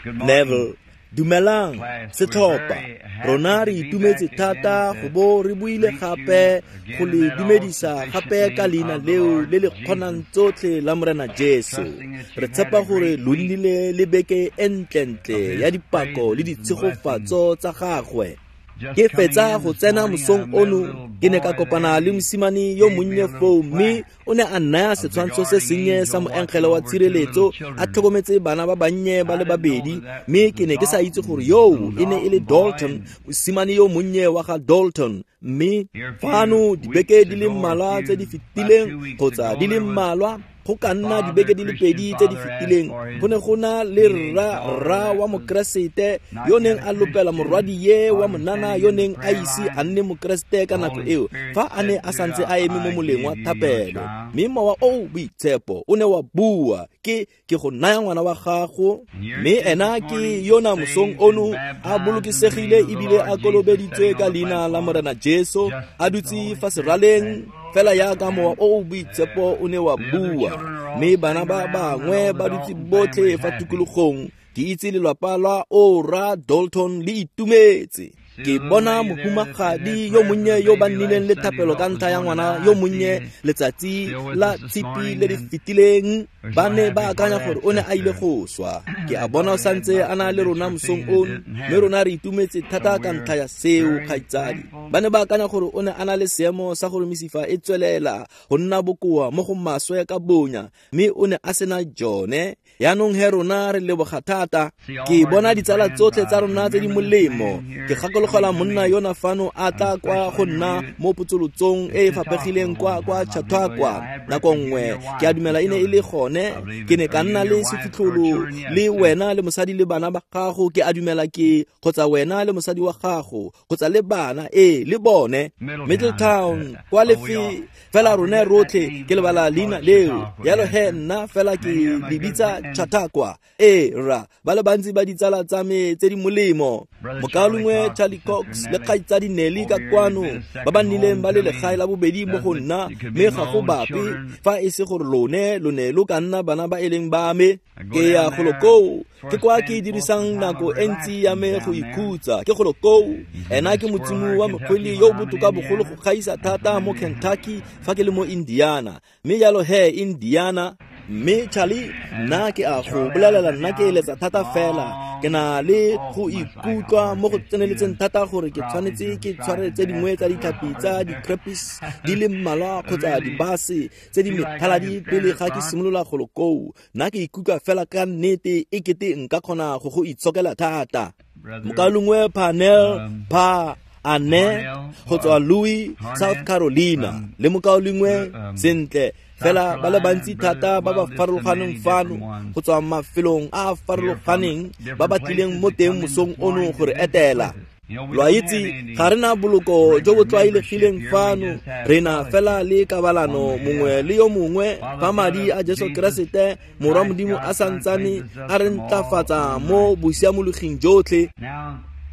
Neville. Dumelang, setlhopha. Rona re itumetse thata go bo re buile gape go le dumedisa gape ka leina leo le le kgonang tsotlhe la Morena Jesu. Re tshepa gore lo nnile le beke e ntlentle ya dipako le ditshegofatso tsa gagwe. Ke fetsa go tsena mosong ono, ke ne ka kopana le mosimane yo monnye foo, mme o ne a nnaya setshwantsho se sennye sa moengele wa tshireletso a tlhokometse bana ba bannye ba le babedi, mme ke ne ke sa itse gore yoo e ne e le Dalton, mosimane yo monnye wa ga Dalton. Mme fano dibeke di le mmalwa tse di fetileng, kgotsa di le mmalwa, go ka nna dibeke di le pedi tse di fetileng, go ne go na le rra wa mokeresete yo neng a lopela morwadie wa monana yo neng a ise a nne mokeresete ka nako eo, fa a ne a santse a eme mo moleng wa thapelo. Mme mowa o boitshepo o ne wa bua, ke go naya ngwana wa gago. Mme ena ke yona mosong ono a bolokesegile ebile a kolobeditswe ka leina la Morena Jesu, a dutse fa seraleng fela yaka mowa o o boitshepo o ne wa bua. Mme bana ba bangwe ba dutse botlhe fa tikologong. Ke itse lelapa la Ora Dalton le itumetse. Ke bona mohumagadi yo monnye yo ba nnileng le thapelo ka ntlha ya ngwana yo monnye letsatsi la tshipi le le fetileng. Ba ne ba akanya gore o ne a ile go swa. Ke a bona o santse a na le rona mosong ono, mme rona re itumetse thata ka ntlha ya seo, kgaitsadi. Ba ne ba akanya gore o ne a na le seemo sa gore mesifa e tswelela go nna bokoa mo go maswe ka bonya, mme o ne a sena jone. Yaanong he rona re leboga thata. Ke bona ditsala tsotlhe tsa rona tse di molemo. Ke gakologelwa monna yona fano a tla kwa go nna mo potsolotsong e e faphegileng kwa Chautauqua nako nngwe. Ke a dumela e ne e le gone. Ke ne ka nna le sefitlholo le wena le mosadi le bana ba gago. Ke a dumela ke kgotsa wena le mosadi wa gago kgotsa le bana, ee, le bone. Middletown kwa lefe fela rone rotlhe, ke lebala leina leo. Yalo he nna fela ke le bitsa Chautauqua. Ee rra, ba le bantsi ba ditsala tsa me tse di molemo. Mokaulengwe Charlie Cox le kgaitsadi Nelly ka kwano, ba ba nnileng ba le legae la bobedi mo go nna, mme ga go bape fa e se gore lone lo ne lo ka nna bana ba e leng ba me. Ke ya golo koo, ke kwa ke dirisang nako e ntsi ya me go ikhutsa. Ke golo koo, ena ke motsimo wa mokgwele yo o botoka bogolo go gaisa thata mo Kentucky fa ke le mo Indiana. Mme jalo he Indiana. Mme Charlie, nna ke a go bolelela, nna ke eletsa thata fela. Ke na le go ikutlwa mo go tseneletseng thata gore ke tshwanetse ke tshware tse dingwe tsa ditlhapi tsa di-crappies di le mmalwa kgotsa dibase tse di methaladi pele ga ke simolola golo koo. Nna ke ikutlwa fela ka nnete e kete nka kgona go go itshokela thata. Mokaulengwe Parnell Pa Ane go tswa Louis, South Carolina, le mokaulengwe sentle fela ba le bantsi thata ba ba farologaneng fano go tswa mafelong a a farologaneng ba ba tlileng mo teng mosong ono gore etela. Lo a itse, ga re na boloko jo bo tlwaelegileng fano, re na fela le kabalano mongwe le yo mongwe fa madi a Jesu Keresete Morwa Modimo a santsane a re ntlafatsa mo bosiamologing jotlhe.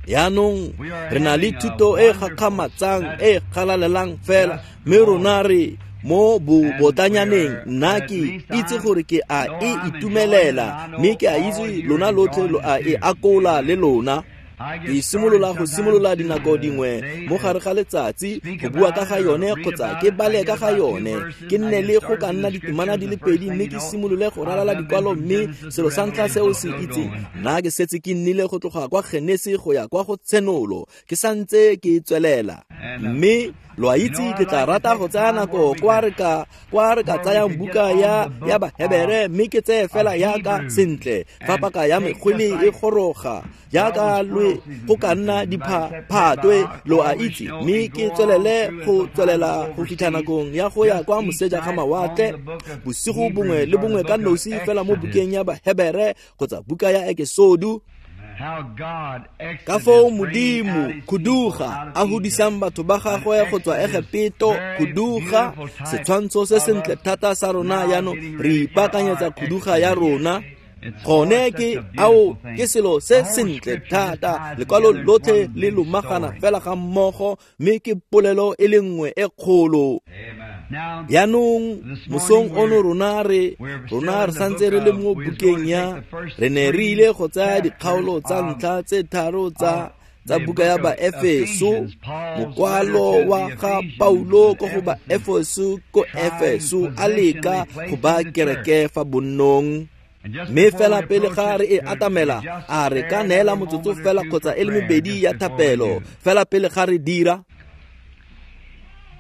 Yaanong re na le thuto e gakgamatsang e galalelang fela, mme rona re mo bobotanyaneng. Nna ke itse gore ke a e itumelela, mme ke a itse lona lotlhe lo a e akola le lona. Ke simolola go simolola dinako dingwe mo gare ga letsatsi go bua ka ga yone kgotsa ke bale ka ga yone. Ke nne le go ka nna ditemana di le pedi mme ke simolole go ralala dikwalo, mme selo sa ntlha se o se itseng, nna ke setse ke nnile go tloga kwa Genesi go ya kwa go Tshenolo, ke santse ke tswelela. Mme lo a itse, ke tla rata go tsaya nako kwa re ka tsayang buka ya Bahebere, mme ke tseye fela yaka sentle fa paka ya mekgwele e goroga, jaaka lwe go ka nna diphatwe, lo a itse, mme ke tswelele go tswelela go fitlha nakong ya go ya kwa moseja ga mawatle bosigo bongwe le bongwe ka nosi fela mo bukeng ya Bahebere kgotsa buka ya Ekesodu. Ka foo Modimo khuduga a hudisang batho ba gagwe go tswa Egepeto, khuduga setshwantsho se sentle thata sa rona. Jaanong re ipaakanyetsa khuduga ya rona. Gone ke ao ke selo se sentle thata. Lekwalo lotlhe le lomagana fela ga mmogo, mme ke polelo e le nngwe e kgolo. Jaanong mosong ono rona re santse re le mo bukeng ya re ne re ile go tsaya dikgaolo tsa ntlha tse tharo tsa buka ya Baefeso, mokwalo wa ga Paulo ko go Baefeso ko Efeso a leka go ba kereke fa bonnong. Mme fela pele ga re e atamela, a re ka neela motsotso fela kgotsa e le mebedi ya thapelo fela pele ga re dira.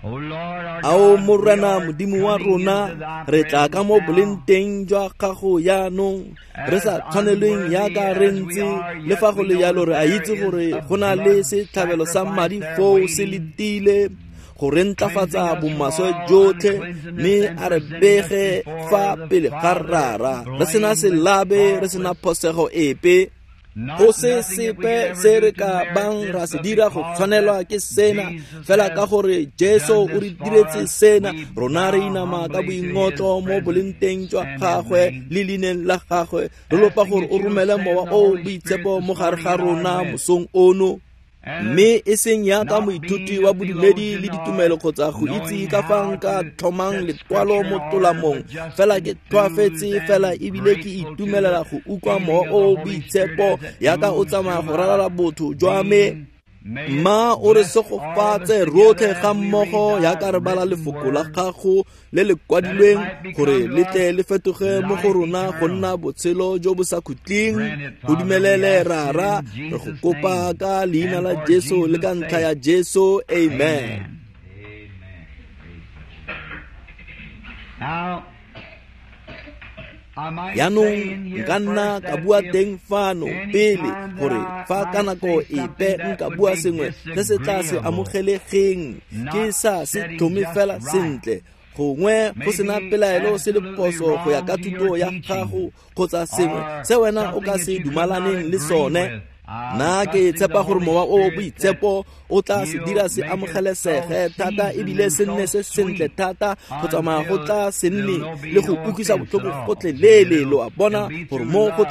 Ao Morena Modimo wa rona, re tla ka mo boleng teng jwa gago jaanong, re sa tshwanelweng jaaka re ntse, le fa go le jalo re a itse gore go na le setlhabelo sa madi foo se letile go re ntlafatsa bomaswe jotlhe, mme a re bege fa pele ga Rara, re sena selabe, re sena phosego epe. Go se sepe se re ka bang ra se dira go tshwanelwa ke sena, fela ka gore Jesu o re diretse sena, rona re inama ka boingotlo mo boleng teng jwa gagwe le leineng la gagwe, re lopa gore o romele mowa o boitshepo mo gare ga rona mosong ono. Mme e seng yaka moithuti wa bodumedi le ditumelo kgotsa go itse ka fa nka tlhomang lekwalo mo tolamong, fela ke tlhoafetse fela ebile ke itumelela go utlwa mowa o boitshepo yaka o tsamaya go ralala botho jwa me. Mma o re segofatse rotlhe ga mmogo yaka re bala lefoko la gago le le kwadilweng gore le tle le fetoge mo go rona go nna botshelo jo bo sa khutleng. Go dumelele Rara, re go kopa ka leina la Jesu le ka ntlha ya Jesu, amen. Jaanong nka nna ka bua teng fano pele gore fa ka nako epe nka bua sengwe se se tla se amogelegeng, ke sa se tlhome fela sentle, gongwe go sena pelaelo se le phoso go ya ka thuto ya gago kgotsa sengwe se wena o ka se dumalaneng le sone. Nna ke tshepa gore mowa o boitshepo o tla se dira se amogelesege thata ebile se nne se sentle thata go tsamaya go tla se nne le go utlwisa botlhoko gotlhelele. Lo a bona gore mo go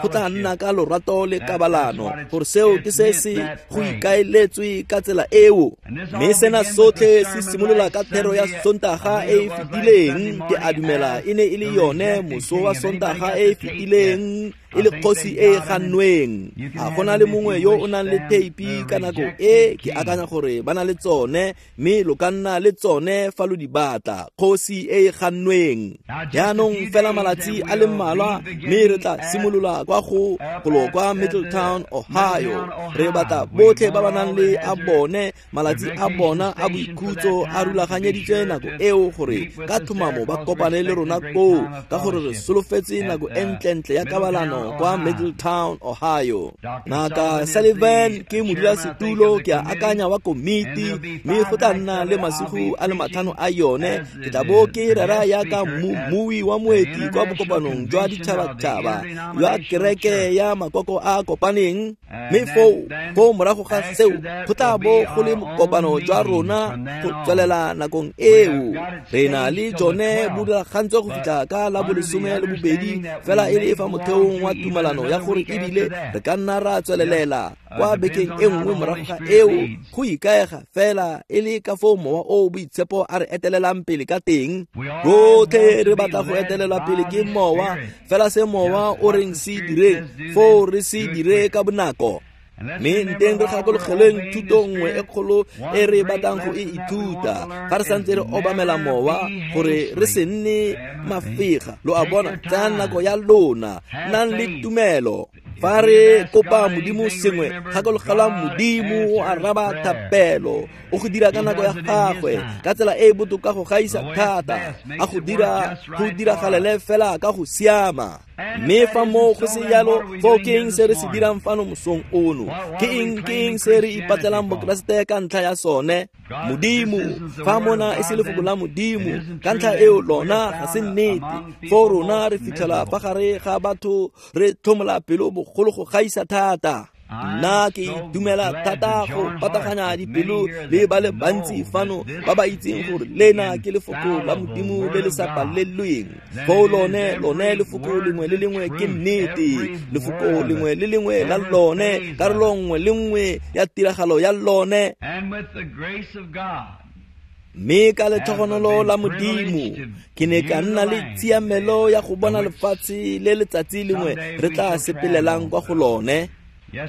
tla nna ka lorato le kabalano, gore seo ke se se go ikaeletswe ka tsela eo. Mme sena sotlhe se simolola ka thero ya Sontaga e e fetileng, ke a dumela e ne e le yone moso wa Sontaga e e fetileng, e le kgosi e e gannweng. A gona le mongwe yo o nang le theipi ka nako e, ke akanya gore ba na le tsone, mme lo ka nna le tsone fa lo di batla. Kgosi e e gannweng. Jaanong fela malatsi a le mmalwa, mme re tla simolola kwa go golo kwa Middletown, Ohio. Re batla botlhe ba ba nang le a bone malatsi a bona a boikhutso a rulaganyeditswe nako eo gore ka tlhomamo ba kopane le rona koo, ka gore re solofetse nako e ntlentle ya kabalano kwa Middletown, Ohio. Ngaka Sullivan ke modulasetulo, ke a akanya wa komiti, mme go tla nna le masigo a le 5 a yone. Ke tla bo ke rera yaka mmui wa moeti kwa bokopanong jwa ditšhabatšhaba jwa kereke ya makoko a kopaneng. Mme foo morago ga seo go tla bo go le kopano jwa rona go tswelela nakong eo. Re na le jone bo rulagantswe go fitlha ka la bo 12, fela e le fa motheong wa tumalano ya gore ebile re ka nna ra tswelelela kwa bekeng e nngwe morago ga eo, go ikaega fela e le ka foo mowa o boitshepo a re etelelang pele ka teng. Rotlhe re batla go etelelwa pele ke mowa, fela se mowa o reng se direng foo re se dire ka bonako. Mme nteng re gakologelweng thuto nngwe e kgolo e re batlang go e ithuta fa re santse re obamela mowa, gore re se nne mafega. Lo a bona, tsayang nako ya lona, nnang le tumelo. Fa re kopa Modimo sengwe, gakologelwang Modimo o araba thapelo, o go dira ka nako ya gagwe, ka tsela e e botoka go gaisa thata, a go dira go diragalele fela ka go siama. Mme fa moo go se jalo, foo ke eng se re se dirang fano mosong ono? Ke eng se re ipatlelang Bokeresete ka ntlha ya sone? Modimo, fa mona e se lefoko la Modimo, ka ntlha eo lona ga se nnete. Foo rona re fitlhela fa gare ga batho re tlhomola pelo bogolo go gaisa thata. Nna ke itumela thata go pataganya dipelo le ba le bantsi fano ba ba itseng gore lena ke lefoko la Modimo le le sa palelweng. Foo lone lefoko lengwe le lengwe ke nnete, lefoko lengwe le lengwe la lone, karolo nngwe le nngwe ya tiragalo ya lone. And with the grace of God, Mme ka letlhogonolo la Modimo ke ne ka nna le tshiamelo ya go bona lefatshe le letsatsi lengwe re tla sepelelang kwa go lone.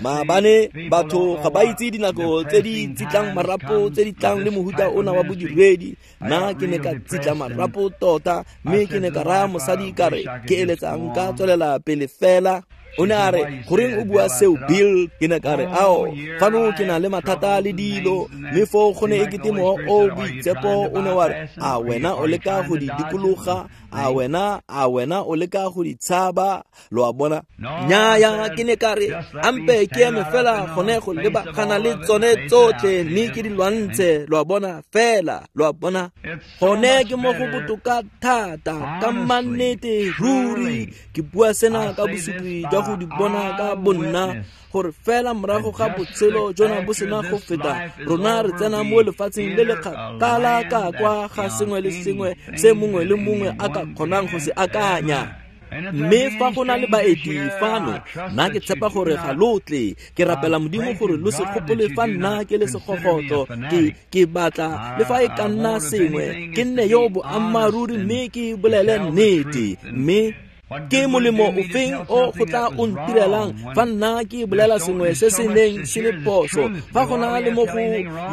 Maabane batho ga ba itse dinako tse di tsitlang marapo tse di tlang le mohuta ona wa bodiredi. Nna ke ne ka tsitla marapo tota, mme ke ne ka raya mosadi ka re ke eletsang ka tswelela pele fela. O ne a re, goreng o bua seo, Bill? Ke ne ka re, ao, fano ke na le mathata le dilo. Mme foo go ne e kete mowa o boitshepo o ne wa re, a wena o leka go di dikologa? A wena o leka go di tshaba? Lo a bona? Nnyaya, ke ne ka re, ampe ke eme fela gone go lebagana le tsone tsotlhe mme ke di lwantshe. Lo a bona fela, lo a bona? Gone ke mo go botoka thata, ka mannete ruri. Ke bua sena ka bosupi jwa go di bona ka bonna, gore fela morago ga botshelo jona bo sena go feta, rona re tsena mo lefatsheng le le kgakala ka kwa ga sengwe le sengwe se mongwe le mongwe a ka kgonang go se akanya. Mme fa go na le baeti fano, nna ke tshepa gore ga lo tle. Ke rapela Modimo gore lo se gopole fa nna ke le segogotlo. Ke batla le fa e ka nna sengwe, ke nne yo boammaaruri mme ke bolele nnete. Mme ke molemo ofeng o go tla o ntirelang fa nna ke bolela sengwe se se neng se le phoso? Fa go na le mo go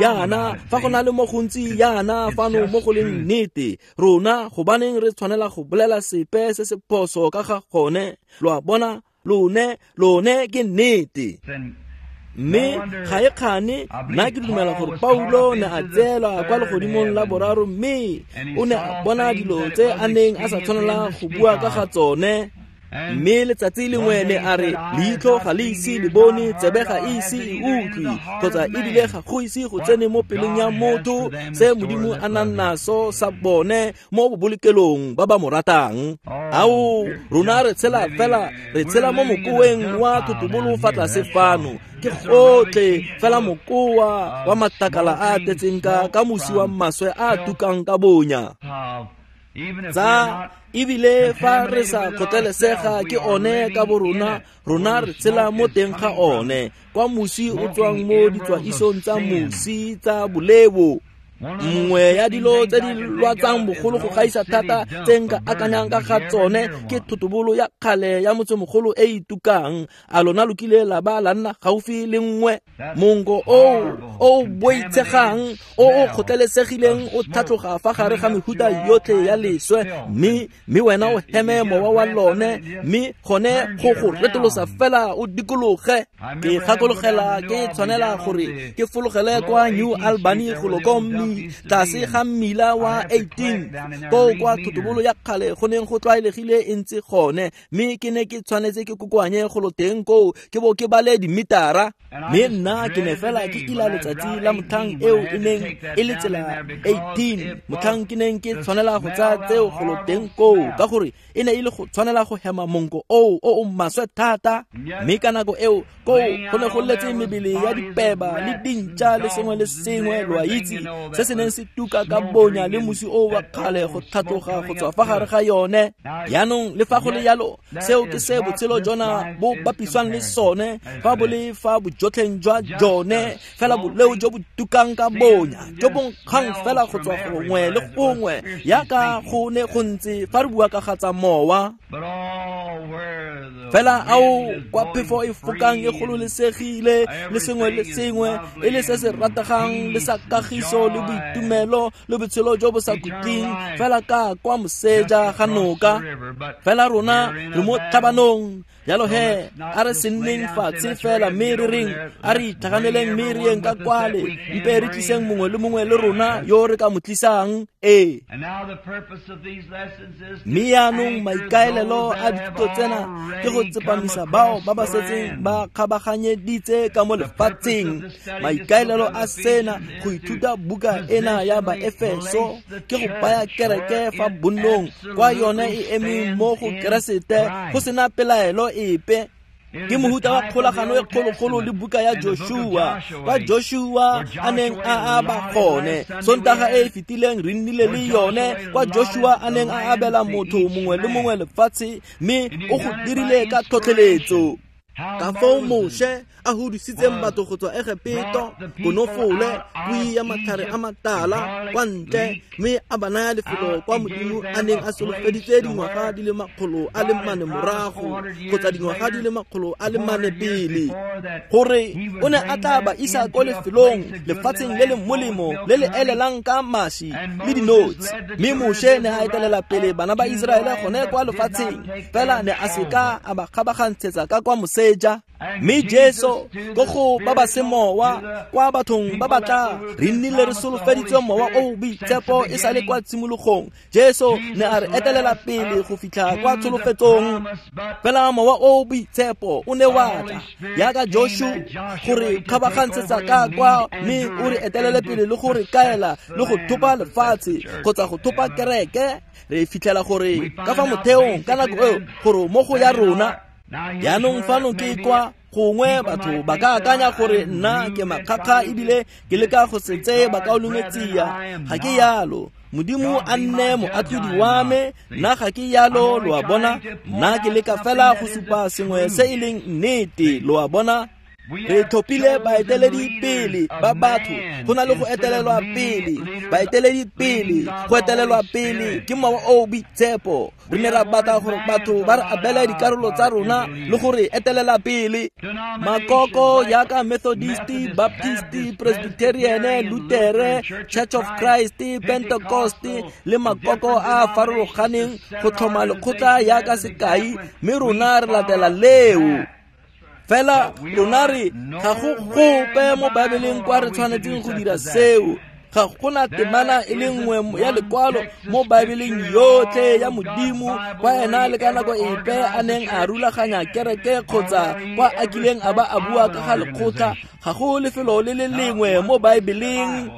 yana, fa go na le mo gontsi yana fano mo go leng nnete, rona gobaneng re tshwanela go bolela sepe se se phoso ka ga gone? Lo a bona, lone ke nnete. Mme ga e kgane, nna ke dumela gore Paulo ne a tseelwa kwa legodimong la boraro, mme o ne a bona dilo tse a neng a sa tshwanela go bua ka ga tsone. Mme letsatsi lengwe ne a re, leitlho ga le ise le bone, tsebe ga e ise e utlwe, kgotsa ebile ga go ise go tsene mo pelong ya motho se Modimo a nang naso sa bone mo bobolokelong ba ba mo ratang. Ao, rona re tshela fela, re tshela mo mokoweng wa thotobolo fa tlase fano. Ke gotlhe fela mokoa wa matlakala a tletseng ka mosi wa maswe a tukang ka bonya. Tsa ebile fa re sa kgotlelesega ke one ka borona, rona re tshela mo teng ga one, kwa mosi o tswang mo ditswaisong tsa mosi tsa bolebo. Nngwe ya dilo tse di lwatsang bogolo go gaisa thata tse nka akanyang ka ga tsone ke thotobolo ya kgale ya motsemogolo e e tukang. A lona lo kile la ba la nna gaufi le nngwe? Monko o boitshegang o o kgotlelesegileng o tlhatloga fa gare ga mehuta yotlhe ya leswe, mme wena o heme mowa wa lone, mme gone go go retolosa fela o dikologe. Ke gakologela ke tshwanela gore ke fologele kwa New Albany go lo ko tlase ga mmila wa 18 koo kwa thotobolo ya kgale go neng go tlwaelegile e ntse gone, mme ke ne ke tshwanetse ke kokoanye go lo teng koo ke bo ke bale dimitara. Mme nna ke ne fela ke ila letsatsi la motlhang eo e neng e le tsela 18, motlhang ke neng ke tshwanela go tsaya tseo go lo teng koo, ka gore e ne e le go tshwanela go hema monko oo o o maswe thata. Mme ka nako eo koo go ne go letse mebele ya dipeba le dintša le sengwe le sengwe, lo a itse, se se neng se tuka ka bonya le mosi o wa kgale go tlhatloga go tswa fa gare ga yone. Jaanong le fa go le yalo, seo ke se botshelo jona bo bapiswang le sone, fa bo le fa bojotlheng jwa jone, fela boleo jo bo tukang ka bonya, jo bo nkgang fela go tswa gongwe le gongwe, yaka go ne go ntse fa re bua ka ga tsa mowa. Fela ao kwa phefo e fokang e gololesegile le sengwe le sengwe e le se se rategang le sa kagiso le boitumelo le botshelo jo bo sa khutleng, fela ka kwa moseja ga noka. Fela rona re mo tlhabanong. Jalo he, a re se nneng fatshe fela mme re reng, a re itlhaganeleng mme re yeng ka kwale, mpe re tliseng mongwe le mongwe le rona yo re ka mo tlisang. Ee. Mme yaanong maikaelelo a dithuto tsena ke go tsepamisa bao ba ba setseng ba kgabaganyeditse ka mo lefatsheng. Maikaelelo a sena go ithuta buka ena ya Baefeso ke go baya kereke fa bonnong kwa yone e emeng mo go Keresete go sena pelaelo epe. Ke mohuta wa kgolagano e kgologolo le buka ya Joshua, kwa Joshua a neng a aba gone. Sontaga e e fetileng re nnile le yone, kwa Joshua a neng a abela motho mongwe le mongwe lefatshe, mme o go dirile ka tlhotlheletso. Ka foo Moshe a hudusitseng batho go tswa Egepeto, konofole, kui ya matlhare a matala kwa ntle, mme a ba naya lefelo kwa Modimo a neng a solofeditse dingwaga di le 400 morago kgotsa dingwaga di le 400 pele, gore o ne a tla ba isa ko lefelong, lefatsheng le le molemo le le elelang ka maši le dinotshi. Mme Moshe ne a etelela pele bana ba Iseraele gone kwa lefatsheng, fela ne a seka a ba kgabagantshetsa ka kwa moseja. Mme Jesu ko go ba ba semowa, kwa bathong ba batla re nnile re solofeditswe mowa o boitshepo e sale kwa tshimologong. Jesu ne a re etelela pele go fitlha kwa tsholofetsong, fela mowa o boitshepo o ne wa tla yaka Joshua gore kgabagantshetsa ka kwa, mme o re etelele pele le gore kaela le go thopa lefatshe kgotsa go thopa kereke. Re fitlhela gore ka fa motheong ka nako eo gore mo go ya rona jaanong fano ke kwa gongwe batho ba ka akanya gore nna ke makgakga ebile ke leka go se tseye bakaulengwe tsia. Ga ke yalo. Modimo a nne moatlhodi wa me, nna ga ke yalo, lo a bona. Nna ke leka fela go supa sengwe se e leng nnete, lo a bona. Re tlhophile baeteledi pele ba batho go na le go etelelwa pele, baeteledi pele go etelelwa pele ke mowa o boitshepo. Re ne ra batla gore batho ba re abele dikarolo tsa rona le gore etelela pele. Makoko yaka Methodist, Baptist, Presbyterian, Lutere, Church of Christ, Pentecost le makoko a farologaneng go tlhoma lekgotla yaka sekai, mme rona re latela leo. Fela rona re ga go gope mo Baebeleng kwa re tshwanetseng go dira seo. Ga gona temana e le nngwe ya lekwalo mo Baebeleng yotlhe ya Modimo kwa ena le ka nako epe a neng a rulaganya kereke kgotsa kwa a kileng a ba a bua ka ga lekgotla. Ga go lefelo le le lengwe mo Baebeleng.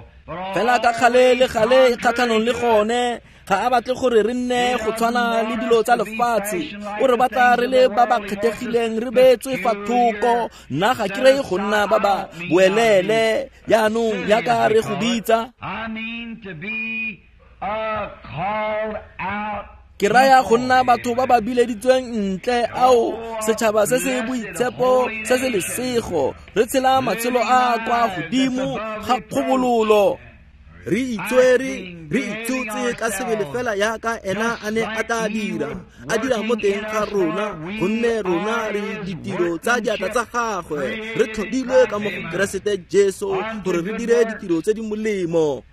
Fela ka gale le gale e kgatlhanong le gone. Ga a batle gore re nne go tshwana le dilo tsa lefatshe. O re batla re le ba ba kgethegileng, re beetswe fa thoko. Nna ga ke reye go nna ba ba boelele jaanong yaka re go bitsa. Ke raya go nna batho ba ba bileditsweng ntle, ao setšhaba se se boitshepo se se lesego. Re tshela matshelo a kwa godimo ga kgobololo. Re itswere, re itsotse ka sebele fela yaka ena a ne a tla dira, a dira mo teng ga rona, gonne rona re ditiro tsa diatla tsa gagwe. Re tlhodilwe ka mo go Keresete Jesu gore re dire ditiro tse di molemo.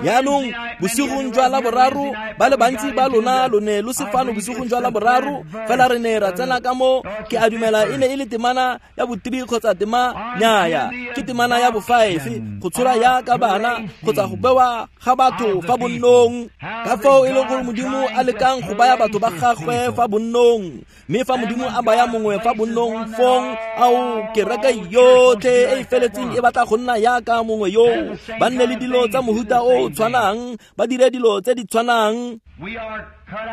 Jaanong bosigong jwa Laboraro, ba le bantsi ba lona lo ne lo se fano bosigong jwa Laboraro, fela re ne ra tsena ka mo, ke a dumela e ne e le temana ya bo-3 kgotsa tema nyaya, ke temana ya bo-5, go tshola yaka bana kgotsa go bewa ga batho fa bonnong. Ka fao e leng gore Modimo a lekang go baya batho ba gagwe fa bonnong, mme fa Modimo a baya mongwe fa bonnong fong, ao kereke yotlhe e e feletseng e batla go nna yaka mongwe yo, ba nne le dilo tsa mohuta o tshwanang, ba dire dilo tse di tshwanang.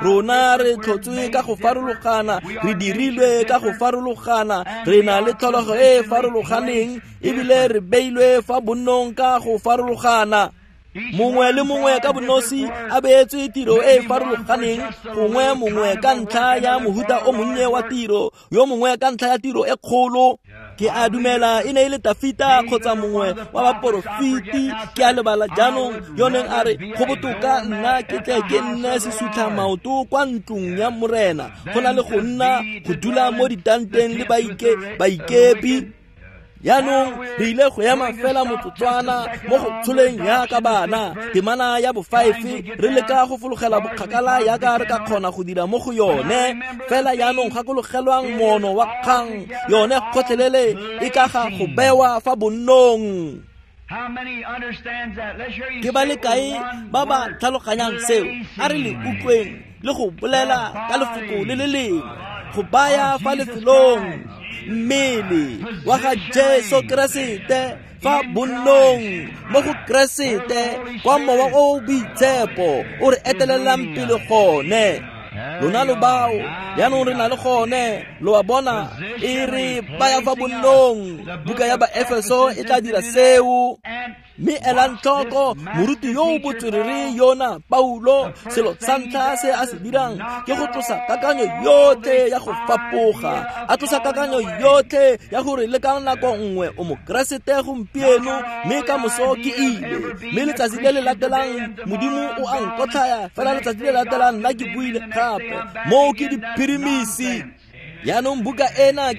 Rona re tlhotswe ka go farologana, re dirilwe ka go farologana, re na le tlholego e e farologaneng, ebile re beilwe fa bonnong ka go farologana. Mongwe le mongwe ka bonosi a beetswe tiro e e farologaneng, gongwe mongwe ka ntlha ya mohuta o monnye wa tiro, yo mongwe ka ntlha ya tiro e kgolo. Ke a dumela e ne e le Tafita kgotsa mongwe wa baporofiti, ke a lebala jaanong, yo neng a re go botoka nna ke tle ke nne sesutlha maoto kwa ntlong ya Morena go na le go nna go dula mo ditanteng le baikepi. Jaanong re ile go ema fela motsotswana mo go tsholeng yaka bana, temana ya bo-5, re leka go fologela bokgakala yaka re ka kgona go dira mo go yone. Fela jaanong gakologelwang moono wa kgang yone gotlhelele e ka ga go bewa fa bonnong. Ke ba le kae ba ba tlhaloganyang seo? A re le utlweng le go bolela ka lefoko le le lengwe, go baya fa lefelong mmele wa ga Jesu Keresete fa bonnong mo go Keresete, kwa mowa o boitshepo o re etelelang pele gone. Lona lo bao jaanong re na le gone, lo a bona, e re baya fa bonnong. Buka ya Baefeso e tla dira seo. Mme elang tlhoko moruti yo o botswerere yona Paulo, selo sa ntlha se a se dirang ke go tlosa kakanyo yotlhe ya go fapoga, a tlosa kakanyo yotlhe ya gore le ka nako nngwe o mokeresete gompieno mme ka moso ke ile, mme letsatsi le le latelang Modimo o a nkotlhaya, fela letsatsi le latelang nna ke buile gape. Moo ke diphirimisi. Jaanong buka ena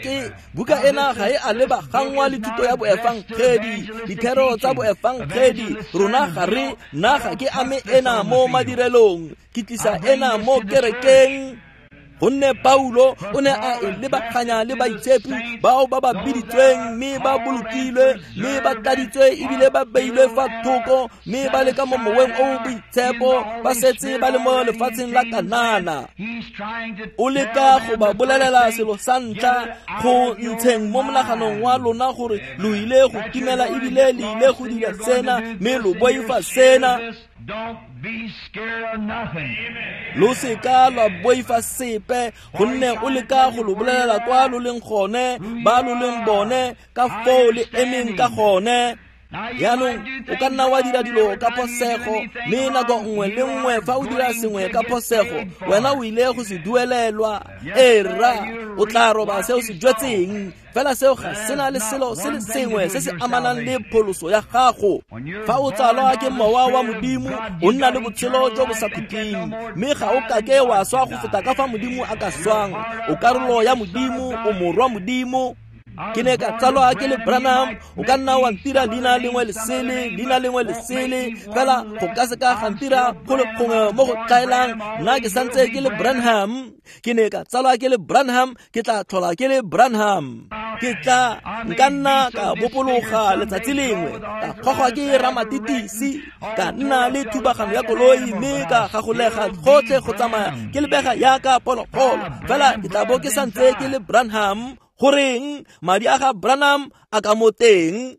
ga e a lebagangwa le thuto ya boefangedi, dithero tsa boefangedi. Rona ga re nna ga ke ame ena mo madirelong, ke tlisa ena mo kerekeng. Gonne Paulo o ne a e lebaganya le baitshepi bao ba ba biditsweng mme ba bolokilwe mme ba tladitswe ebile ba beilwe fa thoko mme ba le ka mo moweng o o boitshepo, ba setse ba le mo lefatsheng la Kanana. O leka go ba bolelela selo sa ntlha go ntsheng mo monaganong wa lona gore lo ile go timela ebile le ile go dira sena mme lo boifa sena. Lo seka lwa boifa sepe, gonne o leka go lo bolelela kwa lo leng gone, ba lo leng bone, ka foo le emeng ka gone. Jaanong o ka nna wa dira dilo ka phosego, mme nako nngwe le nngwe fa o dira sengwe ka phosego, wena o ile go se duelelwa. Ee rra, o tla roba se o se jwetseng. Fela seo ga sena le selo se le sengwe se se amanang le pholoso ya gago. Fa o tsalwa ke mowa wa Modimo, o nna le botshelo jo bo sa khutleng, mme ga o kake wa swa go feta ka fa Modimo a ka swang. O karolo ya Modimo, o morwa Modimo. Ke ne ka tsalwa ke le Branham, o ka nna wa ntira leina lengwe le sele, leina lengwe le sele, fela go ka se ka ga ntira go le gongwe mo go tlaelang. Nna ke santse ke le Branham. Ke ne ka tsalwa ke le Branham, ke tla tlhola ke le Branham. Ke tla nka nna ka bopologa letsatsi lengwe, ka gogwa ke ramatitisi, ka nna le thubagano ya koloi mme ka gagolega gotlhe go tsamaya ke lebega yaka phologolo, fela ke tla bo ke santse ke le Branham. Goreng madi a ga Branham a ka mo teng?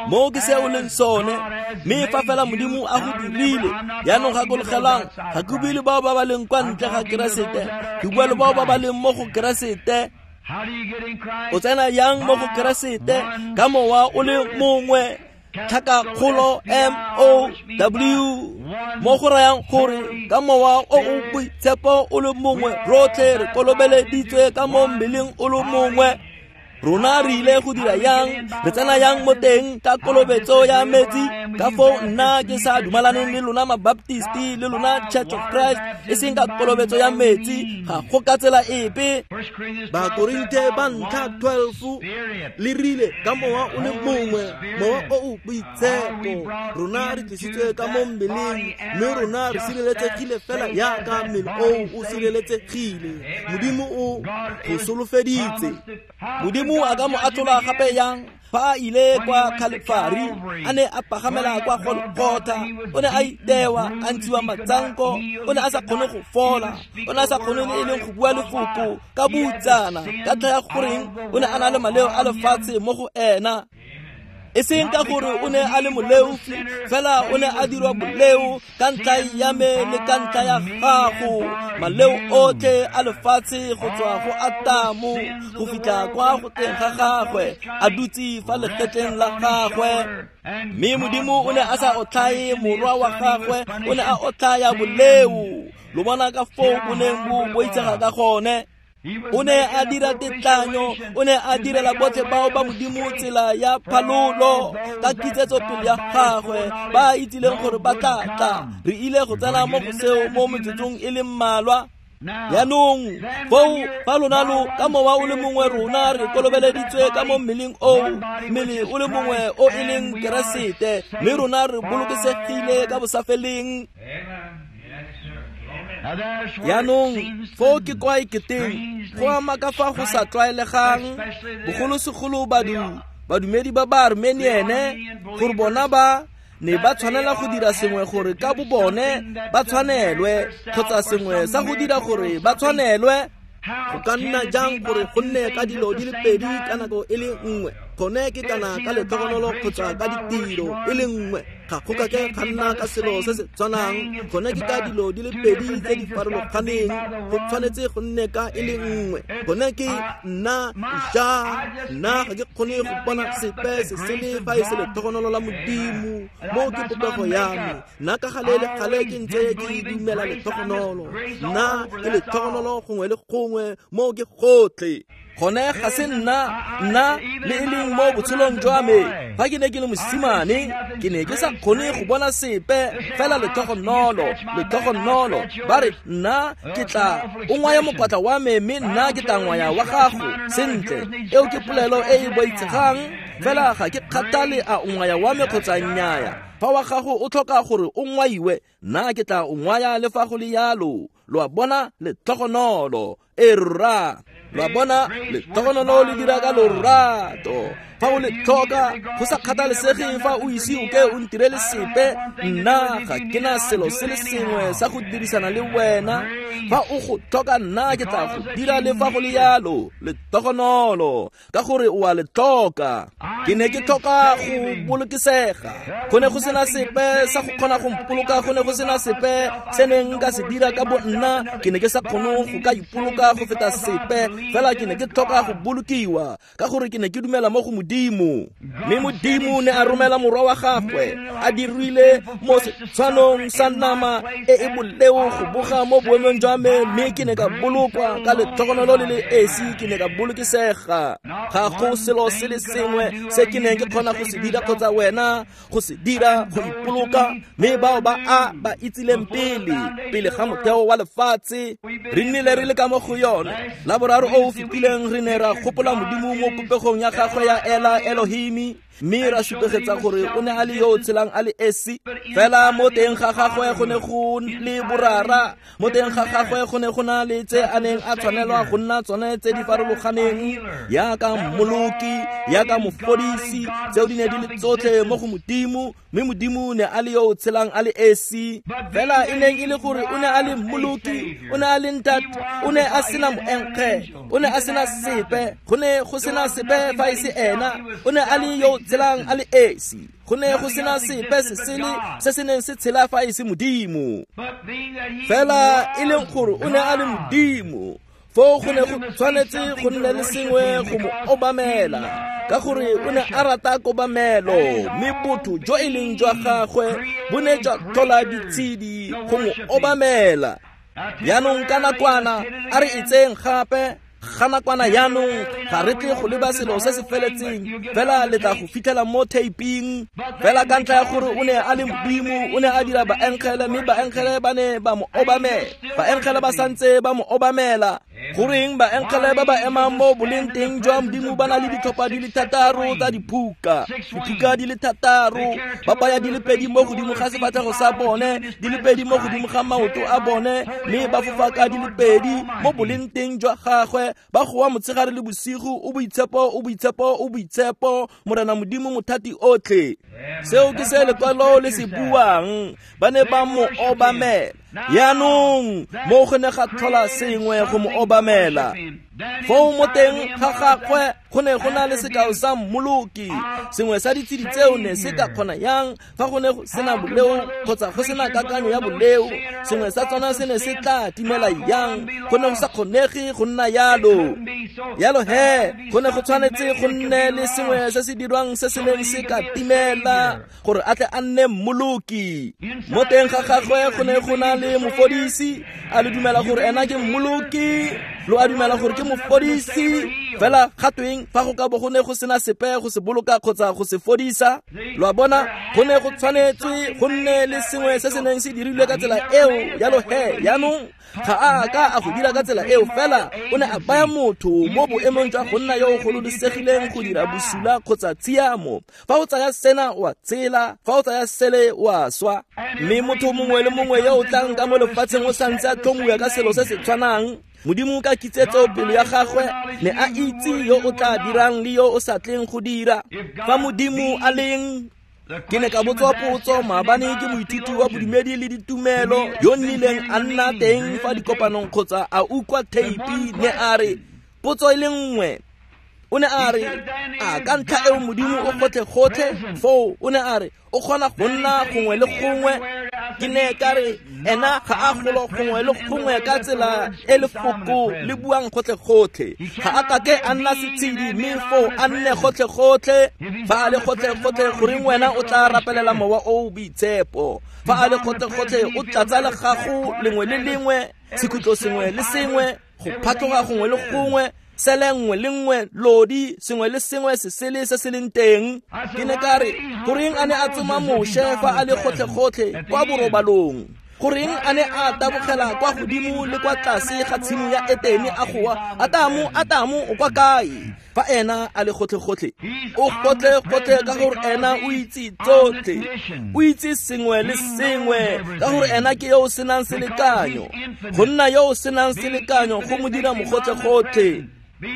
Mo ke se o leng sone, mme fa fela Modimo a go dirile. Jaanong gakologelang, ga ke bue le bao ba ba leng kwa ntle ga Keresete, ke bua le bao ba ba leng mo go Keresete. O tsena yang mo go Keresete? Ka mowa o le mongwe, tlhakakgolo M O W, mo go rayang gore ka mowa o o boitshepo o le mongwe rotlhe re kolobeleditswe ka mo mmeleng o le mongwe. Rona re ile go dira yang? Re tsena yang mo teng ka kolobetso ya metsi? Ka foo nna ke sa dumalaneng le lona mabaptisti le lona Church of Christ, e seng ka kolobetso ya metsi, ga go ka tsela epe. Bakorinthe ba ntlha 12 le rile ka mowa o le mongwe, mowa o o boitshepo, rona re tlisitswe ka mo mmeleng, mme rona re sireletsegile fela yaka mmele oo o sireletsegile. Modimo o go solofeditse. Modimo a ka mo atlhola gape yang fa a ile kwa Kalefari, a ne a pagamela kwa Golgotha, o ne a itewa, a ntshiwa matsanko, o ne a sa kgone go fola, o ne a sa kgone le e leng go bua lefoko ka boutsana, ka ntlha ya goreng o ne a na le maleo a lefatshe mo go ena. E seng ka gore o ne a le moleofi, fela o ne a dirwa boleo ka ntlha ya me le ka ntlha ya gago. Maleo otlhe a lefatshe go tswa go Atamo go fitlha kwa go teng ga gagwe, a dutse fa legetleng la gagwe. Mme Modimo o ne a sa otlhaye morwa wa gagwe, o ne a otlhaya boleo. Lo bona ka foo bo neng bo boitsega ka gone. O ne a dira tetlanyo, o ne a direla botlhe bao ba Modimo tsela ya phalolo ka kitsetsopele ya gagwe, ba itsileng gore ba tla tla. Re ile go tsena mo go seo mo metsotsong e le mmalwa. Jaanong foo fa lona lo ka mowa o le mongwe rona re kolobeleditswe ka mo mmeleng oo, mmele o le mongwe o e leng Keresete, mme rona re bolokesegile ka bosafeleng. Jaanong foo ke kwa e keteng go ama ka fa go sa tlwaelegang, bogolosegolo badumedi ba ba Armeniene, gore bona ba ne ba tshwanela go dira sengwe gore ka bo bone ba tshwanelwe, kgotsa sengwe sa go dira gore ba tshwanelwe. Go ka nna jang gore go nne ka dilo di le pedi ka nako e le nngwe? Gone ke kana ka letlhogonolo kgotsa ka ditiro e le nngwe. Ga go ka ke ga nna ka selo se se tshwanang, gone ke ka dilo di le pedi tse di farologaneng, go tshwanetse go nne ka e le nngwe. Gone ke nna ja, nna ga ke kgone go bona sepe se sele fa e se letlhogonolo la Modimo. Mo ke popego ya me, nna ka gale le gale ke ntse ke dumela letlhogonolo. Nna ke letlhogonolo gongwe le gongwe, mo ke gotlhe. Gone ga se nna, nna le e leng mo botshelong jwa me. Fa ke ne ke le mosimane, ke ne ke sa kgone go bona sepe fela letlhogonolo, letlhogonolo. Ba re nna ke tla o ngwaya mokwatla wa me, mme nna ke tla ngwaya wa gago. Sentle, eo ke polelo e e boitshegang, fela ga ke kgathale a o ngwaya wa me kgotsa nnyaya. Fa wa gago o tlhoka gore o ngwaiwe, nna ke tla o ngwaya le fa go le yalo. Lo a bona, letlhogonolo. E rra, lo a bona, letlhogonolo le dira ka lorato. Fa o le tlhoka, go sa kgathalesege fa o ise o ke o ntirele sepe, nna ga ke na selo se le sengwe sa go dirisana le wena. Fa o go tlhoka, nna ke tla go dira le fa go le yalo. Letlhogonolo, ka gore o a le tlhoka. Ke ne ke tlhoka go bolokesega. Go ne go sena sepe sa go kgona go mpoloka, go ne go sena sepe se neng nka se dira ka bo nna. Ke ne ke sa kgone go ka ipoloka go feta sepe, fela ke ne ke tlhoka go bolokiwa, ka gore ke ne ke dumela mo go Modimo. Mme Modimo ne a romela morwa wa gagwe, a dirile mo setshwanong sa nama e e boleo go boga mo boemong jwa me, mme ke ne ka bolokwa ka letlhogonolo le le esi, ke ne ka bolokesega. Ga go selo se le sengwe se ke neng ke kgona go se dira kgotsa wena go se dira go ipoloka, mme bao ba a ba itsileng pele, pele ga motheo wa lefatshe, re nnile re le ka mo go yone. La boraro o o fetileng re ne ra gopola Modimo mo popegong ya gagwe ya Ela Elohimi, mme ra supegetsa gore o ne a le yo o tshelang a le esi. Fela mo teng ga gagwe go ne go le borara, mo teng ga gagwe go ne go na le tse a neng a tshwanelwa go nna tsone tse di farologaneng, yaka mmoloki, yaka mofodisi. Tseo di ne di le tsotlhe mo go Modimo, mme Modimo ne a le yo o tshelang a le esi. Fela e neng e le gore o ne a le mmoloki, o ne a le ntate, o ne a sena moenkge, o ne a sena sepe, go ne go sena sepe fa e se ena. O ne a le yo o tshelang a le esi, go ne go sena sepe se sele se se neng se tshela fa e se Modimo. Fela e leng gore o ne a le Modimo, foo go ne go tshwanetse go nne le sengwe go mo obamela, ka gore o ne a rata kobamelo, mme botho jo e leng jwa gagwe bo ne jwa tlhola ditshedi go mo obamela. Jaanong ka nakwana a re itseng gape, ga nakwana jaanong ga re tle go leba selo se se feletseng, fela le tla go fitlhela mo taping. Fela ka ntlha ya gore o ne a le Modimo, o ne a dira baengele, mme baengele ba ne ba mo obamela. Baengele ba santse ba mo obamela. Goreng baengele ba ba emang mo boleng teng jwa Modimo ba na le ditlhopha di le thataro tsa diphuka, diphuka di le thataro, ba baya di le pedi mo godimo ga sefatlhego sa bone, di le pedi mo godimo ga maoto a bone, mme ba fofa ka di le pedi mo boleng teng jwa gagwe, ba goa motshegare le bosigo, o boitshepo, o boitshepo, o boitshepo, Morena Modimo mothati otlhe. Seo ke se lekwalo le se buang. Ba ne ba mo obamela. Jaanong mo go ne ga tlhola sengwe go mo obamela. Foo mo teng ga gagwe go ne go na le sekao sa mmoloki. Sengwe sa ditshedi tseo ne se ka kgona yang fa go ne go sena boleo kgotsa go sena kakanyo ya boleo? Sengwe sa tsona se ne se tla timela yang? Go ne go sa kgonege go nna yalo. Yalo he, go ne go tshwanetse go nne le sengwe se se dirwang se se neng se ka timela gore a tle a nne mmoloki. Mo teng ga gagwe go ne go na le mofodisi. A le dumela gore ena ke mmoloki? Lo a dumela gore ke mofodisi? Fela ga tweng fa go ka bo go ne go sena sepe go se boloka kgotsa go se fodisa? Lo a bona, go ne go tshwanetswe go nne le sengwe se se neng se dirilwe ka tsela eo. Yalo he, jaanong ga a ka a go dira ka tsela eo, fela o ne a baya motho mo boemong jwa go nna yo o gololosegileng go dira bosula kgotsa tshiamo. Fa o tsaya sena o a tshela, fa o tsaya sele o a swa. Mme motho mongwe le mongwe yo o tlang ka mo lefatsheng o santse a tlhomiwa ka selo se se tshwanang. Modimo ka kitsetso pelo ya gagwe ne a itse yo o tla dirang le yo o sa tleng go dira. Fa Modimo a leng, ke ne ka botswa potso maabane ke moithuti wa bodumedi le ditumelo yo nnileng a nna teng fa dikopanong kgotsa a utlwa theipi, ne a re potso e le nngwe, O ne a re, a ka ntlha eo Modimo o gotlhe-gotlhe foo, o ne a re, o kgona go nna gongwe le gongwe. Ke ne ka re, ena ga a golo gongwe le gongwe ka tsela e lefoko le buang gotlhe-gotlhe. Ga a kake a nna setshedi mme foo a nne gotlhe-gotlhe. Fa a le gotlhe-gotlhe, goreng wena o tla rapelela mowa o o boitshepo? Fa a le gotlhe-gotlhe, o tlatsa legago lengwe le lengwe, sekhutlo sengwe le sengwe, go phatloga gongwe le gongwe, sele nngwe le nngwe, lodi sengwe le sengwe se sele se se leng teng. Ke ne ka re, goreng a ne a tsoma Moshe fa a le gotlhe-gotlhe kwa borobalong? Goreng a ne a tabogela kwa godimo le kwa tlase ga tshimo ya Etene a goa, Atamo, Atamo, o kwa kae? Fa ena a le gotlhe-gotlhe, o gotlhe-gotlhe ka gore ena o itse tsotlhe, o itse sengwe le sengwe, ka gore ena ke yo o senang selekanyo. Go nna yo o senang selekanyo go mo dira mogotlhe-gotlhe.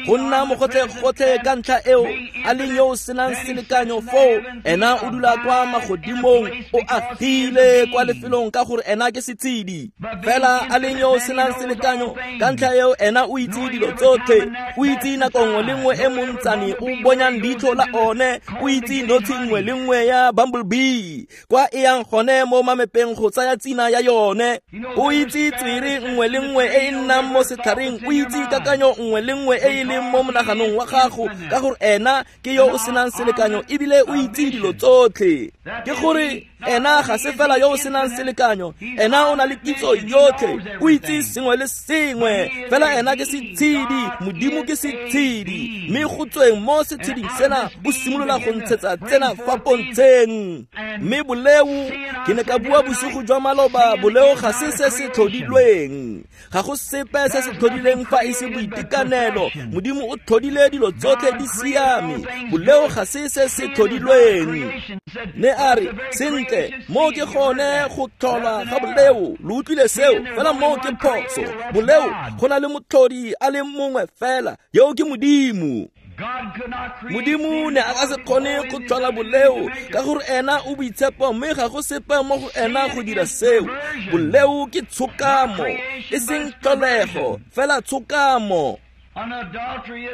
Go nna mogotlhe-gotlhe ka ntlha eo a leng yo o senang selekanyo foo, ena o dula kwa magodimong, o agile kwa lefelong ka gore ena ke setshedi. Fela a leng yo o senang selekanyo ka ntlha eo, ena o itse dilo tsotlhe, o itse nako nngwe le nngwe e montsane o bonyang leitlho la one, o itse notshi nngwe le nngwe ya bumblebee kwa e yang gone mo mamepeng go tsaya tsina ya yone, o itse tswere nngwe le nngwe e e nnang mo setlhareng, o itse kakanyo nngwe le nngwe e e leng mo monaganong wa gago, ka gore ena ke yo o senang selekanyo ebile o itse dilo tsotlhe. Ke gore ena ga se fela yo o senang selekanyo, ena o na le kitso yotlhe, o itse sengwe le sengwe. Fela ena ke setshedi, Modimo ke setshedi, mme go tsweng mo setsheding sena o simolola go ntshetsa tsena fa pontsheng. Mme boleo, ke ne ka bua bosigo jwa maloba, boleo ga se se se tlhodilweng. Ga go sepe se se tlhodileng fa e se boitekanelo. Modimo o tlhodile dilo tsotlhe di siame. Boleo ga se se se tlhodilweng. Ne a re, sentle, mo ke gone go tlhola ga boleo. Lo utlwile seo, fela moo ke phoso. Boleo, go na le motlhodi a le mongwe fela, yo ke Modimo. Modimo ne a ka se kgone go tlhola boleo ka gore ena o boitshepo, mme ga go sepe mo go ena go dira seo. Boleo ke tshokamo, e seng tlholego, fela tshokamo.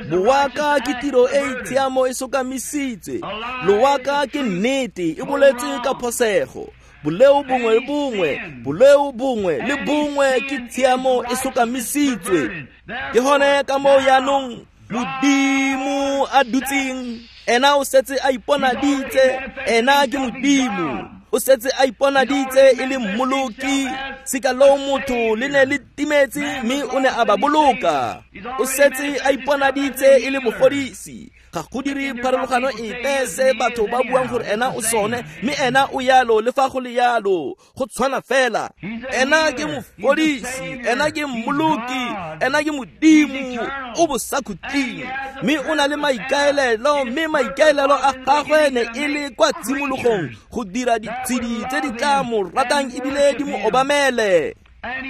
Boaka ke tiro e e tshiamo e sokamisitswe. Loaka ke nnete e boletswe ka phosego. Boleo bongwe le bongwe, boleo bongwe le bongwe ke tshiamo e sokamisitswe. Ke gone ka moo jaanong Modimo a dutseng, ena o setse a iponaditse, ena ke Modimo. O setse a iponaditse e le mmoloki. Sika loo motho le ne le timetse mme o ne a ba boloka. O setse a iponaditse e le mofodisi. Ga go dire pharologano epe se batho ba buang gore ena o sone, mme ena o yalo le fa go le yalo, go tshwana fela. Ena ke mofodisi, ena ke mmoloki, ena ke Modimo o bosakhutleng, mme o na le maikaelelo, mme maikaelelo a gagwe ne e le kwa tshimologong go dira ditshedi tse di tla mo ratang ebile di mo obamele.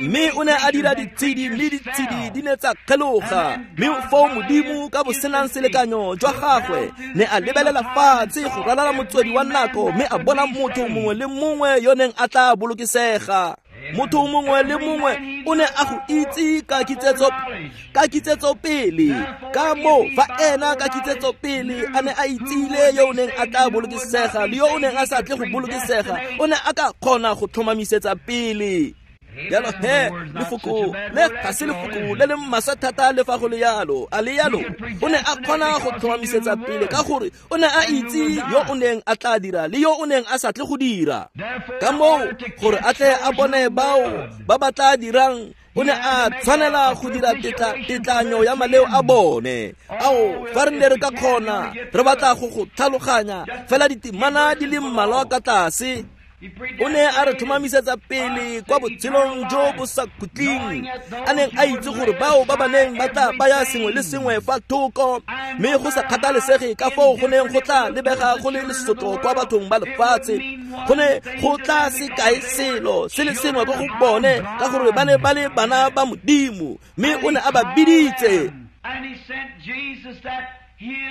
Mme o ne a dira ditshedi, mme ditshedi di ne tsa kgeloga. Mme foo Modimo ka bosenang selekanyo jwa gagwe ne a lebelela fatshe go ralala motswedi wa nako, mme a bona motho mongwe le mongwe yo neng a tla bolokesega. Motho mongwe le mongwe o ne a go itse ka kitsetso pele. Ka moo fa ena ka kitsetso pele a ne a itsile yo o neng a tla bolokesega le yo o neng a sa tle go bolokesega, o ne a ka kgona go tlhomamisetsa pele. Jalo he, lefoko le ga se lefoko le le maswe thata le fa go le yalo, a le yalo. O ne a kgona go tlhomamisetsa pele ka gore o ne a itse yo o neng a tla dira le yo o neng a sa tle go dira. Ka moo gore a tle a bone bao ba ba tla dirang, o ne a tshwanela go dira tetlanyo ya maleo a bone. Ao, fa re ne re ka kgona, re batla go go tlhaloganya fela ditemana di le mmalwa ka tlase. O ne a re tlhomamisetsa pele kwa botshelong jo bo sa khutleng, a neng a itse gore bao ba ba neng ba tla baya sengwe le sengwe fa thoko, mme go sa kgathalesege ka foo go neng go tla lebega go le lesotlo kwa bathong ba lefatshe, go ne go tla se kae selo se le sengwe ko go bone, ka gore ba ne ba le bana ba Modimo, mme o ne a ba biditse.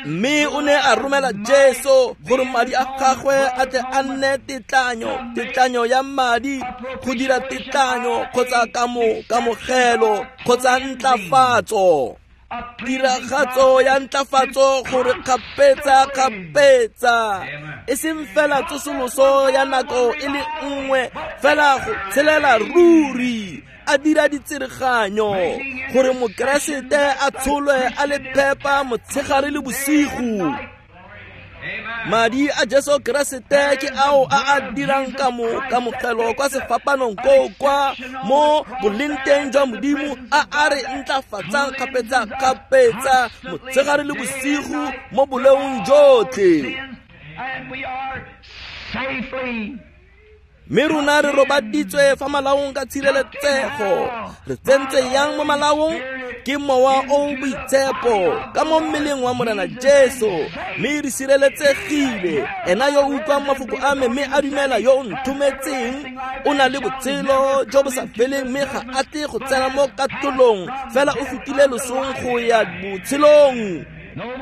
Mme o ne a romela Jesu gore madi a gagwe a tle a nne tetlanyo, tetlanyo ya madi, go dira tetlanyo kgotsa kamogelo kgotsa ntlafatso. Tiragatso ya ntlafatso gore kgapetsa-kgapetsa e seng fela tsosoloso ya nako e le nngwe fela go tshelela ruri a dira ditsereganyo gore mokeresete a tsholwe a le phepa motshegare le bosigo. Madi a Jesu Keresete ke ao a a dirang kamogelo kwa sefapanong koo kwa mo bolengteng jwa Modimo a a re ntlafatsang kgapetsa-kgapetsa motshegare le bosigo mo boleong jotlhe. Mme rona re robaditswe fa malaong ka tshireletsego. Re tsentse yang mo malaong? Ke mowa o boitshepo ka mo mmeleng wa Morena Jesu, mme re sireletsegile. Ena yo o utlwang mafoko a me mme a dumela yo o nthometseng o na le botshelo jo bo sa feleng, mme ga a tle go tsena mo katolong, fela o fetile losong go ya botshelong.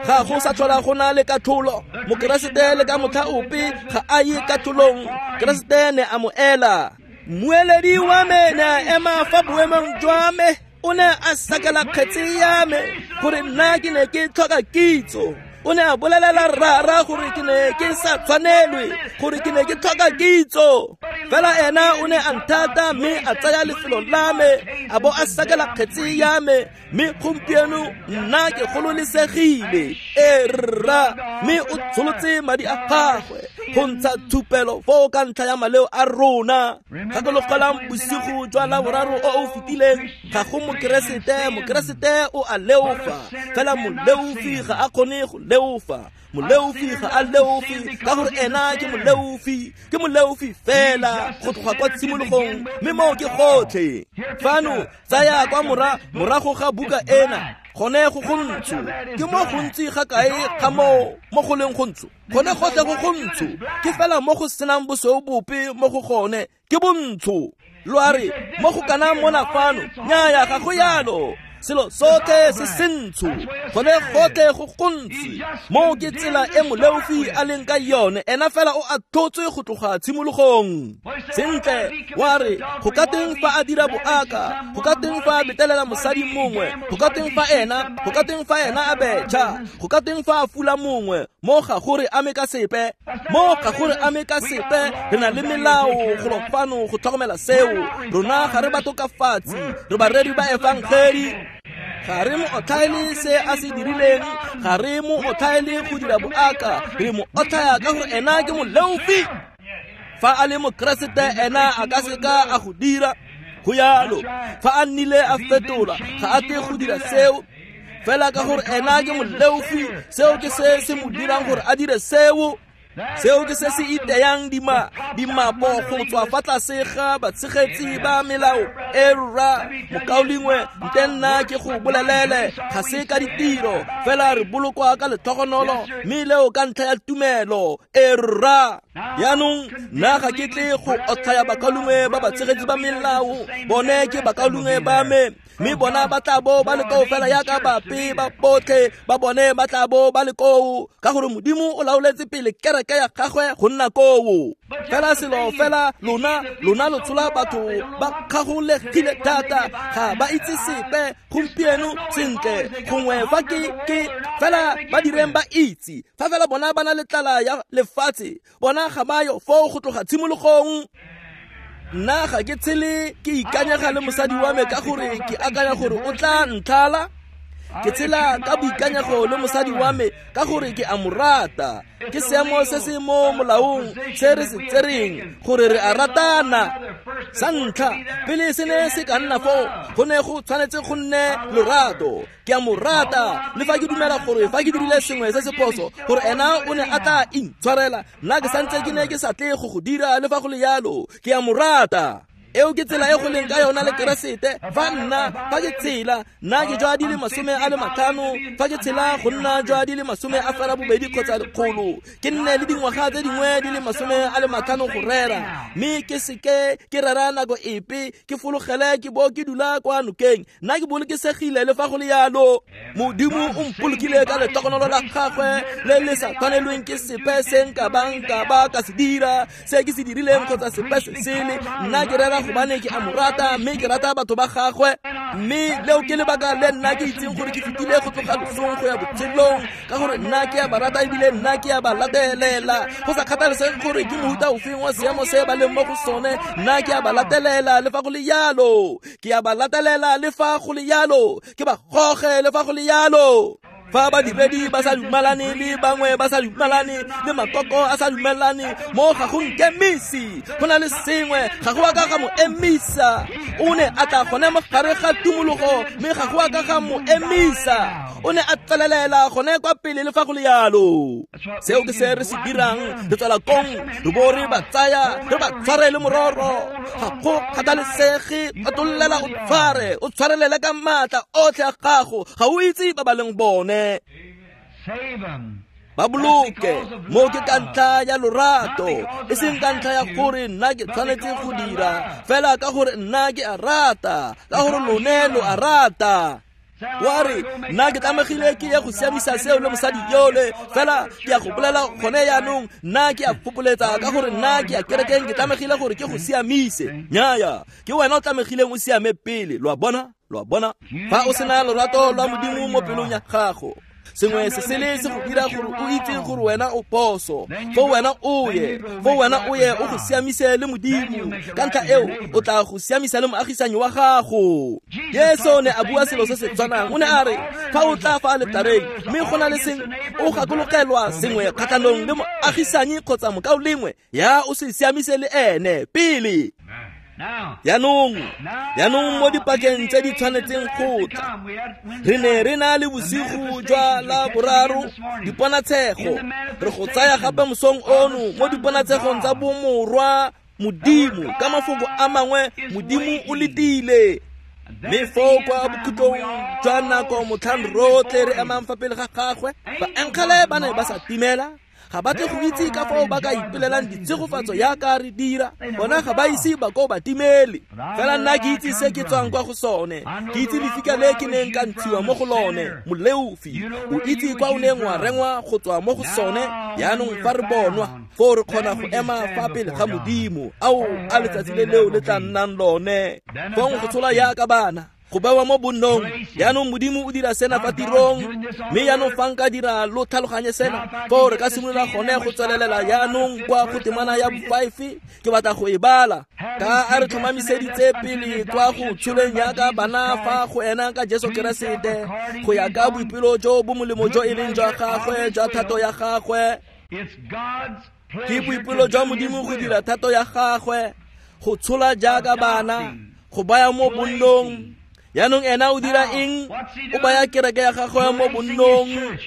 Ga go sa tlhola go na le katlholo. Mokeresete le ka motlha ope ga a ye katlholong. Keresete ne a mo ela. Mmueledi wa me ne a ema fa boemong jwa me, o ne a sakela kgetse ya me gore nna ke ne ke tlhoka kitso. O ne a bolelela rara gore ke ne ke sa tshwanelwe, gore ke ne ke tlhoka kitso. Fela ena o ne a nthata mme a tsaya lefelo la me, a bo a sakela kgetse ya me, mme gompieno nna ke gololesegile. E rra, mme o tsholotse madi a gagwe go ntsha thupelo foo ka ntlha ya maleo a rona. Gakologelang bosigo jwa Laboraro o o fetileng, ga go mokeresete, mokeresete o a leofa, fela moleofi ga a kgone go leofa. Moleofi ga a leofi ka gore ena ke moleofi, ke moleofi fela go tloga kwa tshimologong, mme moo ke gotlhe. Fano tsaya kwa morago ga buka ena, gone go gontsho. Ke mo gontsi ga kae ga mo go leng gontsho? Gone gotlhe go gontsho, ke fela mo go senang bosweu bope mo go gone, ke bontsho. Lo a re mo go kana mona fano, nnyaya ga go yalo. Selo sotlhe se sentsho, gone gotlhe go gontsi. Moo ke tsela e moleofi a leng ka yone, ena fela o a tlhotswe go tloga tshimologong. Sentle, wa re go ka teng fa a dira boaka, go ka teng fa a betelela mosadi mongwe, go ka teng fa ena, go ka teng fa ena a betšha, go ka teng fa a fula mongwe, mo ga gore ame ka sepe, mo ga gore ame ka sepe. Re na le melao golo fano go tlhokomela seo. Rona ga re batokafatsi, re bareri ba efangeli. Ga re mo otlhaele se a se dirileng, ga re mo otlhaele go dira boaka, re mo otlhaya ka gore ena ke moleofi. Fa a le mokeresete ena a ka seka a go dira go yalo. Fa a nnile a fetola, ga a tle go dira seo, fela ka gore ena ke moleofi. Seo ke se se mo dirang gore a dire seo. Seo ke se se iteyang dimapo go tswa fa tlase ga batshegetsi ba melao. E rra, mokaulengwe, nte nna ke go bolelele, ga se ka ditiro fela, re bolokwa ka letlhogonolo, mme leo ka ntlha ya tumelo. E rra, yaanong nna ga ke tle go otlhaya bakaulengwe ba batshegetsi ba melao, bone ke bakaulengwe ba me, mme bona ba tla bo ba le koo fela yaka bape ba botlhe ba bone ba tla bo ba le koo, ka gore Modimo o laoletse pele kereke ya gagwe go nna koo. Fela selo fela lona lo tshola batho ba kgagolegile thata, ga ba itse sepe gompieno. Sentle, gongwe fa ke fela ba direng ba itse, fa fela bona ba na le tlala ya lefatshe, bona ga ba yo foo go tloga tshimologong. Nna ga ke tshele ke ikanyega le mosadi wa me ka gore ke akanya gore o tla ntlhala. Ke tshela ka boikanyego le mosadi wa me ka gore ke a mo rata. Ke seemo se se mo molaong se re se tsereng gore re a ratana. Sa ntlha, pele se ne se ka nna foo, go ne go tshwanetse go nne lorato. Ke a mo rata, le fa ke dumela gore fa ke dirile sengwe se se phoso, gore ena o ne a tla intshwarela, nna ke santse ke ne ke sa tle go go dira, le fa go le yalo, ke a mo rata. Eo ke tsela e go leng ka yona le Keresete. Fa nna fa ke tshela, nna ke jwa di le 50, fa ke tshela go nna jwa di le 80 kgotsa 100, ke nne le dingwaga tse dingwe di le 50 go rera, mme ke seke ke rera nako epe, ke fologele ke bo ke dula kwa nokeng, nna ke bolokesegile le fa go le yalo. Modimo o mpolokile ka letogonolo la gagwe le le sa tshwanelweng ke sepe se nka bang ka ba ka se dira, se ke se dirileng kgotsa sepe se sele. Nna ke rera rata gobane ke a mo rata, mme ke rata batho ba gagwe. Mme leo ke lebaka le nna ke itseng gore ke fetile go tloga losong go ya botshelong, ka gore nna ke a ba rata ebile nna ke a ba latelela. Go sa kgathalesege gore ke mohuta ofeng wa seemo se ba leng mo go sone, nna ke a ba latelela le fa go le yalo. Ke a ba latelela le fa go le yalo, ke ba goge le fa go le yalo. Fa badiredi ba sa dumalane le bangwe ba sa dumalane le makoko a sa dumelane, mo ga go nkemisi. Go na le sengwe, ga go a ka ga mo emisa. O ne a tla gone mo gare ga tumologo, mme ga go a ka ga mo emisa. O ne a tswelelela gone kwa pele le fa go le yalo. Seo ke se re se dirang, re tswela kong, re bo re ba tsaya, re ba tshware le mororo. Ga go kgathalesege, atollela o tshware, o tshwarelele ka maatla otlhe a gago, ga o itse ba ba leng bone. Ba boloke mo ke ka ntlha ya lorato, e seng ka ntlha ya gore nna ke tshwanetse go dira, fela ka gore nna ke a rata, ka gore lone lo a rata. Wa re nna ke tlamegile ke ye go siamisa seo le mosadi yole, fela ke ya go bolela gone yaanong, nna ke a fopoletsa ka gore nna ke ya kerekeng, ke tlamegile gore ke go siamise. Nnyaya, ke wena o tlamegileng o siame pele. Lo a bona? Lo a bona? Fa o sena lorato lwa Modimo mo pelong ya gago, sengwe se sele se go dira gore o itse gore wena o phoso, fo wena o ye, fo wena o ye o go siamise le Modimo. Ka ntlha eo o tla go siamisa le moagisanyi wa gago. Jesu ne a bua selo se se tshwanang. O ne a re fa o tla fa aletareng mme go na le sengwe o gakologelwa sengwe kgatlhanong le moagisanyi kgotsa mokaulengwe, ya o se siamise le ene pele. Yaanong mo dipakeng tse di tshwanetseng go tla, re ne re na le bosigo jwa la boraro diponatshego. Re go tsaya gape mosong ono mo diponatshegong tsa bomorwa Modimo. Ka mafoko a mangwe, Modimo o letile. Mme foo kwa bokhutlong jwa nako motlhang rotlhe re emang fa pele ga gagwe, baengele ba ne ba sa timela. Ga ba tle go itse ka fao ba ka ipelelang ditshegofatso yaka re dira. Bona ga ba ise ba ko ba timele. Fela nna ke itse se ke tswang kwa go sone. Ke itse lefika le ke neng ka ntshiwa mo go lone, moleofi. O itse kwa o neng wa rengwa go tswa mo go sone. Yaanong fa re bonwa, foo re kgona go ema fa pele ga Modimo. Ao, a letsatsi le leo le tla nnang lone. Fong go tshola yaka bana, go bewa mo bonnong. Yaanong Modimo o dira sena fa tirong, mme yaanong fa nka dira lo tlhaloganye sena, foo re ka simolola gone go tswelelela yaanong kwa go temana ya bo-5. Ke batla go e bala. Ka a re tlhomamiseditse pele kwa go tsholeng yaka bana fa go ena ka Jesu Keresete, go ya ka boipelo jo bo molemo jo e leng jwa gagwe, jwa thato ya gagwe. Ke boipelo jwa Modimo go dira thato ya gagwe, go tshola jaaka bana, go baya mo bonnong. Yaanong ena o dira eng? O baya kereke ya gagwe mo bonnong.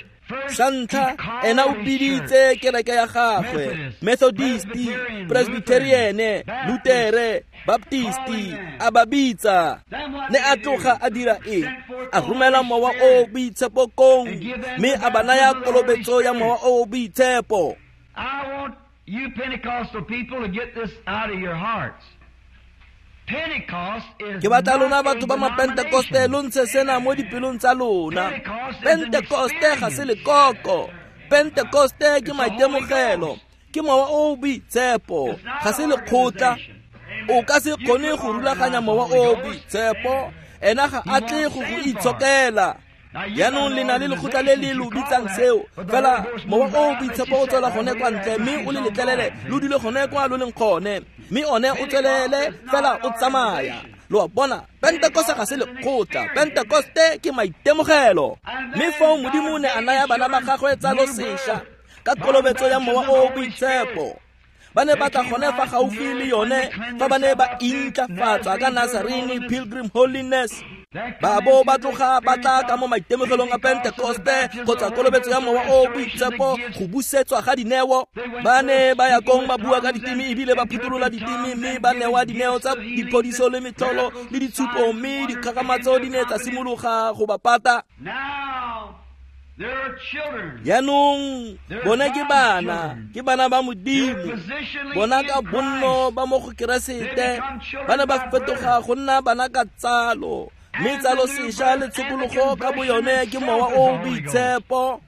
Sa ntlha, ena o biditse kereke ya gagwe, Methodist, Presbyterian, Lutere, Baptist, a ba bitsa. Ne a tloga a dira eng? A romela mowa o boitshepo kong, mme a ba naya kolobetso ya mowa o boitshepo. I want you Pentecostal people to get this out of your hearts. Ke batla lona batho ba mapentekoste lo ntshe sena mo dipelong tsa lona. Pentekoste ga se lekoko. Pentekoste ke maitemogelo, ke mowa o boitshepo, ga se lekgotla. O ka se kgone go rulaganya mowa o boitshepo, ena ga a tle go go itshokela. Yaanong le na le lekgotla le le lo bitsang seo, fela mowa o boitshepo o tswela gone kwa ntle, mme o le letlelele lo dule gone kwa lo leng gone, mme one o tswelele fela o tsamaya. Lo a bona, Pentekoste ga se lekgotla, Pentekoste ke maitemogelo. Mme foo Modimo ne a naya bana ba gagwe tsalo sešwa ka kolobetso ya mowa o boitshepo. Ba ne ba tla gone fa gaufi le yone fa ba ne ba intlafatsa ka Nazarene Pilgrim Holiness. Ba bo ba tloga ba tla ka mo maitemogelong a Pentekoste kgotsa kolobetso ya mowa o boitshepo, go busetswa ga dineo. Ba ne ba ya kong ba bua ka diteme ebile ba phutolola diteme, mme ba newa dineo tsa diphodiso le metlholo le ditshupo, mme dikgakgamatso di ne tsa simologa go ba pata. Yaanong bona ke bana, ke bana ba Modimo. Bona ka bonno ba mo go Keresete ba ne ba fetoga go nna bana ka tsalo, mme tsalo sešwa le tshokologo ka boyone ke mowa o boitshepo.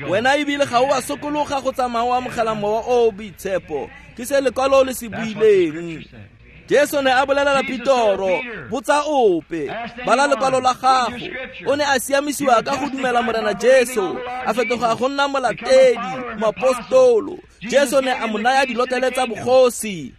Wena ebile ga o a sokologa go tsamaya o amogela Mowa o o Boitshepo. Ke se lekwalo le se buileng. Jesu ne a bolelela Petoro, botsa ope, bala lekwalo la gago. O ne a siamisiwa ka go dumela Morena Jesu, a fetoga go nna molatedi, moapostolo. Jesu ne a mo naya dilotlele tsa bogosi.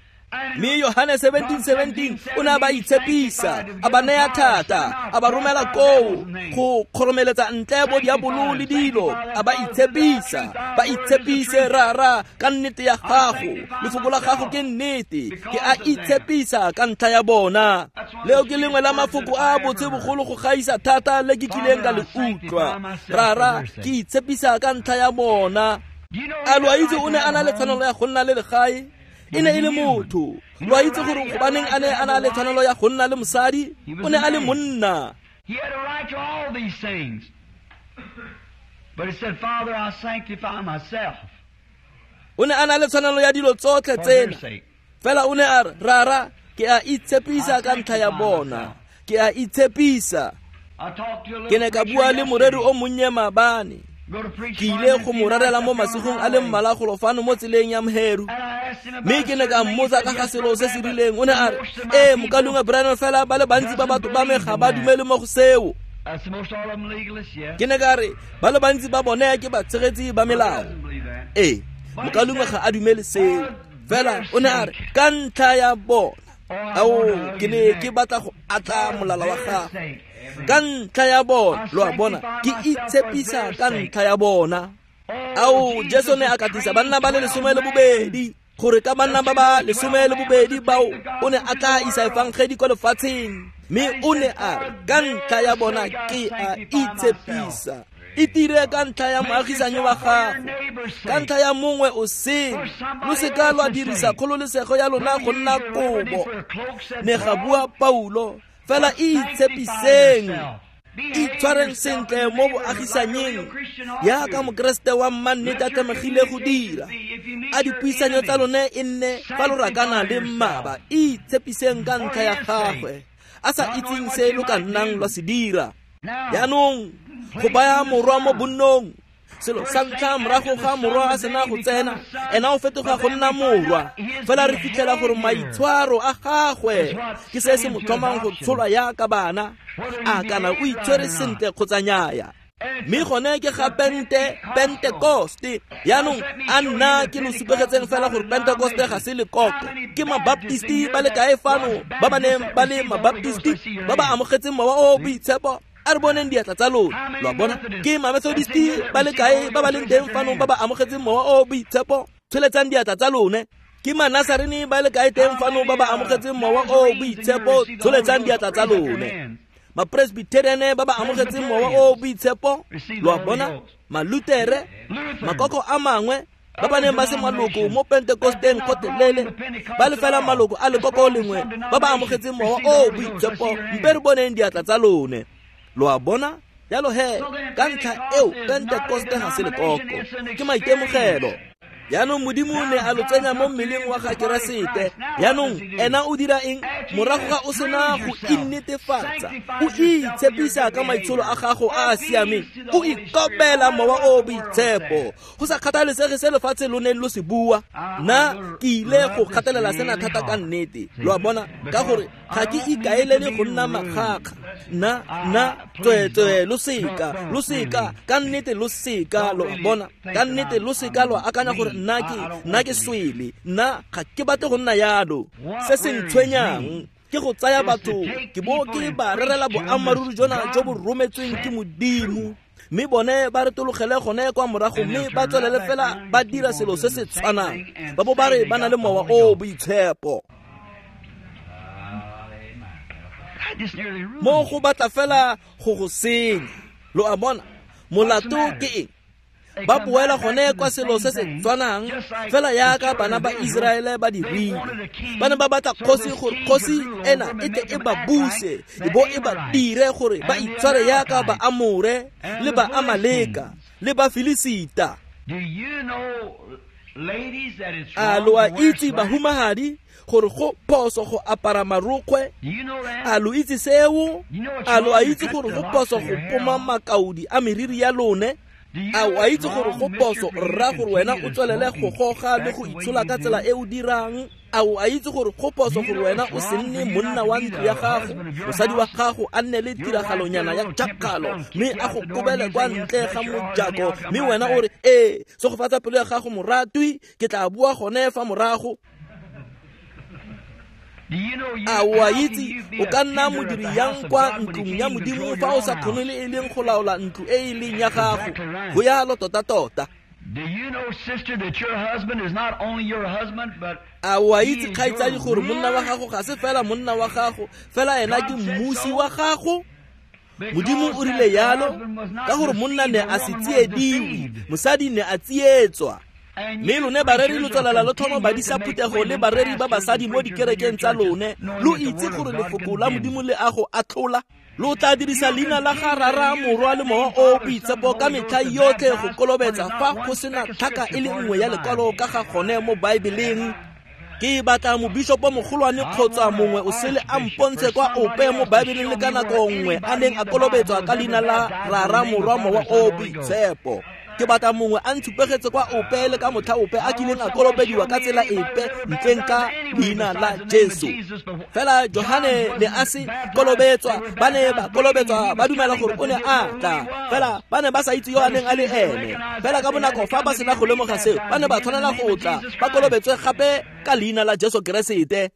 Mme Yohane 17:17 o ne a ba itshepisa, a ba naya thata, a ba romela koo go kgoromeletsa ntle bo diabolo le dilo, a ba itshepisa, ba itshepise rara ka nnete ya gago, lefoko la gago ke nnete, ke a itshepisa ka ntlha ya bona. Leo ke lengwe la mafoko a botse bogolo go gaisa thata le ke kileng ka le utlwa. Rara, ke itshepisa ka ntlha ya bona. A lo a itse o ne a na le tshwanelo ya go nna le legae? E ne e le motho. Lo a itse gore gobaneng a ne a na le tshwanelo ya go nna le mosadi? O ne a le monna. He had a right to all these things. But he said, Father, I sanctify myself. O ne a na le tshwanelo ya dilo tsotlhe tsena. Fela o ne a re, Rara, ke a itshepisa ka ntlha ya bona. Ke a itshepisa. Ke ne ka bua le moreri o monnye maabane. Ke ile go mo rerela mo masigong a le mmalwa golo fano mo tseleng ya Mheru. Mme ke ne ka mmotsa ka ga selo se se rileng. O ne a re, ee, mokalungwe Branham, fela ba le bantsi ba batho ba me ga ba dumele mo go seo. Ke ne ka re, ba le bantsi ba bone ke batshegetsi ba melao. Ee, mokalungwe ga a dumele seo. Fela o ne a re, ka ntlha ya bona. Ao, ke ne ke batla go atla molala wa gagwe. Ka ntlha ya bona, lo a bona, ke itshepisa ka ntlha ya bona. Ao, Jesu ne a katisa banna ba le 12, gore ka banna ba ba 12 bao o ne a tla isa efangedi kwa lefatsheng. Mme o ne a re, ka ntlha ya bona ke a itshepisa. E tire ka ntlha ya moagisanyi wa gago, ka ntlha ya mongwe o sele. Lo seka lwa dirisa kgololesego ya lona go nna kobo. Ne ga bua Paulo, fela e itshepiseng, itshwareng sentle mo boagisanyeng yaka mokeresete wa mmannete a tlamegile go dira. A dipuisanyo tsa lone e nne fa lo rakana le mmaba, itshepiseng ka ntlha ya gagwe, a sa itseng se lo ka nnang lwa se dira. Jaanong go baya morwa mo bonnong, selo sa ntlha morago ga morwa a sena go tsena, ena o fetoga go nna morwa. Fela re fitlhela gore maitshwaro a gagwe ke se se mo tlhomang go tsholwa yaka bana, a kana o itshwere sentle kgotsa nnyaya. Mme gone ke ga Pentekoste. Jaanong a nna ke lo supegetseng fela gore Pentekoste ga se lekoko. Ke mabaptisti ba le kae fano ba ba neng ba le mabaptisti ba ba amogetseng Mowa o o Boitshepo? A re boneng diatla tsa lona. Lo a bona? Ke mamethodisti ba le kae ba ba leng teng fano ba ba amogetseng Mowa o o Boitshepo? Tsholetsang diatla tsa lone. Ke manasarene ba le kae teng fano ba ba amogetseng Mowa o o Boitshepo? Tsholetsang diatla tsa lone. Mapresbyteriane ba ba amogetseng Mowa o o Boitshepo? Lo a bona? Malutere, makoko a mangwe ba ba neng ba se maloko mo Pentekosteng gotlhelele, ba le fela maloko a lekoko lengwe ba ba amogetseng Mowa o o Boitshepo, mpe re boneng diatla tsa lone. Lo a bona? Jalo he, ka ntlha eo Pentekoste ga se lekoko, ke maitemogelo. Jaanong Modimo ne a lo tsenya mo mmeleng wa ga Keresete. Jaanong ena o dira eng? Morago ga o sena go innetefatsa, o itshepisa ka maitsholo a gago a a siameng, o ikopela Mowa o o Boitshepo. Go sa kgathalesege se lefatshe lo neng lo se bua, nna ke ile go kgatelela sena thata ka nnete. Lo a bona? Ka gore ga ke ikaelele go nna makgakga. Nna tsweetswe lo seka, ka nnete lo seka, lo a bona? Ka nnete lo seka lo akanya gore nna ke swele. Nna ga ke batle go nna yalo. Se se ntshwenyang ke go tsaya batho ke bo ke ba rerela boammaaruri jona jo bo rometsweng ke Modimo, mme bone ba retologele gone kwa morago mme ba tswelele fela ba dira selo se se tshwanang, ba bo ba re ba na le Mowa o o Boitshepo. Mo go batla fela go go senya. Lo a bona? Molato ke eng? Ba boela gone kwa selo se se tshwanang fela yaka bana ba Iseraele ba dirile. Ba ne ba batla kgosi gore kgosi ena e tle e ba buse, e bo e ba dire gore ba itshware yaka ba Amore le ba Amaleka le ba Filisita. A lo a itse bahumagadi gore go phoso go apara marokgwe? A lo itse seo? A lo a itse gore go phoso go poma makaodi a meriri ya lone? A o a itse gore go phoso rra gore wena o tswelele go goga le go itshola ka tsela e o dirang? A o a itse gore go phoso gore wena o se nne monna wa ntlo ya gago, mosadi wa gago a nne le tiragalonyana ya tšakgalo mme a go kobele kwa ntle ga mojako, mme wena o re, ee, segofatsa pelo ya gago moratwi, ke tla bua gone fa morago? A o a itse o ka nna modiri yang kwa ntlong ya Modimo fa o sa kgone le e leng go laola ntlo e e leng ya gago? Go yalo tota-tota. A o a itse kgaitsadi gore monna wa gago ga se fela monna wa gago, fela ena ke mmusi wa gago? Modimo o rile yalo ka gore monna ne a se tsiediwe, mosadi ne a tsietswa. Mme lone bareri lo tswelela lo tlhoma badisa phuthego le bareri ba basadi mo dikerekeng tsa lone, lo itse gore lefoko la Modimo le a go atlhola. Lo tla dirisa leina la ga Rara, Morwa le Mowa o Boitshepo ka metlha yotlhe go kolobetsa fa go sena tlhaka e le nngwe ya lekwalo ka ga gone mo Baebeleng. Ke batla mobishopo mogolwane kgotsa mongwe o sele a mpontshe kwa ope mo Baebeleng le ka nako nngwe a neng a kolobetswa ka leina la Rara, Morwa, Mowa o Boitshepo. Ke batla mongwe a ntshupegetse kwa ope le ka motlha ope a kileng a kolobediwa ka tsela epe ntleng ka leina la Jesu. Fela Johane ne a se kolobetswa, ba ne ba kolobetswa ba dumela gore o ne a tla, fela ba ne ba sa itse yo a neng a le ene. Fela ka bonako fa ba sena go lemoga seo, ba ne ba tshwanela go tla ba kolobetswe gape ka leina la Jesu Keresete.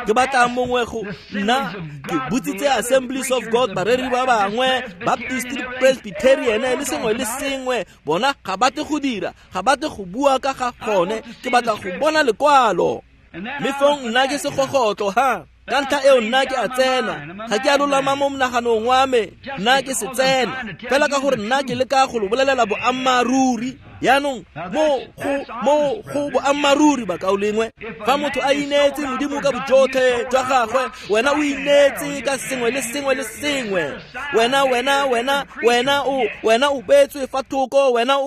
Ke batla mongwe go nna ke botsitse Assemblies of God, bareri ba bangwe, Baptist, Presbyterian le sengwe le sengwe, bona ga batle go dira, ga batle go bua ka ga gone. Ke batla go bona lekwalo. Mme fong nna ke segogotlo ha. Ka ntlha eo nna ke a tsena, ga ke a lolama mo monaganong wa me, nna ke se tsena fela ka gore nna ke leka go lo bolelela boammaaruri. Yaanong mo go boammaaruri bakaulengwe, fa motho a ineetse Modimo ka bojotlhe jwa gagwe, wena o ineetse ka sengwe le sengwe le sengwe. Wena o beetswe fa thoko, wena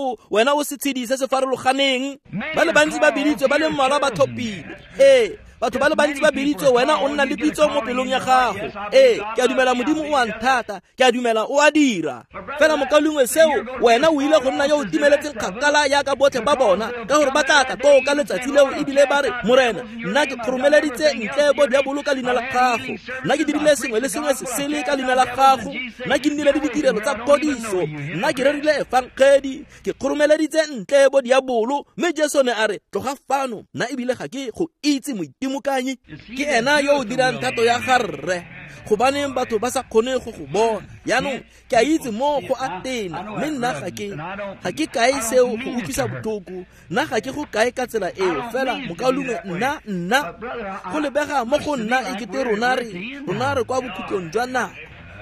o setshedi se se farologaneng. Ba le bantsi ba biditswe, ba le mmalwa ba thopile. Ee, batho ba le bantsi ba biditswe, wena o nna le pitso mo pelong ya gago. Ee, ke a dumela Modimo o a nthata, ke a dumela o a dira. Fela mokaulengwe seo, wena o ile go nna yo o timeletseng kgakala yaka botlhe ba bona, ka gore ba tla tla koo ka letsatsi leo ebile ba re, Morena, nna ke kgoromeleditse ntle bo diabolo ka leina la gago, nna ke dirile sengwe le sengwe se sele ka leina la gago, nna ke nnile le ditirelo tsa phodiso, nna ke rerile efangedi, ke kgoromeleditse ntle bo diabolo. Mme Jesu ne a re, tloga fano, nna ebile ga ke go itse moitimokanyi. Ke ena yo o dirang thato ya ga Rre. Gobaneng batho ba sa kgone go go bona? Yaanong ke a itse mo go a tena, mme nna ga ke kae seo go utlwisa botlhoko, nna ga ke go kae ka tsela eo. Fela mokaulengwe, nna go lebega mo go nna e kete rona re kwa bokhutlong jwa nako.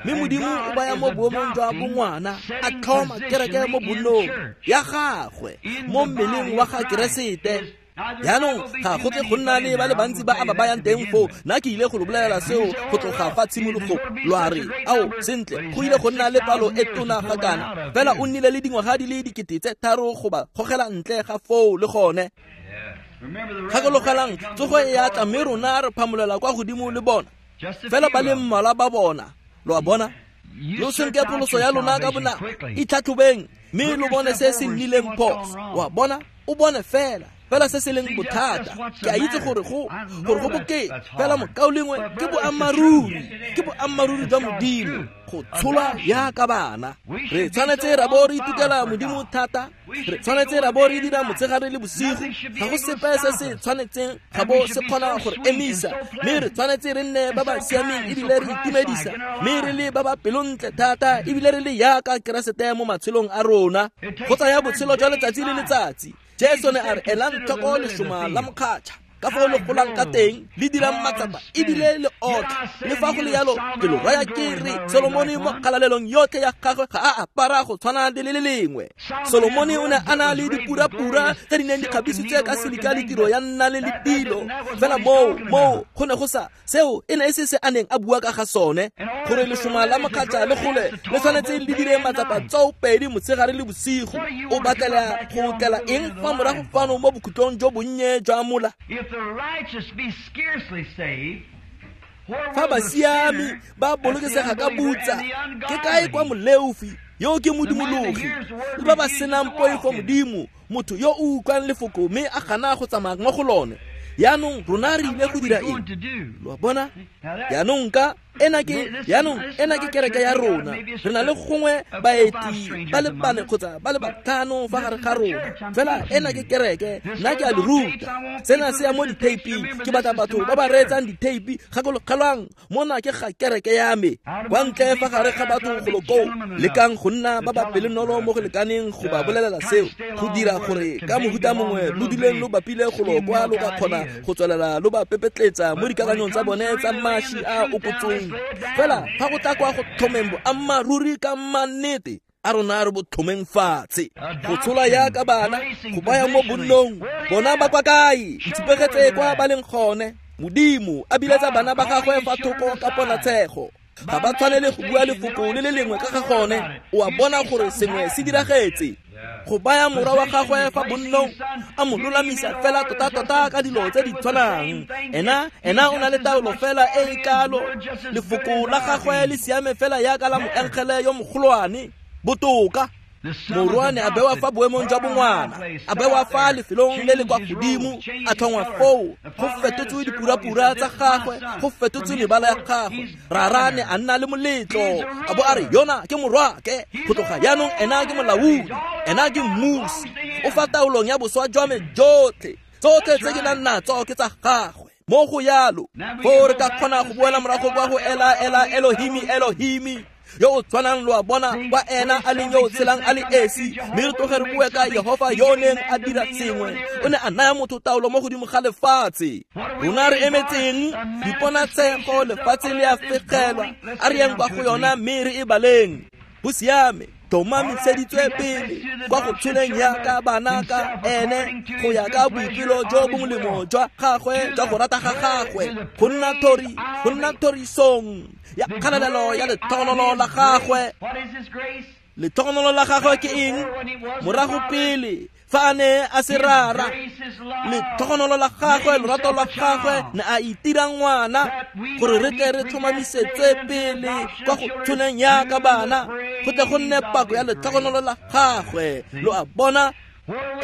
Mme Modimo o baya mo boemong jwa bongwana, a tlhoma kereke mo bonnong ya gagwe, mo mmeleng wa ga Keresete. Yaanong ga go tle go nna le ba le bantsi ba a ba bayang teng foo. Nna ke ile go lo bolelela seo go tloga fa tshimologong. Lwa re, ao, sentle, go ile go nna le palo e tona ga kana. Fela o nnile le dingwaga di le 3,000 go ba gogela ntle ga foo le gone. Gakologelang, tsogo e a tla mme rona re phamolela kwa godimo le bona. Fela ba le mmalwa ba bona. Lo a bona? Lo senke pholoso ya lona ka bonako, itlhatlhobeng mme lo bone se se nnileng phoso. Wa bona? O bone fela fela se se leng bothata. Ke a itse gore go bokete, fela mokaulengwe, ke boammaaruri, ke boammaaruri jwa Modimo go tsholwa yaka bana. Re tshwanetse ra bo re itukela Modimo thata, re tshwanetse ra bo re dira motshegare le bosigo. Ga go sepe se se tshwanetseng ga bo se kgona gore emisa, mme re tshwanetse re nne ba ba siameng ebile re itumedisa, mme re le ba ba pelontle thata ebile re le yaka Keresete mo matshelong a rona. Go tsaya botshelo jwa letsatsi le letsatsi. Jesu ne a re, elang tlhoko lešoma la mokgatšha. Ka fao le golang ka teng le dirang matsapa ebile le otla. Le fa go le yalo ke lo raya ke re Solomone mo kgalalelong yotlhe ya gagwe ga a apara go tshwana le le lengwe. Solomone o ne a na le dipurapura tse di neng di kgabisitswe ka silika le tiro ya nna le le dilo. Fela moo go ne go sa seo e ne e se se a neng a bua ka ga sone, gore lešoma la mokgatla le gole le tshwanetse le dire matsapa tsoopedi motshegare le bosigo. O batlela go tlela eng fa morago fano mo bokhutlong jo bonnye jwa mola? Fa basiami ba bolokesega ka butsa, ke kae kwa moleofi yo ke modimologi le ba ba senang poifo Modimo, motho yo o utlwang lefoko mme a gana go tsamaya mo go lone? Yaanong rona re ile go dira eng? Lo a bona? Yaanong ka ena ke kereke ya rona. Re na le gongwe baeti ba le bane kgotsa ba le batlhano fa gare ga rona. Fela ena ke kereke, nna ke a le ruta. Sena se ya mo dithaping, ke batla batho ba ba reetsang ditheipi. Gakologelwang, mona ke ga kereke ya me. Kwa ntle fa gare ga batho golo koo, lekang go nna ba ba pelonolo mo go lekaneng go ba bolelela seo, go dira gore ka mohuta mongwe lo duleng lo bapile golo kwa lo ka kgona go tswelela lo ba pepetletsa mo dikakanyong tsa bone tsa mashi a okotsweng. Fela fa go tla kwa go tlhomeng boammaaruri ka mannete, a rona re bo tlhomeng fatshe. Go tshola yaka bana, go baya mo bonnong, bona ba kwa kae? Ntshupegetse kwa ba leng gone. Modimo a biletsa bana ba gagwe fa thoko ka ponatshego. Ga ba tshwanele go bua lefoko le le lengwe ka ga gone. O a bona gore sengwe se diragetse. Go baya morwa wa gagwe fa bonnong, a mo lolamisa fela tota-tota ka dilo tse di tshwanang. Ena o na le taolo fela e e kalo. Lefoko la gagwe le siame fela yaka la moengele yo mogolwane. Botoka. Morwa ne a bewa fa boemong jwa bongwana, a bewa fa lefelong le le kwa godimo, a tlhongwa foo. Go fetotswe dipurapura tsa gagwe, go fetotswe mebala ya gagwe. Rara ne a nna le moletlo, a bo a re yona ke morwake. Go tloga jaanong ena ke molaodi, ena ke mmusi. O fa taolong ya boswa jwa me jotlhe, tsotlhe tse ke nang natso ke tsa gagwe. Mo go yalo foo re ka kgona go boela morago kwa go ela ela Elohimi Elohimi yo o tshwanang, lo a bona, kwa ena a leng yo o tshelang a le esi. Mme re tloge re bue ka Yehova yo o neng a dira sengwe. O ne a naya motho taolo mo godimo ga lefatshe. Rona re emetseng diponatshego, lefatshe le a fegelwa. A re yang kwa go yona mme re e baleng. Go siame, tlhomamiseditswe pele kwa go tsholeng yaka bana ka ene, go ya ka boipelo jo bo molemo jwa gagwe jwa go rata ga gagwe, go nna thorisong ya kgalalelo ya letlhogonolo la gagwe. Letlhogonolo la gagwe ke eng? Morago pele fa a ne a se rara, letlhogonolo la gagwe, lorato la gagwe, ne a itira ngwana gore re tle re tlhomamisetse pele kwa go tsholeng yaka bana, go tle go nne pako ya letlhogonolo la gagwe. Lo a bona?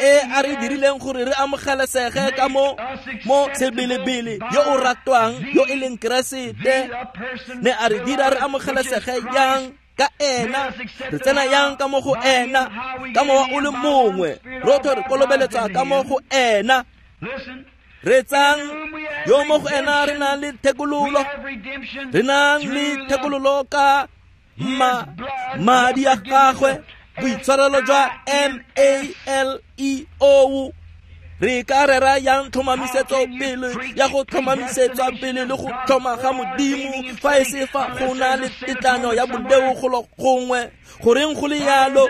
E a re dirileng gore re amogelesege ka mo sebelebele yo o ratwang, yo e leng Keresete. Ne a re dira re amogelesege yang ka ena? Re tsena yang ka mo go ena? Ka mowa o le mongwe rotlhe re kolobeletsa ka mo go ena. Re tsang yo mo go ena re nang le thekololo, re nang le thekololo ka madi a gagwe, boitshwarelo jwa M-A-L-E-O. Re ka rera yang tlhomamisetso pele ya go tlhomamisetswa pele le go tlhoma ga Modimo fa e se fa go na le tetlanyo ya boleo golo gongwe? Goreng go le yalo?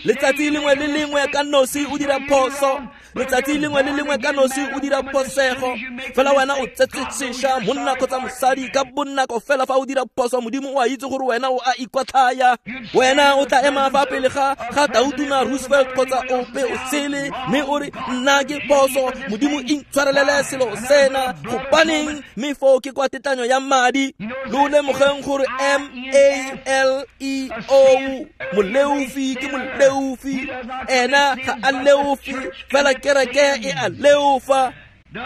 Letsatsi lengwe le lengwe ka nosi o dira phoso, letsatsi lengwe le lengwe ka nosi o dira phosego. Fela wena o tsetse sešwa, monna kgotsa mosadi, ka bonako fela fa o dira phoso, Modimo o a itse gore wena o a ikwatlhaya. Wena o tla ema fa pele ga Tautona Roosevelt kgotsa ope o sele, mme o re nna ke phoso, Modimo intshwarelele selo sena. Gobaneng? Mme foo ke kwa tetlanyo ya madi. Lo lemogeng gore M-A-L-E-O, moleofi ke moleofi, ena ga a leofi, fela kereke e a leofa.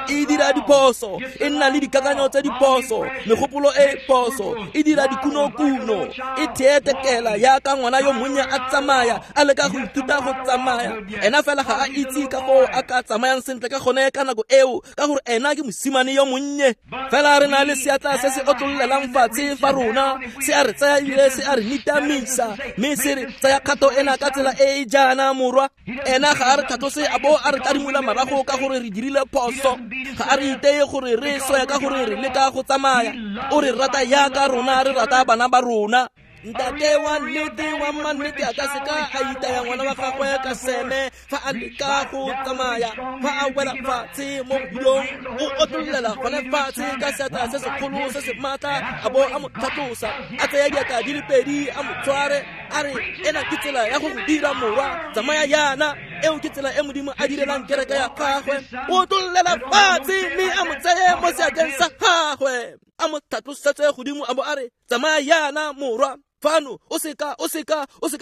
E dira diphoso, e nna le dikakanyo tse diphoso, megopolo e phoso, e dira dikunokuno, e theetekela yaka ngwana yo monnye a tsamaya, a leka go ithuta go tsamaya. Ena fela ga a itse ka foo a ka tsamayang sentle ka gone ka nako eo, ka gore ena ke mosimane yo monnye. Fela re na le seatla se se otlololelang fatshe fa rona, se a re tsaya ebile se a re nitamisa, mme se re tsaya kgato ena ka tsela e e jaana, morwa. Ena ga a re tlhatlose a bo a re tadimola marago ka gore re dirile phoso. phoso. Ga a re iteye gore re swe ka gore re leka go tsamaya. O re rata yaka rona re rata bana ba rona. Ntate wa nnete wa mannete a ka seka a itaya ngwana wa gagwe ka seme fa a leka go tsamaya. Fa a wela fatshe mo bodilong, o otlollela gone fatshe ka seatla se segolo se se maatla, a bo a mo tlhatlosa, a tsaya diatla di le pedi a mo tshware, a re ena ke tsela ya go go dira morwa, tsamaya yana. Eo ke tsela e Modimo a direlang kereke ya gagwe. O otlollela fatshe mme a mo tseye mo seatleng sa gagwe, a mo tlhatlosetse godimo, a bo a re tsamaya yana morwa. Fano o seka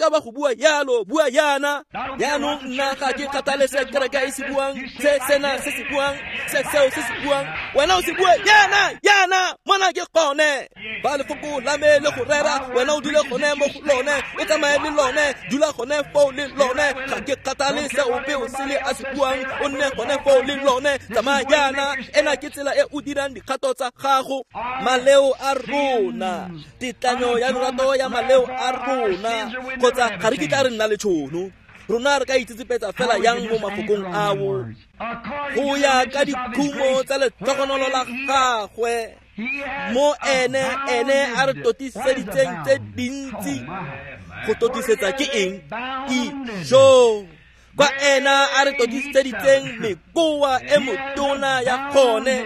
ba go bua yalo, bua yana. Yaanong nna ga ke kgathale se kereke e se buang, se sena se se buang, se seo se se buang, wena o se bue yana, yana, mona ke gone. Ba lefoko la me le go rera, wena o dule gone mo go lone, o tsamaye le lone, dula gone foo le lone. Ga ke kgathale se ope o sele a se buang, o nne gone foo le lone, tsamaya yana. Ena ke tsela e o dirang dikgato tsa gago. Maleo a rona, tetlanyo ya lorato ya maleo a rona, kgotsa ga re kitla re nna le tšhono. Rona re ka itsetsepetsa fela yang mo mafokong ao. Go ya ka dikhumo tsa letlhogonolo la gagwe, mo ene a re totiseditseng tse dintsi. Go totisetsa ke eng? Ijo. Kwa ena a re totiseditseng mekoa e motona ya gone,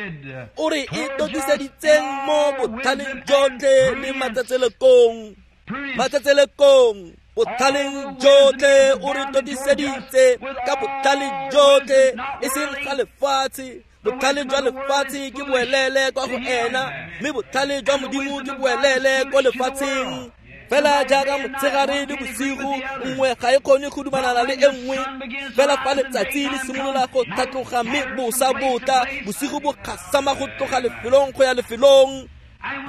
o re e totiseditseng mo botlhaleng jotlhe le matsatselekong. Matsatselekong, botlhaleng jotlhe o re totiseditse ka botlhale jotlhe, e seng ga lefatshe. Botlhale jwa lefatshe ke boelele kwa go ena, mme botlhale jwa Modimo ke boelele ko lefatsheng. Fela jaaka motshegare le bosigo, nngwe ga e kgone go dumalana le e nngwe. Fela fa letsatsi le simolola go tlhatloga mme bosa botla, bosigo bo gasama go tloga lefelong go ya lefelong.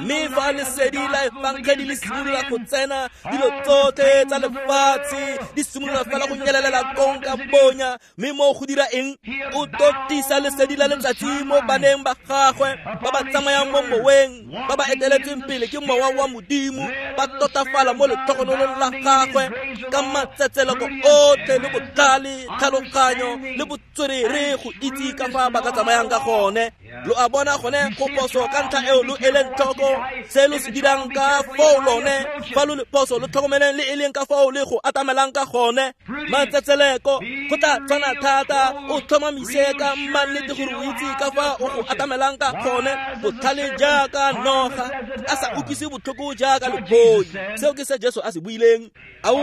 Mme fa lesedi la efangedi le simolola go tsena, dilo tsotlhe tsa lefatshe di simolola fela go nyelelela kong ka bonya. Mme mo go dira eng? O totisa lesedi la letsatsi mo baneng ba gagwe ba ba tsamayang mo moweng, ba ba eteletseng pele ke mowa wa Modimo, ba totafala mo letlhogonolong la gagwe ka matsetseleko otlhe le botlhale, tlhaloganyo le botswerere go itse ka fa ba ka tsamayang ka gone. Lo a bona gone go poso ka ntlha eo lo eleng tlhoko se lo se dirang ka foo lone. Fa lo le poso lo tlhokomeleng le e leng ka foo le go atamelang ka gone. Matsetseleko go tla tshwana thata, o tlhomamise ka mannete gore o itse ka fa o go atamelang ka gone. Botlhale jaaka noga, a sa utlwise botlhoko jaaka leboi. Seo ke se Jesu a se buileng. Ao,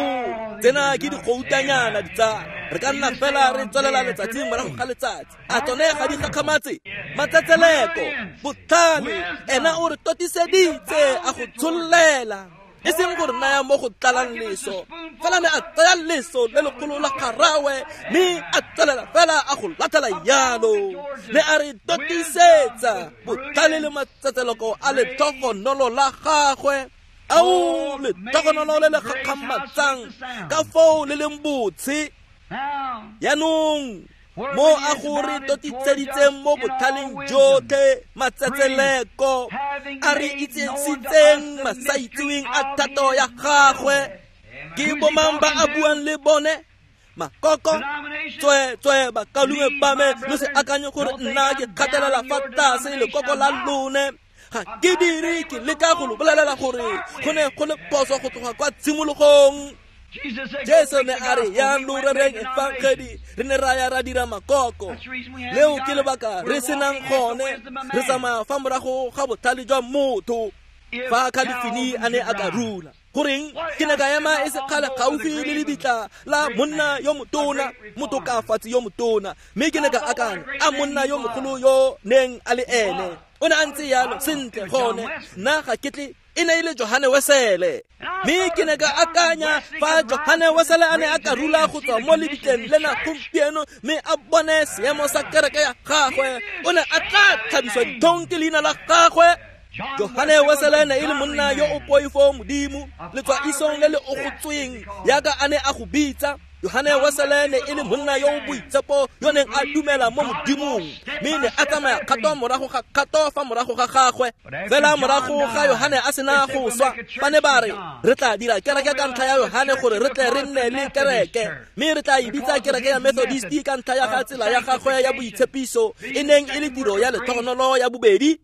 tsena ke digoutanyana ditsala, re ka nna fela re tswelela letsatsi morago ga letsatsi. A tsone ga di gakgamatse? Matsetseleko, botlhale, ena o re totiseditse a go tshollela, e seng gore naya mo go tlalang leso. Fela ne a tsaya leso le legolo la garawe, mme a tswelela fela a go latlhela yalo. Ne a re totisetsa botlhale le matsetseleko a letlhogonolo la gagwe. Ao, letlhogonolo le le gakgamatsang ka foo le leng botshe. Yaanong mo a go re totiseditseng mo botlhaleng jotlhe, matsetseleko a re itsisitseng masaitseweng a thato ya gagwe. Ke bomang ba a buang le bone? Makoko, tswe bakalume ba me, lo se akanye gore nna ke kgatelela fa tlase lekoko la lone. Ga ke dire, ke leka go lo bolelela gore go ne go le phoso go tloga kwa tshimologong. Jesu ne a re yang lo rereng efangedi, re ne ra ya ra dira makoko. Leo ke lebaka re senang gone, re tsamaya fa morago ga botlhale jwa motho. Fa Calvin a ne a ka rula, goreng ke ne ka ema e se kgale gaufi le lebitla la monna yo motona, motokafatsi yo motona, mme ke ne ka akanya a monna yo mogolo yo neng a le ene. O ne a ntse yalo sentle gone, nna ga ke tle e ne e le Johane Wesele. Mme ke ne ka akanya fa Johane Wesele a ne a ka rula go tswa mo lebitleng lena gompieno mme a bone seemo sa kereke ya gagwe, o ne a tla tlhabiswa ditlhong ke leina la gagwe. Johane Wesele ne e le monna yo o poifo Modimo, letswa isong le le ogotsweng yaka a ne a go bitsa. Yohane Wesele ne e le monna yo o boitshepo yo neng a dumela mo Modimong, mme ne a tsamaya kgato morago ga kgato fa morago ga gagwe. Fela morago ga Yohane a sena go swa, ba ne ba re re tla dira kereke ka ntlha ya Yohane gore re tle re nne le kereke, mme re tla e bitsa kereke ya Methodist ka ntlha ya ga tsela ya gagwe ya boitshepiso e neng e le tiro ya letlhogonolo ya bobedi.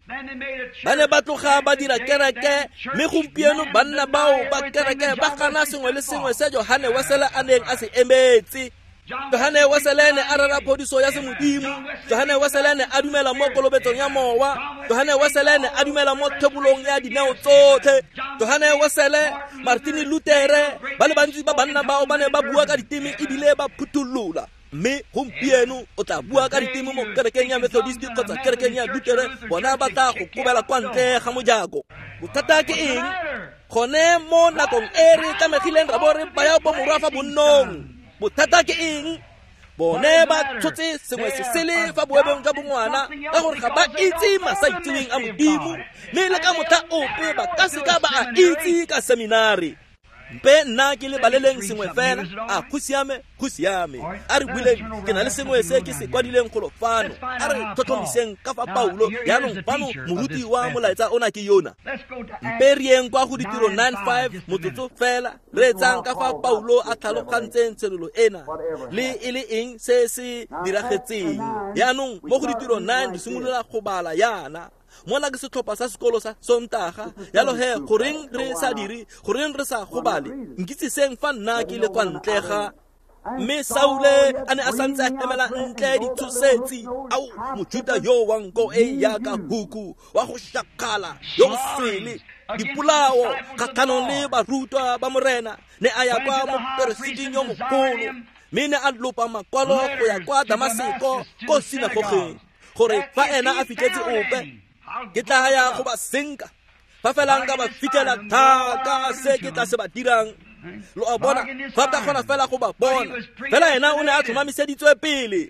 Ba ne ba tloga ba dira kereke, mme gompieno banna bao ba kereke ba gana sengwe le sengwe se Yohane Wesele a neng a se emetse. Yohane Wesele ne a rera phodiso ya semodimo. Yohane Wesele ne a dumela mo kolobetsong ya mowa. Yohane Wesele ne a dumela mo thebolong ya dineo tsotlhe. Yohane Wesele, Martin Luther, ba le bantsi ba banna bao ba ne ba bua ka diteme ebile ba phutholola. Mme gompieno o tla bua ka diteme mo kerekeng ya Methodist kgotsa kerekeng ya Lutere, bona ba tla go kobela kwa ntle ga mojako. Bothata ke eng? Gone mo nakong e re tlamegileng ra bo re baya bomorwa fa bonnong. Bothata ke eng? Bone ba tshotse sengwe se sele fa boemong jwa bongwana ka gore ga ba itse masaitseweng a Modimo, mme le ka motlha ope ba ka seka ba a itse ka seminari. Mpe nna ke le baleleng sengwe fela, a go siame, go siame. A re buileng, ke na le sengwe se ke se kwadileng golo fano. A re tlhotlhomiseng ka fa Paulo, jaanong fano moruti wa molaetsa ona ke yona. Mpe re yeng kwa go Ditiro 9:5 motsotso fela, re etsang ka fa Paulo a tlhalogantseng tshenolo ena le e le eng se se diragetseng. Jaanong mo go Ditiro 9 re simolola go bala yana. Mona ke setlhopha sa sekolo sa Sontaga, jalo he goreng re sa dire, goreng re sa gobale? Nkitsiseng fa nna ke le kwa ntle ga. Mme Saule a ne a santse a emela ntle ditshosetsi. Ao, Mojuta yo wa nko e yaka huku, wa go shakgala, yo o swele dipolao kgatlhanong le barutwa ba Morena, ne a ya kwa moperesiting yo mogolo, mme ne a lopa makwalo go ya kwa Damaseko ko sinagogeng, gore fa ena a fitlhetse ope, ke tla ya go ba senka. Fa fela nka ba fitlhela thaka se ke tla se ba dirang. Lo a bona, fa ka kgona fela go ba bona. Fela ena o ne a tlhomamiseditswe pele.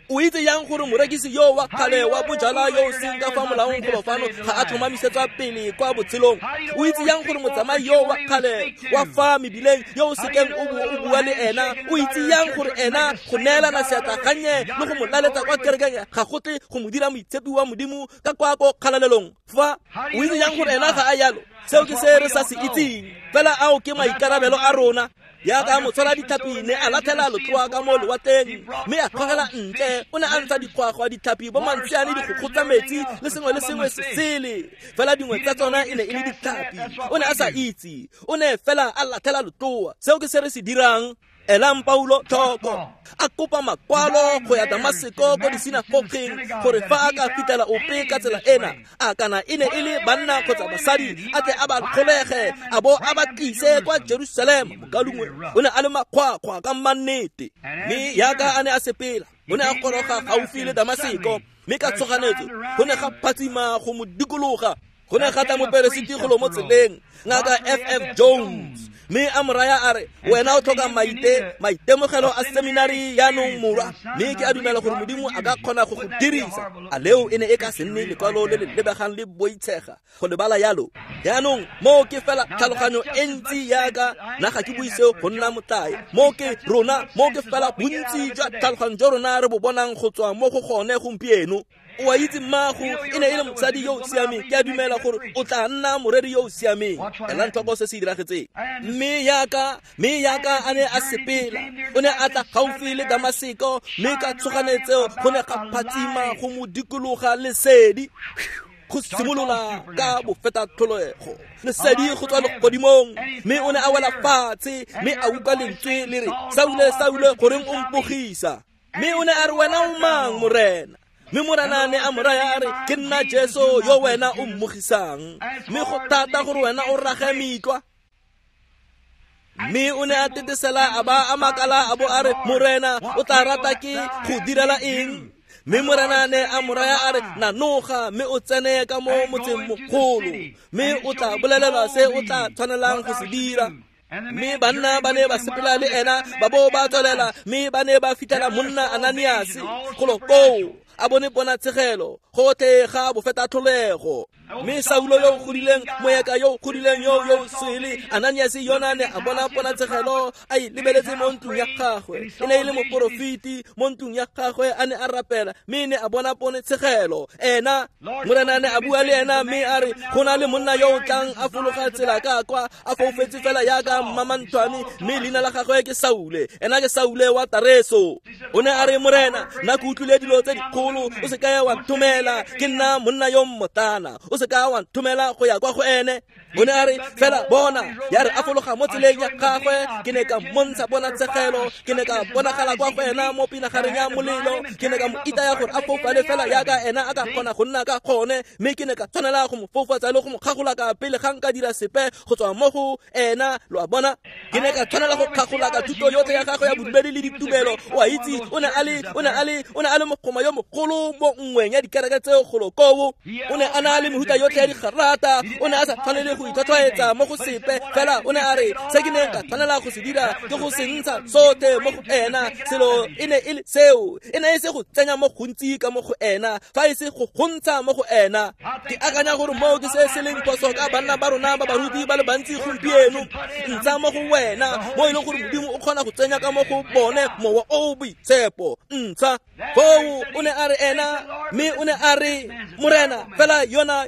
O itse yang gore morekisi yo wa kgale wa bojala yo o seng ka fa molaong golo fano ga a tlhomamisetswa pele kwa botshelong? O itse yang gore motsamai yo wa kgale wa fa mebileng yo o sekeng o bua le ena, o itse yang gore ena go neelana seatla gannye le go mo laletsa kwa kerekeng ga go tle go mo dira moitshepi wa Modimo ka kwa ko kgalalelong? Fa o itse yang gore ena ga a yalo? Seo ke se re sa se itseng. Fela ao ke maikarabelo a rona. Yaka motshwara ditlhapi ne a latlhela letloa ka mo lewatleng, mme a kgogela ntle. O ne a ntsha dikgwagwa, ditlhapi, bo mantsiane, dikgokgo tsa metsi le sengwe le sengwe se sele. Fela dingwe tsa tsona e ne e le ditlhapi. O ne a sa itse, o ne fela a latlhela letloa. Seo ke se re se dirang. Elang Paulo tlhoko, a kopa makwalo go ya Damaseko ko disinagogeng gore fa a ka fitlhela ope ka tsela ena, a kana e ne e le banna kgotsa basadi, a tle a ba kgolege a bo a ba tlise kwa Jerusalema. Mokalungwe o ne a le makgwakgwa ka mannete, mme yaka a ne a sepela, o ne a goroga gaufi le Damaseko, mme ka tshoganetso go ne ga phatsima go mo dikologa. Go ne ga tla moperesiti golo mo tseleng, ngaka F.F. Jones, mme a mo raya a re, wena o tlhoka maitemogelo a seminari yaanong morwa, mme ke a dumela gore Modimo a ka kgona go go dirisa. A leo e ne e ka se nne lekwalo le le lebegang le boitshega go lebala yalo? Yaanong moo ke fela tlhaloganyo e ntsi yaka, nna ga ke bue seo go nna motlae. Moo ke rona, moo ke fela bontsi jwa tlhaloganyo jo rona re bo bonang go tswa mo go gone gompieno. O a itse mmago e ne e le mosadi yo o siameng, ke a dumela gore o tla nna moreri yo o siameng. Elang tlhoko se se diragetseng. Mme yaka a ne a sepela, o ne a tla gaufi le Damaseko, mme ka tshoganetso go ne ga phatsima go mo dikologa lesedi. Go simolola ka bofetatlholego, lesedi go tswa legodimong, mme o ne a wela fatshe, mme a utlwa lentswe le re, Saule, Saule, goreng o mpogisa? Mme o ne a re, wena o mang, Morena? Mme Morena ne a mo raya a re, ke nna Jesu yo wena o mmogisang, mme go thata gore wena o rage mitlwa. Mme o ne a tetesela a ba a makala a bo a re, Morena, o tla rata ke go direla eng? Mme Morena ne a mo raya a re, nanoga mme o tsene ka mo motseng mogolo, mme o tla bolelelwa se o tla tshwanelang go se dira. Mme banna ba ne ba sepela le ena, ba bo ba tswelela, mme ba ne ba fitlhela monna Ananias golo koo. a bone ponatshegelo gotlhe ga bofetatlholego. Mme Saulo yo o godileng, moeka yo o godileng yo swele, Ananias yona ne a bona ponatshegelo a e lebeletse mo ntlong ya gagwe. E ne e le moporofeti mo ntlong ya gagwe, a ne a rapela mme ne a bona ponatshegelo. Ena Morena ne a bua le ena mme a re, go na le monna yo o tlang a fologa tsela ka kwa, a foufetse fela yaka mmamanthwane, mme leina la gagwe ke Saule. Ena ke Saule wa Tareso. O ne a re, Morena, nna ke utlwile dilo tse dikgolo, o se ka wa nthomela, ke nna monna yo mmotana, o se ka wa nthomela go ya kwa go ene. O ne a re, fela bona, ya re a fologa mo tseleng ya gagwe, ke ne ka mmontsha ponatshegelo, ke ne ka bonagala kwa go ena mo pinagareng ya molelo, ke ne ka mo itaya gore a foufale fela yaka ena a ka kgona go nna ka gone, mme ke ne ka tshwanela go mo foufatsa le go mo kgagola ka pele ga nka dira sepe go tswa mo go ena. Lo a bona, ke ne ka tshwanela go kgagola ka thuto yotlhe ya gagwe ya bodumedi le ditumelo. O a itse, o ne a le mogoma yo mogolo mo nngweng ya dikereke tseo golo koo. O ne a na le mehuta yotlhe ya digarata, o ne a sa tshwanele go itlhwatlhwaetsa mo go sepe, fela o ne a re, se ke neng ka tshwanela go se dira ke go se ntsha sotlhe mo go ena. Selo e ne e le seo, e ne e se go tsenya mo gontsi ka mo go ena, fa e se go gontsha mo go ena. Ke akanya gore moo ke se se leng phoso ka banna ba rona ba baruti ba le bantsi gompieno. Ntsha mo go wena mo e leng gore Modimo o kgona go tsenya ka mo go bone mowa o boitshepo. Ntsha foo. O ne a re ena, mme o ne a re, Morena, fela yona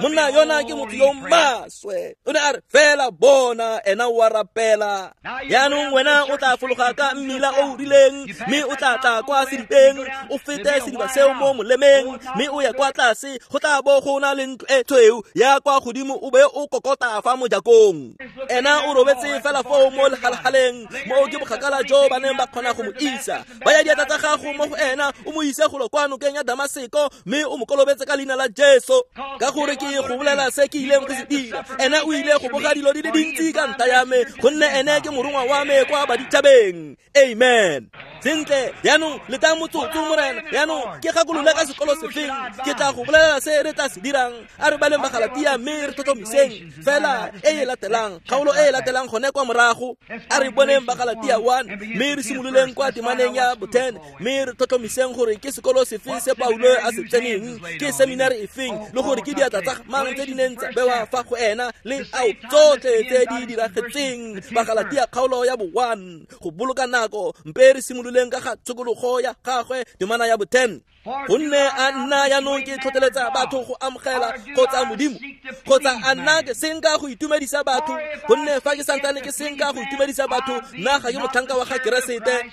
monna yona ke motho yo maswe. O ne a re, fela bona, ena o a rapela. Yaanong wena o tla fologa ka mmila o rileng, mme o tla tla kwa sedibeng, o fete sediba seo mo molemeng, mme o ye kwa tlase, go tla bo go na le ntlo e tshweu ya kwa godimo, o be o kokota fa mojakong. Ena o robetse fela foo mo legalgaleng, mo ke bokgakala jo ba neng ba kgona go mo isa. Ba ya diatla tsa gago mo go ena, o mo ise golo kwa nokeng ya Damaseko, mme o mo kolobetse ka leina la Jesu. Ka gore ke go bolela se ke ileng go se dira. Ena o ile go boga dilo di le dintsi ka ntlha ya me, gonne ene ke morongwa wa me kwa baditšhabeng. Amen. Sentle, yaanong letang motsotso, Morena. Yaanong ke gakolole ka sekolo sefeng, ke tla go bolelela se re tla se dirang. A re baleng Bagalatia mme re tlhotlhomiseng fela e e latelang, kgaolo e e latelang gone kwa morago. A re boneng Bagalatia 1 mme re simololeng kwa temaneng ya bo-10, mme re tlhotlhomiseng gore ke sekolo sefe se Paulo a se tseneng, ke seminari efeng, le gore ke diatla tsa mang tse di neng tsa bewa fa go ena, le ao tsotlhe tse di diragetseng. Bagalatia kgaolo ya bo-1. Go boloka nako, mpe re simololeng ka ga tshokologo ya gagwe, temana ya bo-10. Gonne a nna yaanong ke tlhotlheletsa batho go amogela kgotsa Modimo, kgotsa a nna ke senka go itumedisa batho? Gonne fa ke santsane ke senka go itumedisa batho, nna ga ke motlhanka wa ga Keresete.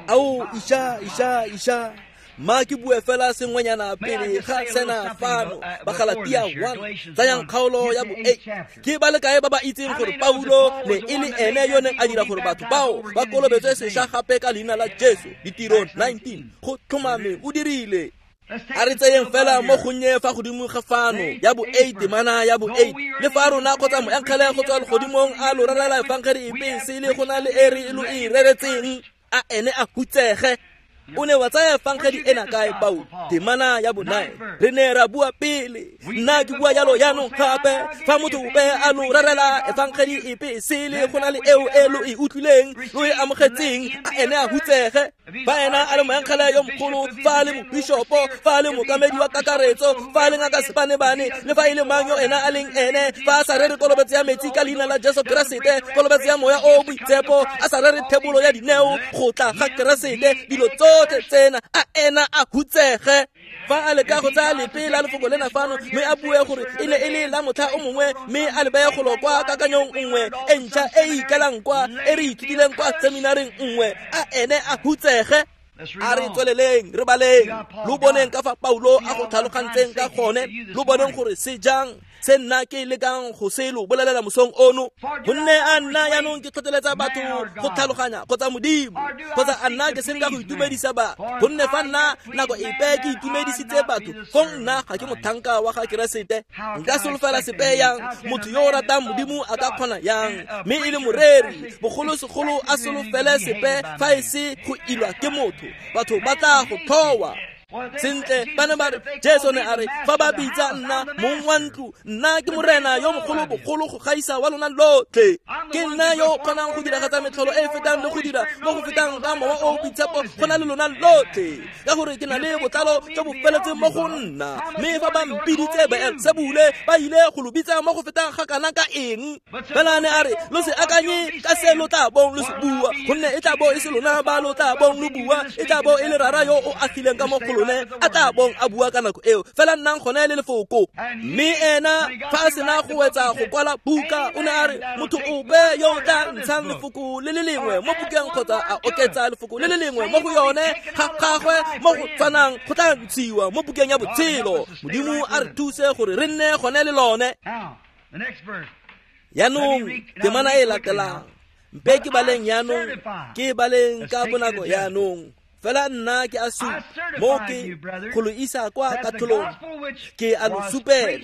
Ao, isha, ma ke bue fela sengwenyana pele ga sena fano. Bagalatia 1, tsayang kgaolo ya bo-8. Ke ba le kae ba ba itseng gore Paulo ne e le ene yo neng a dira gore batho bao ba kolobetswe sešwa gape ka leina la Jesu? Ditiro 19. Go tlhomame o dirile. A re tseyeng fela mo gonnye fa godimo ga fano ya bo-8, temana ya bo-8. Le fa rona kgotsa moengele go tswa legodimong a lo rerela efangedi epe sele go na le e re lo e reretseng, a ene a hutsege. O ne wa tsaya efangedi ena kae, Paulo? Temana ya bo-9. Re ne ra bua pele, nna ke bua jalo yaanong gape. Fa motho ope a lo rerela efangedi epe sele go na le eo e lo e utlwileng, lo e amogetseng, a ene a hutsege. Fa ena a le moengele yo mogolo, fa a le mobishopo, fa a le mookamedi wa kakaretso, fa a le ngaka sebanebane, le fa e le mang yo ena a leng ene, fa a sa rere kolobetso ya metsi ka leina la Jesu Keresete, kolobetso ya moya o boitshepo, a sa rere thebolo ya dineo, go tla ga Keresete, dilo tsotlhe tsena, a ena a hutsege. Fa a leka go tsaya lepe la lefoko lena fano mme a bue gore e ne e le la motlha o mongwe, mme a le beye golo kwa kakanyong nngwe e ntšha e e ikelang kwa e re ithutileng kwa seminaring nngwe, a ene a hutsege. A re tsweleleng re baleng, lo boneng ka fa Paulo a go tlhalogantseng ka gone, lo boneng gore se jang se nna ke lekang go se lo bolelela mosong ono. Gonne a nna yaanong ke tlhotlheletsa batho go tlhaloganya kgotsa Modimo, kgotsa a nna ke senka go itumedisa batho? Gonne fa nna nako epe ke itumedisitse batho, fong nna ga ke motlhanka wa ga Keresete. Nka solofela sepe yang? Motho yo o ratang Modimo a ka kgona yang, mme e le moreri, bogolosegolo a solofele sepe fa e se go ilwa ke motho? Batho ba tla go tlhowa. Sentle ba ne ba re Jesu ne a re fa ba bitsa nna mong wa ntlo, nna ke morena yo mogolo bogolo go gaisa wa lona lotlhe. Ke nna yo kgonang go diragatsa metlholo e e fetang le go dira mo go fetang ka mowa o boitshepo go na le lona lotlhe, ka gore ke na le botlalo jo bo feletseng mo go nna. Mme fa ba mpiditse Beelsebule, ba ile go lo bitsa mo go fetang ga kana ka eng? Fela ne a re lo se akanye ka se lo tla bong lo se bua, gonne e tla bo e se lona ba lo tla bong lo bua, e tla bo e le rara yo o agileng ka mo go lone a tla bong a bua ka nako eo. Fela nnang gone le lefoko. Mme ena fa a sena go wetsa go kwala buka, o ne a re motho ope yo o tla ntshang lefoko le le lengwe mo bukeng kgotsa a oketsa lefoko le le lengwe mo go yone ga gagwe mo go tshwanang go tla ntshiwa mo bukeng ya botshelo. Modimo a re thuse gore re nne gone le lone. Yaanong temana e latelang, mpe ke baleng yaanong, ke baleng ka bonako yaanong. Fela nna ke a supa mo ke go lo isa kwa katlholong, ke a lo supela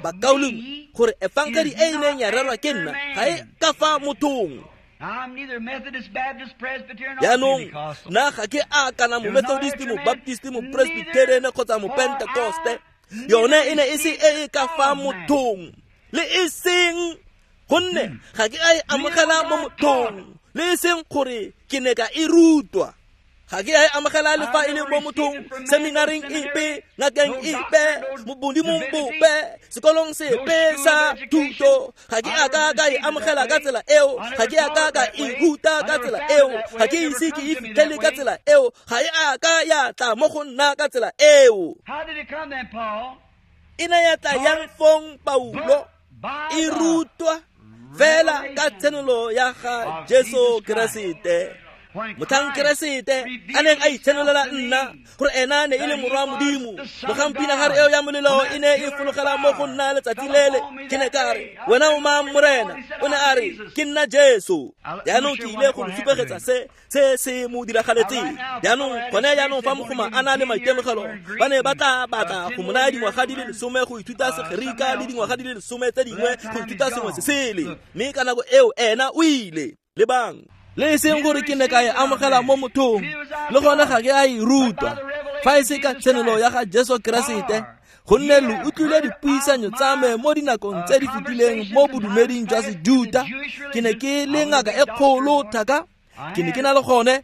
bakaulengwe gore efangedi e e neng ya rerwa ke nna ga e ka fa mothong. Yaanong nna ga ke a kana mo-Methodist, mo-Baptist, mo-Presbyterian kgotsa mo-Pentecoste. Yone e ne e se e e ka fa mothong, le e seng gonne ga ke a e amogela mo mothong, le e seng gore ke ne ka e rutwa. Ga ke a e amogela le fa e le mo mothong, seminaring epe, ngakeng epe, modimong bope, sekolong sepe sa thuto. Ga ke a ka ka e amogela ka tsela eo, ga ke a ka ka e ruta ka tsela eo, ga ke ise ke e fitlhele ka tsela eo, ga e a ka ya tla mo go nna ka tsela eo. E ne ya tla yang fong Paulo? E rutwa fela ka tshenolo ya ga Jesu Keresete. Motlhang Keresete a neng a itshenolela nna gore ena ne e le morwa Modimo, mogang pinagare eo ya molelo e ne e fologela mo go nna letsatsi lele, ke ne ka re, wena o mang Morena? O ne a re, ke nna Jesu. Jaanong ke ile go lo supegetsa se se mo diragaletseng. Jaanong gone jaanong fa mogoma a na le maitemogelo, ba ne ba tla batla go mo naya dingwaga di le 10 go ithuta Segerika le dingwaga di le 10 tse dingwe go ithuta sengwe se sele. Mme ka nako eo ena o ile. Lebang, le e seng gore ke ne ka e amogela mo mothong, le gone ga ke a e rutwa, fa e se ka tshenolo ya ga Jesu Keresete, gonne lo utlwile dipuisanyo tsa me mo dinakong tse di fetileng mo bodumeding jwa Sejuta. Ke ne ke le ngaka e kgolo thaka, ke ne ke na le gone.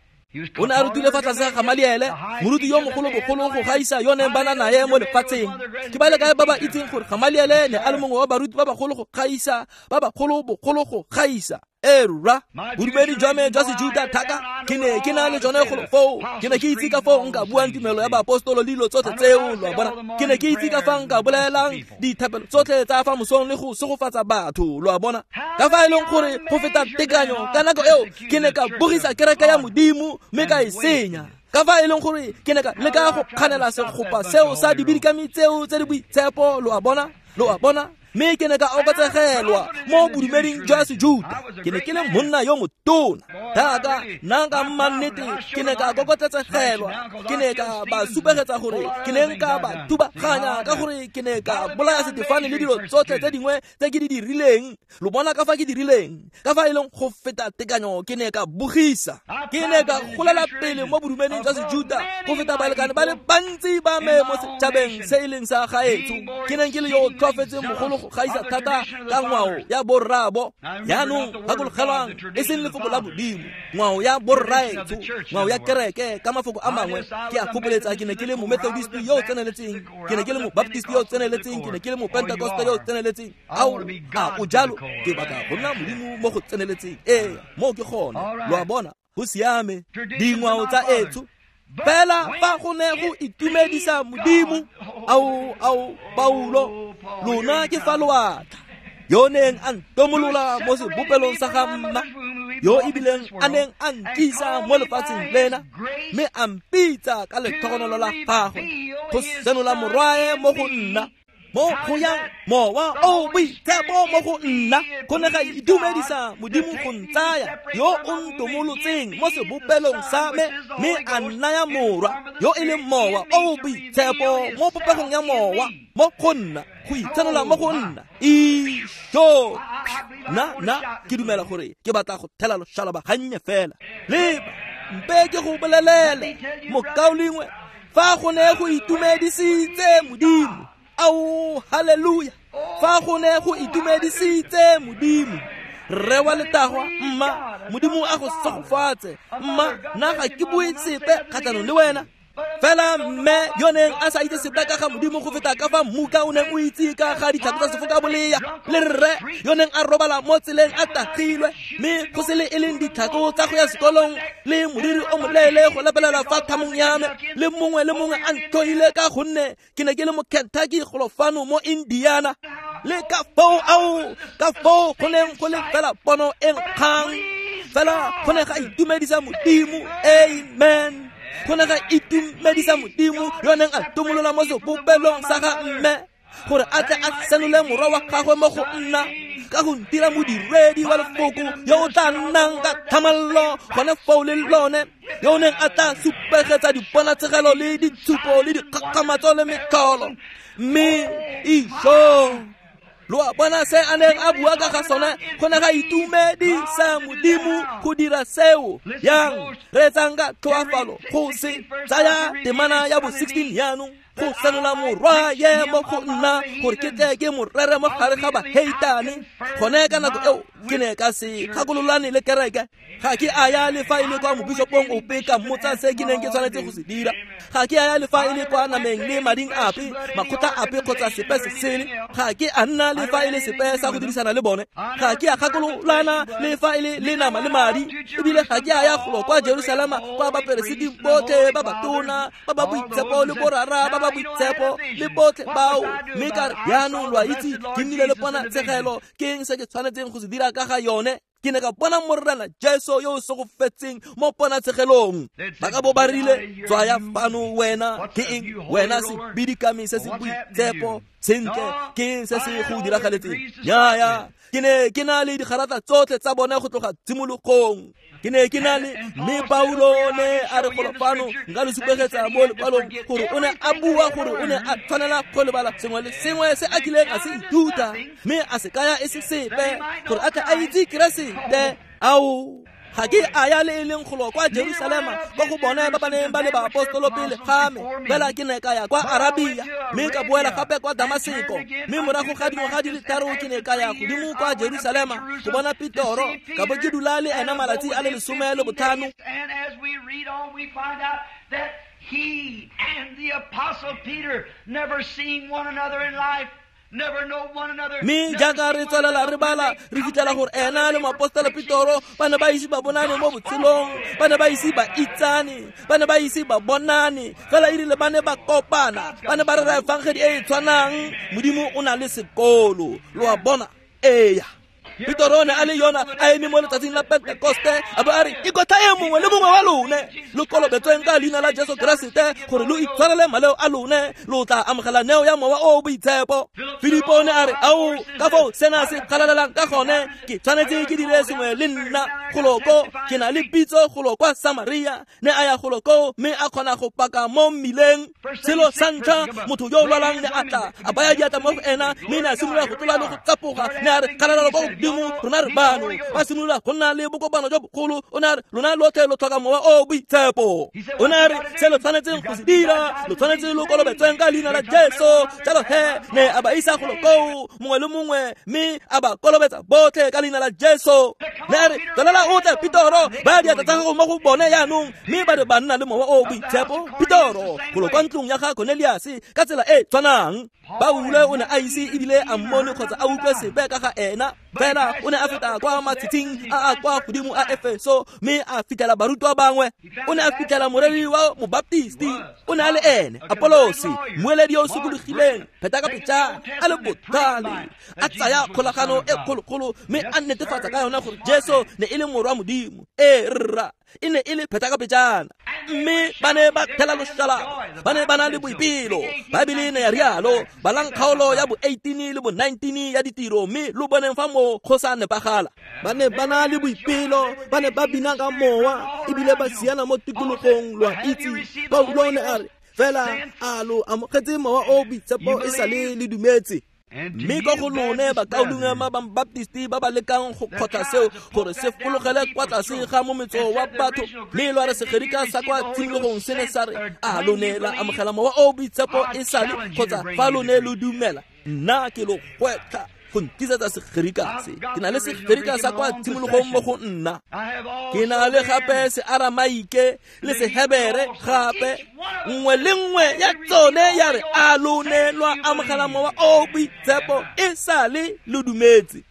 O ne a rutile fa tlase ga Gamaliele, moruti yo mogolo bogolo go gaisa yo neng ba na nae mo lefatsheng. Ke ba le kae ba ba itseng gore Gamaliele ne a le mongwe wa baruti ba bagolo go gaisa, ba bagolo bogolo go gaisa? E rra, bodumedi jwa me jwa Sejuta thaka ke ne ke na le jone golo foo. Ke ne ke itse ka foo nka buang tumelo ya baapostolo le dilo tsotlhe tseo, lo a bona. Ke ne ke itse ka fa nka bolelang dithapelo tsotlhe tsa fa mosong le go segofatsa batho, lo a bona. Ka fa e leng gore go feta tekanyo ka nako eo ke ne ka bogisa kereke ya Modimo mme ka e senya. Ka fa e leng gore ke ne ka leka go kganela segopa seo sa dibidikami tseo tse di boitshepo, lo a bona, lo a bona. Mme ke ne ka oketsegelwa mo bodumeding jwa Sejuta. Ke ne ke le monna yo motona thaka, nna ka mannete ke ne ka kokotletsegelwa. Ke ne ka ba supegetsa gore ke ne nka ba thubaganya ka gore ke ne ka bolaya Setefane le dilo tsotlhe tse dingwe tse ke di dirileng. Lo bona ka fa ke dirileng, ka fa e leng go feta tekanyo ke ne ka bogisa. Ke ne ka golela pele mo bodumeding jwa Sejuta go feta balekane ba le bantsi ba me mo setšhabeng se e leng sa gaetsho. Ke neng ke le yo o tlhoafetseng mogolo go gaisa thata ka ngwao ya borraabo. Jaanong gakologelwang, e seng lefoko la Modimo, ngwao ya borraetsho, ngwao ya kereke. Ka mafoko a mangwe, ke a gopoletsa ke ne ke le mo-Methodist yo o tseneletseng, ke ne ke le mo-Baptist yo o tseneletseng, ke ne ke le mo-Pentecoste yo o tseneletseng. Ao, a o jalo? Ke batla go nna Modimo mo go tseneletseng. Ee, moo ke gone, lo a bona, go siame. Dingwao tsa etsho fela fa go ne go itumedisa Modimo. Ao, ao, Paulo, lona ke fa loatla yo neng a ntomolola mo sebopelong sa ga mma, yo ebileng a neng a nkisa mo lefatsheng lena, mme a mpitsa ka letlhogonolo la gagwe go senola morwae mo go nna, mo go yang mowa o boitshepo mo go nna. Go ne ga itumedisa Modimo go ntsaya yo o ntomolotseng mo sebopelong sa me, mme a nnaya morwa yo e leng mowa o boitshepo mo popegong ya mowa mo go nna, go itshenola mo go nna. Ijo, nna ke dumela gore ke batla go thela loshalaba gannye fela. Leba, mpe ke go bolelele mokaulengwe, Fa go ne go itumedisitse Modimo. Ao, haleluya. Fa go ne go itumedisitse Modimo. Rre wa letagwa, mma, Modimo a go segofatse. Mma, nna ga ke bue sepe kgatlhanong le wena. Fela mme yo neng a sa itse sepe ka ga Modimo go feta ka fa mmuka o neng o itse ka ga ditlhako tsa sefoka bolea, le rre yo neng a robala mo tseleng a tagilwe, mme go se le e leng ditlhako tsa go ya sekolong, le moriri o moleele go lebelela fa thamong ya me, le mongwe le mongwe a ntlhoile ka gonne ke ne ke le mo Kentucky golo fano mo Indiana. Le ka foo ao, ka foo go neng go le fela pono e nkgang, fela go ne ga itumedisa Modimo. Amen. Go ne ga itumedisa Modimo yo neng a tumolola mo sebopelong sa ga mme gore a tle a senole morwa wa gagwe mo go nna, ka go ntira modiredi wa lefoko yo o tla nnang ka thamallo gone foo le lone, yo o neng a tla supegetsa diponatshegelo le ditshupo le dikgakgamatso le metlholo. Mme isho, lo a bona se a neng a bua ka ga sone, go ne ga itumedisa Modimo go dira seo. Yang reetsang ka tlhoafalo go se tsaya temana ya bo 16 jaanong, go senola morwa ye mo go nna gore ke tle ke mo rere mo gare ga baheitane. Gone ka nako eo ke ne ka se gakololane le kereke. Ga ke a ya le fa e le kwa mobishopong ope ka mmotsa se ke neng ke tshwanetse go se dira. Ga ke a ya le fa e le kwa nameng le mading ape, makgotla ape kgotsa sepe se sele. Ga ke a nna le fa e le sepe sa go dirisana le bone. Ga ke a gakololana le fa e le le nama le madi. Ebile ga ke a ya golo kwa Jerusalema kwa baperesiti botlhe ba batona, ba ba boitshepo le borara ba ba boitshepo le botlhe bao, mme ka re jaanong lo a itse ke nnile le ponatshegelo, ke eng se ke tshwanetseng go se dira ka ga yone? Ke ne ka bona Morena Jesu yo o segofetseng mo ponatshegelong. Ba ka bo ba rile, tswaya fano wena, ke eng wena sebidikami se se boitshepo? Sentle, ke eng se se go diragaletseng? Nnyaya, ke ne ke na le digarata tsotlhe tsa bone go tloga tshimologong. Ke ne ke na le, mme Paulo ne a re golo fano, nka lo supegetsa mo lekwalong gore o ne a bua gore o ne a tshwanela go lebala sengwe le sengwe se a kileng a se ithuta, mme a se kaya e se sepe gore a tle a itse Keresete. Ao, ga ke a ya le e leng golo kwa Jerusalema kwa go bone ba ba neng ba le baapostolo pele ga me, fela ke ne ka ya kwa Arabia, mme ka boela gape kwa Damaseko. Mme morago ga dingwaga di le tharo ke ne ka ya godimo kwa Jerusalema go bona Petoro, ka bo ke dula le ena malatsi a le 15. And as we read on, we find out that he and the Apostle Peter never seen one another in life. Mme jaaka re tswelela re bala, re fitlhela gore ena le moapostolo Petoro ba ne ba ise ba bonane mo botshelong, ba ne ba ise ba itsane, ba ne ba ise ba bonane. Fela erile ba ne ba kopana, ba ne ba rera efangedi e e tshwanang. Modimo o na le sekolo, lo a bona. Eya, Petoro o ne a le yona a eme mo letsatsing la Pentekoste, a bo a re, ikotlhaeng mongwe le mongwe wa lone, lo kolobetsweng ka leina la Jesu Keresete gore lo itshwarele maleo a lone, lo tla amogela neo ya Mowa o o Boitshepo. Filipo o ne a re, ao, ka foo sena se galalelang ka gone, ke tshwanetse ke dire sengwe le nna golo ko, ke na le pitso golo kwa Samaria. Ne a ya golo koo mme a kgona go paka mo mmileng. Selo sa ntlha, motho yo o lwalang ne a tla, a baya diatla mo go ena, mme ne a simolola go tlola le go tsapoga. Ne a re, kgalalelo kwa godimo, rona re bano. Ba simolola go nna le bokopano jo bogolo. O ne a re, lona lotlhe lo tlhoka Mowa o o Boitshepo. O ne a re, se lo tshwanetseng go se dira, lo tshwanetse lo kolobetsweng ka leina la Jesu. Jalo he, ne a ba isa golo koo, mongwe le mongwe, mme a ba kolobetsa botlhe ka leina la Jesu. Ne a re, tswelela o tle Petoro, baya diatla tsa gago mo go bone jaanong, mme ba re ba nna le Mowa o o Boitshepo. Petoro golo kwa ntlong ya ga Cornelius ka tsela e tshwanang. Paulo o ne a ise ebile a mmone kgotsa a utlwe sepe ka ga ena, fela o ne a feta kwa matshitshing a a kwa godimo a Efeso, mme a fitlhela barutwa bangwe. O ne a fitlhela moreri wa mobaptisti, o ne a le ene Apolosi, mmueledi yo o sokologileng, pheta ka pejana, a le botlhale, a tsaya kgolagano e kgolokgolo mme a netefatsa ka yona gore Jesu ne e le morwa Modimo. Ee rra, e ne e le pheta ka pejana. Mme ba ne ba thela loshalaba, ba ne ba na le boipelo. Baebele ne ya rialo, balang kgaolo ya bo 18 le bo 19 ya ditiro, mme lo boneng fa mo go sa nepagala. Ba ne ba na le boipelo, ba ne ba bina ka mowa, ebile ba siana mo tikologong, lo a itse. Paulo ne a re, fela a lo amogetse Mowa o o Boitshepo e sa le le dumetse? Mme ka go lone bakaulengwe ba Baptisti ba ba lekang go kgotla seo gore se fologele kwa tlase ga mometso wa batho, mme lwa re Segerika sa kwa tshimologong se ne sa re, a lo ne la amogela mowa o boitshepo e sale kgotsa fa lo ne lo dumela? Nna ke lo gwetlha go ntisetsa Segerika se. Ke na le Segerika sa kwa tshimologong mo go nna. Ke na le gape Searamaike le Sehebere gape. Nngwe le nngwe ya tsone ya re, a lo ne lwa amogela mowa o boitshepo e sale lo dumetse?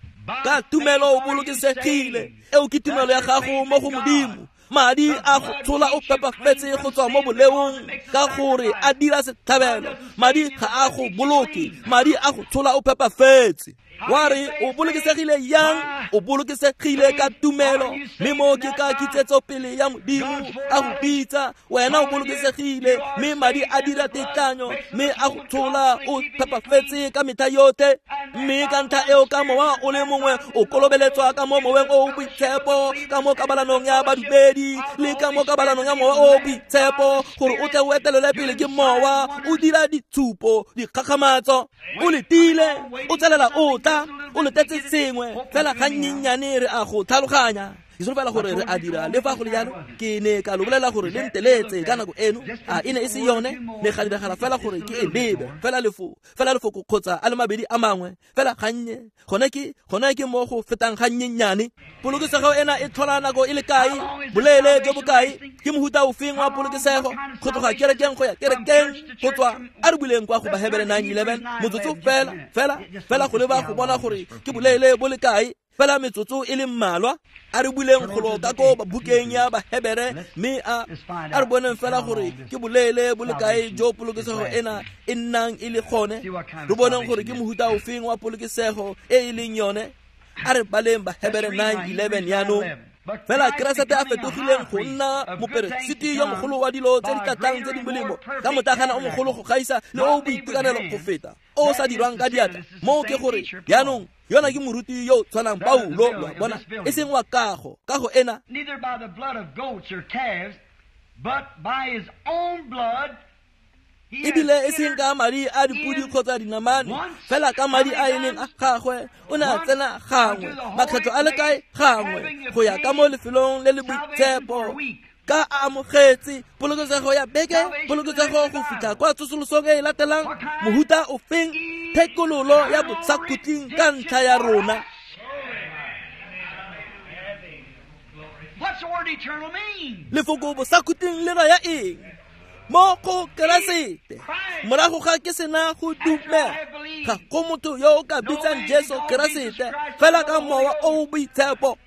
Ka tumelo o bolokesegile. Eo ke tumelo ya gago mo go Modimo. Madi a go tshola o phepafetse go tswa mo boleong ka gore a dira setlhabelo. Madi ga a go boloke, madi a go tshola o phepafetse. Wa re o bolokesegile yang? O bolokesegile ka tumelo, mme mo ke ka kitsetsopele ya Modimo a go bitsa. Wena o bolokesegile, mme madi a dira tetlanyo, mme a go tshola o phepafetse ka metlha yotlhe. Mme ka ntlha eo ka mowa o le mongwe o kolobeletswa ka mo moweng o boitshepo, ka mo kabalanong ya badumedi le ka mo kabalanong ya mowa o boitshepo, gore o tle o etelele pele ke mowa, o dira ditshupo, dikgakgamatso. O letile, o tswelela o tla, o letetse sengwe fela gannyenyane re a go tlhaloganya. Ke solofela gore re a dira. Le fa go le jalo, ke ne ka lo bolela gore le nteletse ka nako eno. A e ne e se yone? Ne ga diragala fela gore ke e lebe fela lefoko kgotsa a le mabedi a mangwe fela gannye. Gone ke mo go fetang gannyenyane. Polokesego ena e tlhola nako e le kae? Boleele jo bokae? Ke mohuta ofeng wa polokesego? Go tloga kerekeng go ya kerekeng, go tswa a re buleng kwa go Bahebere 9:11 motsotso fela go leba go bona gore ke boleele bo le kae. Fela metsotso e le mmalwa. A re buleng golo ka ko bukeng ya Bahebere, mme a re boneng fela gore ke boleele bo le kae jo polokesego ena e nnang e le gone. Re boneng gore ke mohuta ofeng wa polokesego e e leng yone. A re baleng Bahebere 9:11 yaanong. Fela Keresete a fetogileng go nna moperesiti yo mogolo wa dilo tse di tlatlang tse di molemo, ka motlagana o mogolo go gaisa le o boitekanelo go feta, o sa dirwang ka diatla. Moo ke gore yaanong yona ke moruti yo tshwanang Paulo, lo bona, e seng wa kago ena. Neither by the blood of goats or calves, but by his own blood. Ebile e seng ka madi a dipudi kgotsa dinamane, fela ka madi a e leng a gagwe. O ne a tsena gangwe, makgetlo a le kae? Gangwe, go ya ka mo lefelong le le boitshepo, ka a amogetse polokesego ya beke, polokesego go fitlha kwa tsosolosong e e latelang. Mohuta ofeng? Thekololo ya bosakhutleng ka ntlha ya rona. Lefoko bosakhutleng le raya eng? Mo go Keresete. Morago ga ke sena go dumela, ga go motho yo o ka bitsang Jesu Keresete fela ka mowa o boitshepo.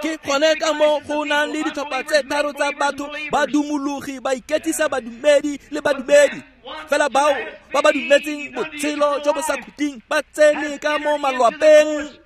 Ke gone ka mo go nang le ditlhopha tse tharo tsa batho, badumologi, baiketsisa badumedi le badumedi. Fela bao ba ba dumetseng botshelo jo bo sa khutleng ba tsene ka mo malwapeng.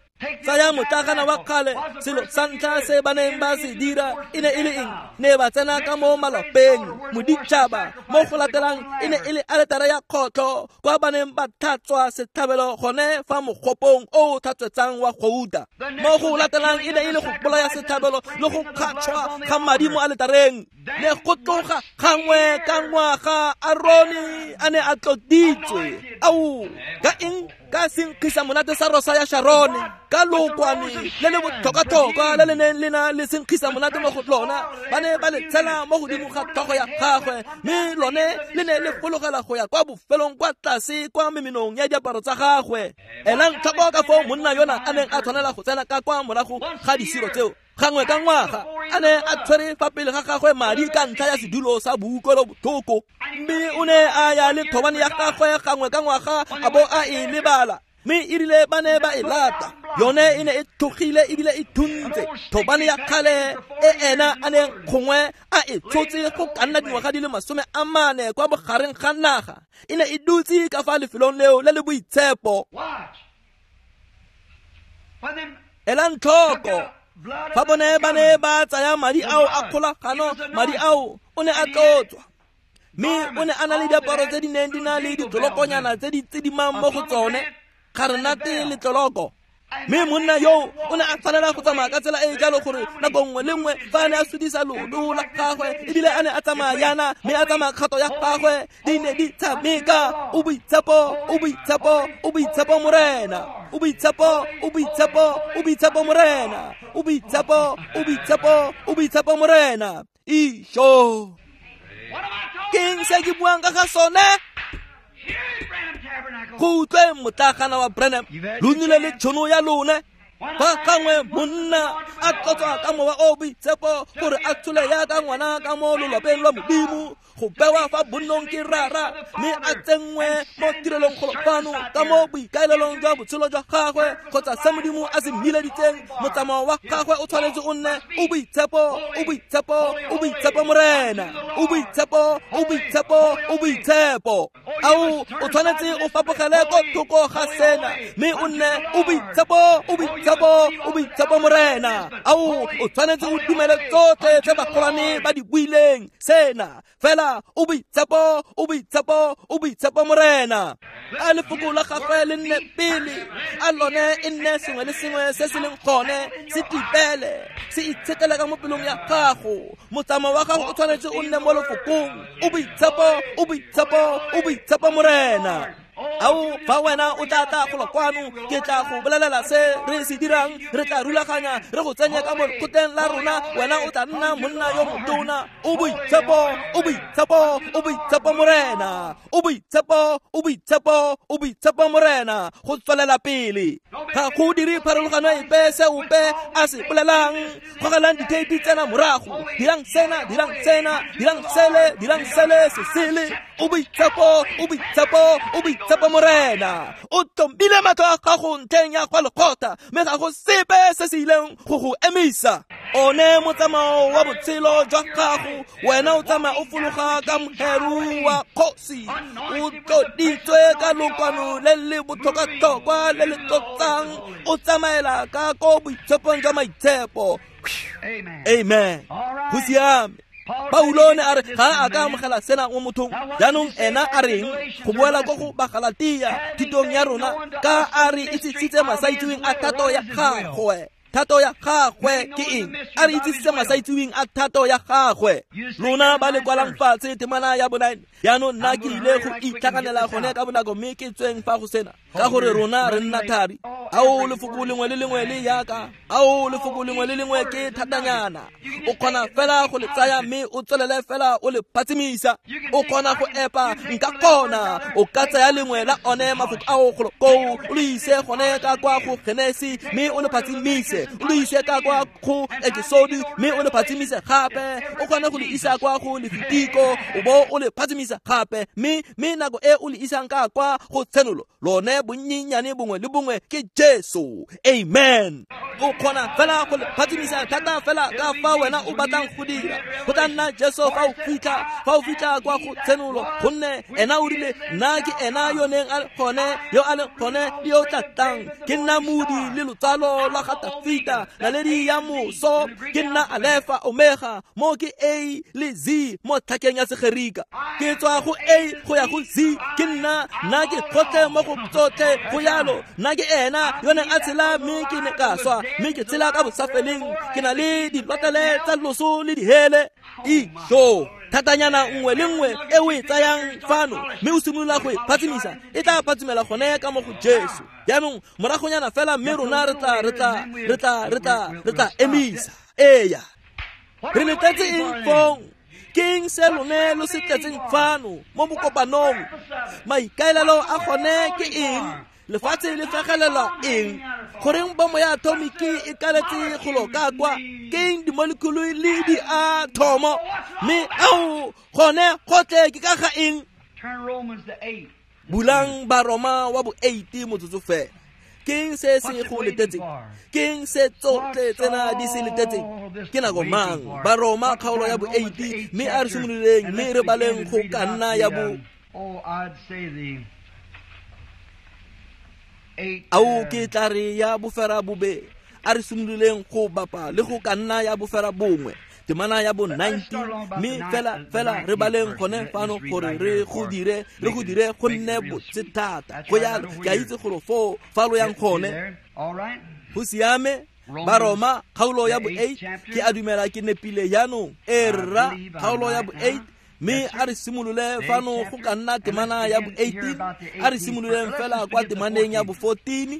Tsaya motlagana wa kgale, selo sa ntlha se ba neng ba se dira e ne e le eng? Ne ba tsena ka mo malapeng. Moditšhaba mo go latelang e ne e le aletara ya kgotlho, kwa ba neng ba tlhatswa setlhabelo gone fa mogopong o o tlhatswetsang wa gouta. Mo go latelang e ne e le go bolaya setlhabelo le go kgatšhwa ga madi mo aletareng. Le go tloga gangwe ka ngwaga Arone a ne a tloditswe. Ao, ka eng? Ka senkgisa monate sa rosa ya Sharone, ka lokwane le le botlhokwa-tlhokwa le le neng le na le senkgisa monate mo go lona. Ba ne ba le tshela mo godimo ga tlhogo ya gagwe, mme lone le ne le fologela go ya kwa bofelong kwa tlase kwa memenong ya diaparo tsa gagwe. Elang tlhoko ka foo monna yona a neng a tshwanela go tsena ka kwa morago ga disiro tseo gangwe ka ngwaga, a ne a tshwere fa pele ga gagwe madi ka ntlha ya sedulo sa boutlwelo botlhoko. Mme o ne a ya le thobane ya gagwe gangwe ka ngwaga a bo a e lebala, mme e rile ba ne ba e lata. Yone e ne e tlhogile ebile e thuntse. Thobane ya kgale e ena a neng gongwe a e tshotse go ka nna dingwaga di le 40 kwa bogareng ga naga, e ne e dutse ka fa lefelong leo le le boitshepo. Elang tlhoko fa bone ba ne ba tsaya madi ao a kgolagano, madi ao o ne a tlotswa, mme o ne a na le diaparo tse di neng di na le ditlolokonyana tse di tsidimang mo go tsone, garenate le tloloko. Mme monna yo o ne a tshwanela go tsamaya ka tsela e e jalo gore nako nngwe le nngwe fa a ne a sudisa loto la gagwe ebile a ne a tsamaya yana mme a tsamaya kgato ya gagwe di ne di tshameka o boitshepo o boitshepo o boitshepo morena o boitshepo o boitshepo o boitshepo morena o boitshepo o boitshepo o boitshepo morena. Isho, ke eng se ke buang ka ga sone? Go utlwe motlagana wa Branham, lo nnile le tšhono ya lone. Fa gangwe monna a tlotswa ka mowa o boitshepo gore a tshole yaka ngwana ka mo lolwapeng lwa Modimo, go bewa fa bonnong ke rara mme a tsenngwe mo tirelong golo fano ka mo boikaelelong jwa botshelo jwa gagwe kgotsa se Modimo a se mmileditseng. Motsamao wa gagwe o tshwanetse o nne o boitshepo o boitshepo o boitshepo morena o boitshepo o boitshepo o boitshepo. Ao o tshwanetse o fapogele ko thoko ga sena mme o nne o boitshepo o boitshepo o boitshepo morena. Ao o tshwanetse o dumele tsotlhe tse bagolwane ba di buileng sena fela o boitshepo o boitshepo o boitshepo morena. A lefoko la gagwe le nne pele, a lone e nne sengwe le sengwe se se leng gone se tipele se itshetele ka mo pelong ya gago. Motsamao wa gago o tshwanetse o nne mo lefokong o boitshepo o boitshepo o boitshepo morena. Ao fa wena o tla tla golo kwano ke tla go bolelela se re se dirang, re tla rulaganya re go tsenye ka mo lekgotleng la rona, wena o tla nna monna yo motona. O boitshepo o boitshepo o boitshepo morena o boitshepo o boitshepo o boitshepo morena. Go tswelela pele ga go dire pharologano epe se ope a se bolelang. Gogelang ditheipi tsena morago, dirang sena dirang sena dirang sele dirang sele se sele. O boitshepo o boitshepo o boitshepo morena. O tlhombile matlho a gago ntlheng ya kwa lekgotla mme ga go sepe se se ileng go go emisa. One motsamao wa botshelo jwa gago, wena o tsamaya o fologa ka moheru wa kgosi, o tloditswe ka lokwano le le botlhokwa-tlhokwa le le tlotsang, o tsamaela ka ko boitshepong jwa maitshepo. Amen. Go siame. Paulo ne a re ga a ka amogela sena mo mothong. Jaanong ena a reng go boela ko go Bagalatia thutong ya rona ka a re itsisitse masaitseweng a thato ya gagwe. Thato ya gagwe ke eng? A re itsisitse masaitseweng a thato ya gagwe. Lona ba le kwalang fatshe temana ya bo9. Jaanong nna ke ile go itlhaganela gone ka bonako mme ke tsweng fa go sena ka gore rona re nna thari. Ao lefoko lengwe le lengwe le yaka, ao lefoko lengwe le lengwe ke thatanyana. O kgona fela go le tsaya mme o tswelele fela o le phatsimisa. O kgona go epa, nka kgona. O ka tsaya lengwe la one mafoko ao golo koo o le ise gone ka kwa go Genesi mme o le phatsimise, o le ise ka kwa go Exodi mme o le phatsimise gape. O kgone go le isa kwa go Lefitiko o bo o le phatsimisa gape, mme nako e o le isang ka kwa go Tshenolo lone bonnyenyane bongwe le bongwe ke Jesu. Amen. O kgona fela go le phatsimisa thata fela ka fa wena o batlang go dira. Go tla nna Jesu fa o fitlha kwa go Tshenolo, gonne ena o rile nna ke ena yo neng a le gone, yo a leng gone le yo tla tlang. Ke nna modi le lotsalo lwa ga Tafita, naledi ya moso. Ke nna Alefa Omega, mo ke A le Z mo tlhakeng ya Segerika. Ke tswa go A go ya go Z. Ke nna ke gotlhe mo go tsotlhe go yalo. Nna ke ena yo neng a tshela mme ke ne ka swa, mme ke tshela ka bosafeleng. Ke na le dilotlele tsa loso le dihele. Isho thatanyana nngwe le nngwe e o e tsayang fano mme o simolola go e phatsimisa, e tla phatsimela gone ka mo go Jesu. Jaanong moragonyana fela mme rona re tla emisa. Eya, re letetse eng fong? Ke eng se lone lo se tletseng fano mo bokopanong? Maikaelelo a gone ke eng? Lefatshe le fegelelwa eng? Goreng bomo ya atomiki e kaletse golo ka kwa? Ke eng dimolekhulu le diathomo? Mme ao gone gotlhe ke ka ga eng? Bulang Baroma wa bo 8 motsotso fela. Ke eng se se go letetseng? Ke eng se tsotlhe tsena di se letetseng? Ke nako mang? Baroma kgaolo ya bo 8 mme a re simololeng mme re baleng go ka nna ya bo ao ke tla re ya bofera bobe. A re simololeng go bapa le go ka nna ya bofera bongwe Temana ya bo 19, mme fela re baleng gone fano gore re go dire go nne botse thata. Go yalo, ke a itse gore foo fa lo yang gone. Go siame. Baroma kgaolo ya bo 8, ke a dumela ke nepile jaanong. E rra, kgaolo ya bo 8, mme a re simolole fano go ka nna temana ya bo 18, a re simololeng fela kwa temaneng ya bo 14.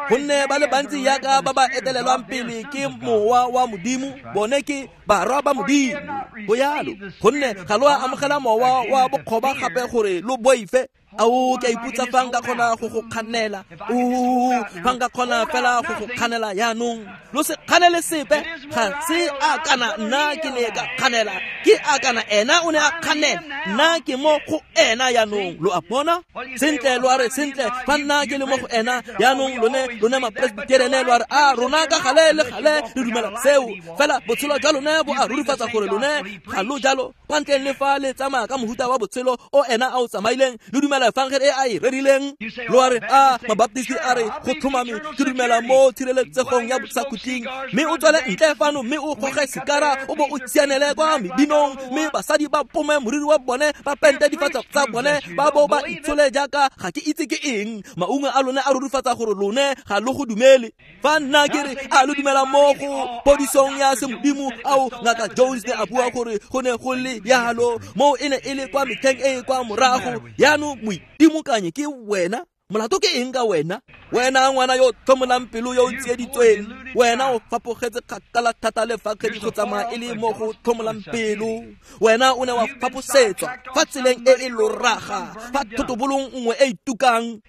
Gonne ba le bantsi yaka ba ba etelelwang pele ke mowa wa Modimo, bone ke barwa ba Modimo. Go yalo, gonne ga lo a amogela mowa wa bokgoba gape gore lo boife. Ao, ke a ipotsa fa nka kgona go go kganela. Fa nka kgona fela go go kganela jaanong. Lo se kganele sepe, ga se a kana nna ke ne ka kganela, ke a kana ena o ne a kganela, nna ke mo go ena jaanong. Lo a bona? Sentle, lo a re sentle, fa nna ke le mo go ena jaanong, lone mapresbiterene lo a re, a rona ka gale le gale re dumela seo. Fela botshelo jwa lone bo a rurifatsa gore lone ga lo jalo, kwa ntleng le fa le tsamaya ka mohuta wa botshelo o ena a o tsamaileng, le dumela efangele e a e rerileng. Lo a re, a mabaptisti a re go tlhomame ke dumela mo tshireletsegong ya bosakhutleng, mme o tswele ntle fano mme o goge sikara o bo o tsianele kwa mebinong, mme basadi ba pome moriri wa bone, ba pente difatlhego tsa bone, ba bo ba itshole jaaka ga ke itse ke eng. Maungo a lone a rurifatsa gore lone ga lo go dumele. Fa nna ke re a lo dumela mo go podisong ya semodimo, ao Ngaka Jones ne a bua gore go ne go le yalo, moo e ne e le kwa metlheng e e kwa morago. Jaanong moitimokanye ke wena, molato ke eng ka wena? Wena ngwana yo tlhomolang pelo yo o tsieditsweng, wena o fapogetse kgakala thata le fa kgedi go tsamaya e le mo go tlhomolang pelo. Wena o ne wa faposetswa fa tseleng e e loraga, fa thotobolong nngwe e itukang.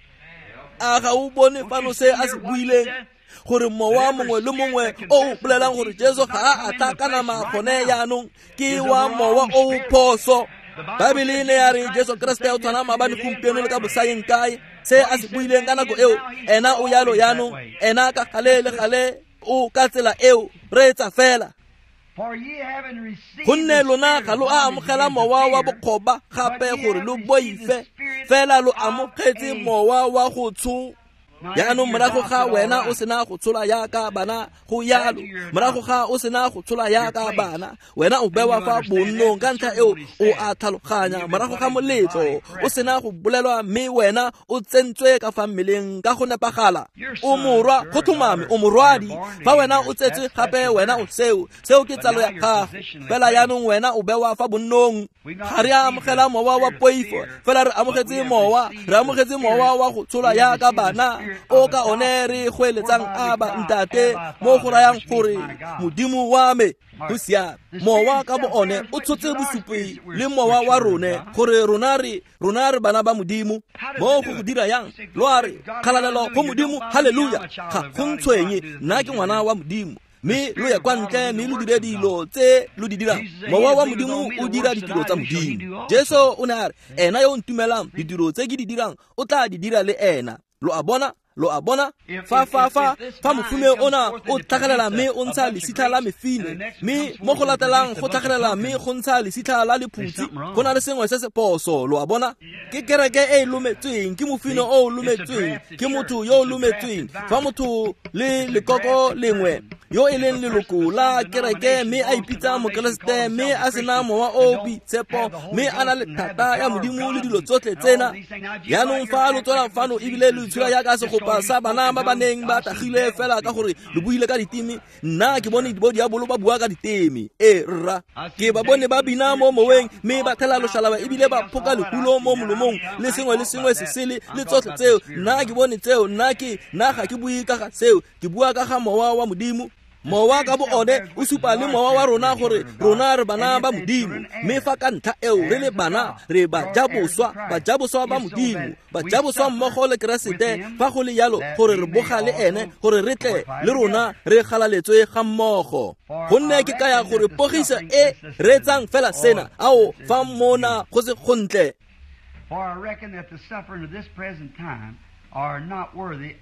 A ga o bone fano se a se buileng? Gore mowa mongwe le mongwe o o bolelang gore Jesu ga a atla ka nama gone jaanong ke wa mowa o o phoso. Baebele e ne ya re Jesu Kriste o tshwana maabane, gompieno le ka bosayeng kae. Se a se buileng ka nako eo, ena o yalo jaanong, ena ka gale le gale o ka tsela eo. Reetsa fela. Gonne lona ga lo a amogela mowa wa bokgoba gape gore lo boife, fela lo amogetse mowa wa go tsho. Jaanong morago ga wena o sena go tshola yaka bana, go yalo, morago ga o sena go tshola yaka bana, wena o bewa fa bonnong ka ntlha eo o a tlhaloganya. Morago ga moletlo o sena go bolelwa, mme wena o tsentswe ka fa mmeleng ka go nepagala. O morwa, go tlhomame o morwadi. Fa wena o tsetswe gape, wena o seo, seo ke tsalo ya gago. Fela jaanong wena o bewa fa bonnong. Ga re a amogela mowa wa poifo, fela re amogetse mowa, re amogetse mowa wa go tshola yaka bana, o ka one re goeletsang Aba Ntate, mo go rayang gore Modimo wa me. Go siame. Mowa ka bo one o tshotse bosupi le mowa wa rone gore rona re bana ba Modimo. Mo go go dira yang? Lo a re kgalalelo go Modimo, haleluya. Ga go ntshwenye, nna ke ngwana wa Modimo. Mme lo ye kwa ntle mme lo dire dilo tse lo di dirang. Mowa wa Modimo o dira ditiro tsa Modimo. Jesu o ne a re, ena yo o ntumelang, ditiro tse ke di dirang o tla di dira le ena. Lo a bona? Lo a bona? Fa mofume ona o tlhagelela mme o ntsha lesitlha la mefine, mme mo go latelang go tlhagelela mme go ntsha lesitlha la lephutsi, go na le sengwe se se phoso. Lo a bona? Ke kereke e e lometsweng, ke mofine o o lometsweng, ke motho yo o lometsweng. Fa motho le lekoko lengwe yo e leng leloko la kereke mme a ipitsa mokeresete mme a sena mowa o boitshepo mme a na le thata ya Modimo le dilo tsotlhe tsena. Jaanong fa lo tswela fano ebile lo itshola jaaka segopa sa bana ba ba neng ba tagile fela ka gore lo buile ka diteme, nna ke bone bo diabolo ba bua ka diteme. E rra, ke ba bone ba bina mo moweng mme ba thela loshalaba ebile ba phoka lehulo mo molomong le sengwe le sengwe se sele le tsotlhe tseo. Nna ke bone tseo, nna ga ke bue ka ga seo, ke bua ka ga mowa wa Modimo. Mowa ka bo one o supa le mowa wa rona gore rona re bana ba Modimo, mme fa ka ntlha eo re le bana, re bajaboswa ba Modimo, bajaboswa mmogo le Keresete, fa go le yalo gore re boga le ene, gore re tle le rona re galaletswe ga mmogo. Gonne ke kaya gore pogiso e reetsang fela sena, ao fa mona go se gontle. For I reckon that the suffering of this present time are not worthy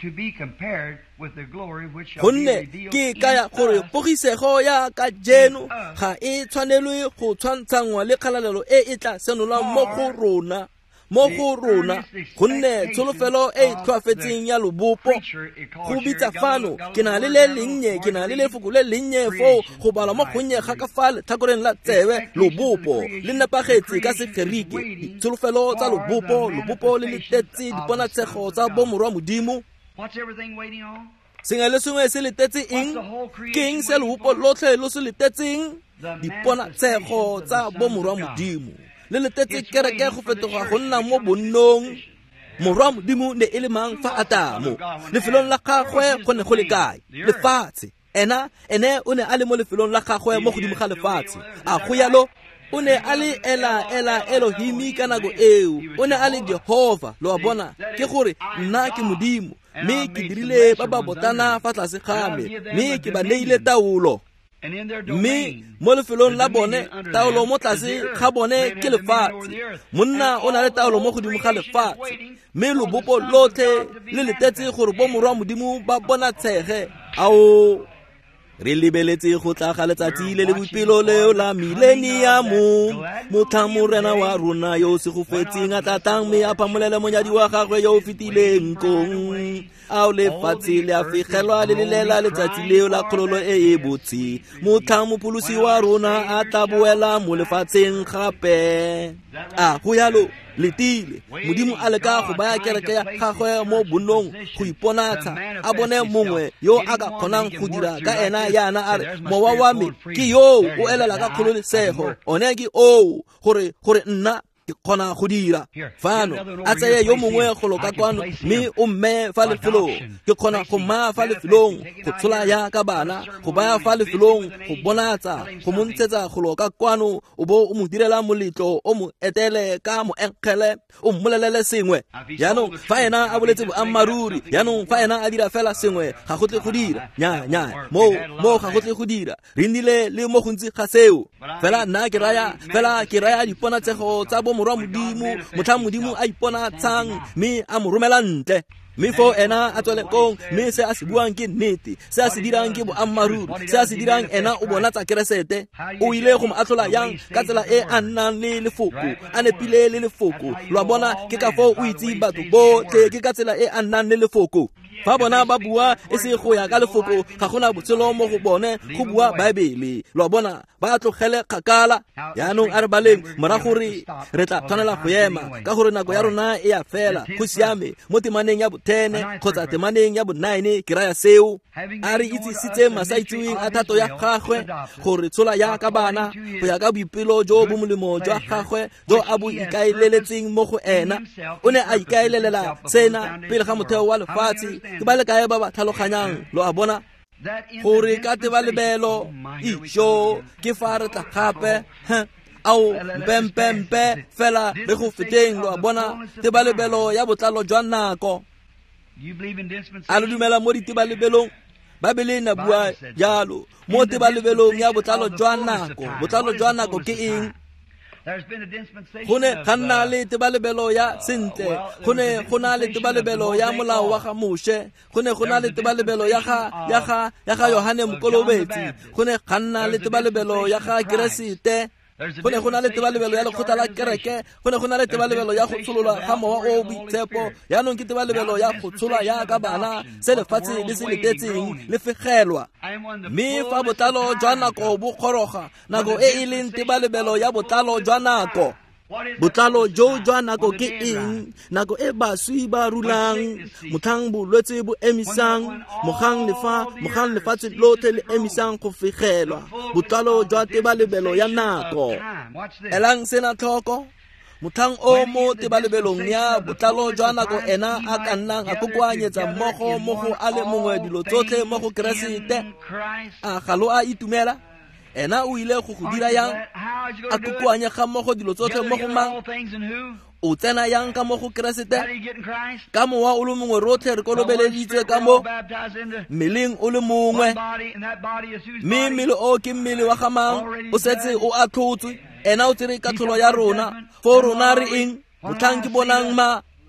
to be compared with the glory which shall be revealed. Gonne ke kaya gore pogisego ya kajeno ga e tshwanelwe go tshwantshanngwa le kgalalelo e e tla senolwang mo go rona, Mo go rona gonne tsholofelo e e tlhoafetseng ya lobopo go bitsa fano ke na le le lennye ke na le lefoko le lennye foo go balwa mo gonnye ga ka fa letlhakoreng la tsebe lobopo le nepagetse ka Segerike ditsholofelo tsa lobopo lobopo le letetse diponatshego tsa bomorwa Modimo. Sengwe le sengwe se letetse eng? Ke eng se lobopo lotlhe lo se letetseng? Diponatshego tsa bomorwa Modimo le letetse kereke go fetoga go nna mo bonnong. Morwa Modimo ne e le mang fa Atamo? Lefelong la gagwe go ne go le kae? Lefatshe. Ena ene o ne a le mo lefelong la gagwe mo godimo ga lefatshe. A go yalo? O ne a le ela ela Elohimi ka nako eo. O ne a le Jehova, lo a bona, ke gore nna ke Modimo mme ke dirile ba ba botana fa tlase ga me mme ke ba neile taolo. Mme mo lefelong la bone taolo mo tlase ga bone ke lefatshe. Monna o na le taolo mo godimo ga lefatshe mme lobopo lotlhe le letetse gore bomorwa Modimo ba bonatshege. Ao re lebeletse go tla ga letsatsi le le boipelo leo la mileniamo, motlhang Morena wa rona yo o segofetseng a tla tlang mme a phamolele monyadi wa gagwe yo o fetileng kong. Ao lefatshe le a fegelwa le lelela letsatsi leo la kgololo e e botse, motlhang mopholosi wa rona a tla boela mo lefatsheng gape. A go yalo? Letile Modimo a leka go baya kereke ya gagwe mo bonnong go iponatsha, a bone mongwe yo a ka kgonang go dira ka ena yana a re mowa wa me ke yo o elela ka kgololesego, one ke oo gore nna ke kgona go dira. Fano a tseye yo mongwe go loka kwano mme o mme fa lefelong, ke kgona go mmaya fa lefelong go tshola ya ka bana, go baya fa lefelong go bonatsa, go mo ntshetsa go loka kwano, o bo o mo direla moletlo, o mo etele ka moenkgele, o mmolelele sengwe. Jaanong fa ena a boletse boammaaruri, jaanong fa ena a dira fela sengwe, ga go tle go dira. Nya nya, mo ga go tle go dira. Re nnile le mo gontsi ga seo. Fela nna ke raya, fela ke raya diponatsego tsa bomorwa Modimo, motlhang Modimo a iponatshang mme a mo romela ntle. Mme foo ena a tswele kong, mme se a se buang ke nnete, se a se dirang ke boammaaruri, se a se dirang ena o bonatsa Keresete. O ile go mo atlhola yang? Ka tsela e a nnang le lefoko, a nepile le lefoko. Lo a bona, ke ka foo o itse batho botlhe, ke ka tsela e a nnang le lefoko. Fa bona ba bua e se go ya ka lefoko, ga gona botshelo mo go bone, go bua Baebele. Lo a bona, ba tlogele kgakala. Jaanong a re baleng morago re tla tshwanela go ema ka gore nako ya rona e a fela. Go siame mo temaneng ya bo-10 kgotsa temaneng ya bo-9 ke raya seo. A re itsisitse masaitseweng a thato ya gagwe gore tshola ya ka bana go ya ka boipelo jo bo molemo jwa gagwe jo a bo ikaeleletseng mo go ena. O ne a ikaelelela sena pele ga motheo wa lefatshe. Ke ba le kae ba ba tlhaloganyang? Lo a bona gore ka tebalebelo ijo ke fa re tla gape. Ao mpempempe fela re go feteng. Lo a bona tebalebelo ya botlalo jwa nako. A lo dumela mo ditebalebelong? Baebele na bua jalo mo tebalebelong ya botlalo jwa nako. Botlalo jwa nako ke eng? Go ne ga nna le tebalebelo ya sentle, go ne go na le tebalebelo ya molao wa ga Moshe, go ne go na le tebalebelo ya ga Yohane Mokolobetsi, go ne ga nna le tebalebelo ya ga Keresete, go ne go na le tebalebelo ya lekgotla la kereke, go ne go na le tebalebelo ya go tshololwa ga mowa o boitshepo. Jaanong ke tebalebelo ya go tsholwa ya ka bana, se lefatshe le se letetseng le fegelwa. Mme fa botlalo jwa nako bo kgoroga, nako e e leng tebalebelo ya botlalo jwa nako. Botlalo jo jwa nako ke eng? Nako e baswi ba rulang, motlhang bolwetse bo emisang, mogang lefatshe lotlhe le emisang go fegelwa. Botlalo jwa tebalebelo ya nako. Elang sena tlhoko. Motlhang o mo tebalebelong ya botlalo jwa nako ena a ka nnang a kokoanyetsa mmogo mo go a le mongwe dilo tsotlhe mo go Keresete. A ga lo a itumela? Ena o ile go go dira yang? A kokoanya ga mmogo dilo tsotlhe mo go mang? O tsena yang ka mo go Keresete? Ka mowa o le mongwe rotlhe re kolobeleditswe ka mo mmeleng o le mongwe. Mme mmele o ke mmele wa ga mang? O setse o atlhotswe. Ena o tsere katlholo ya rona. Foo rona re eng? Motlhang ke bonang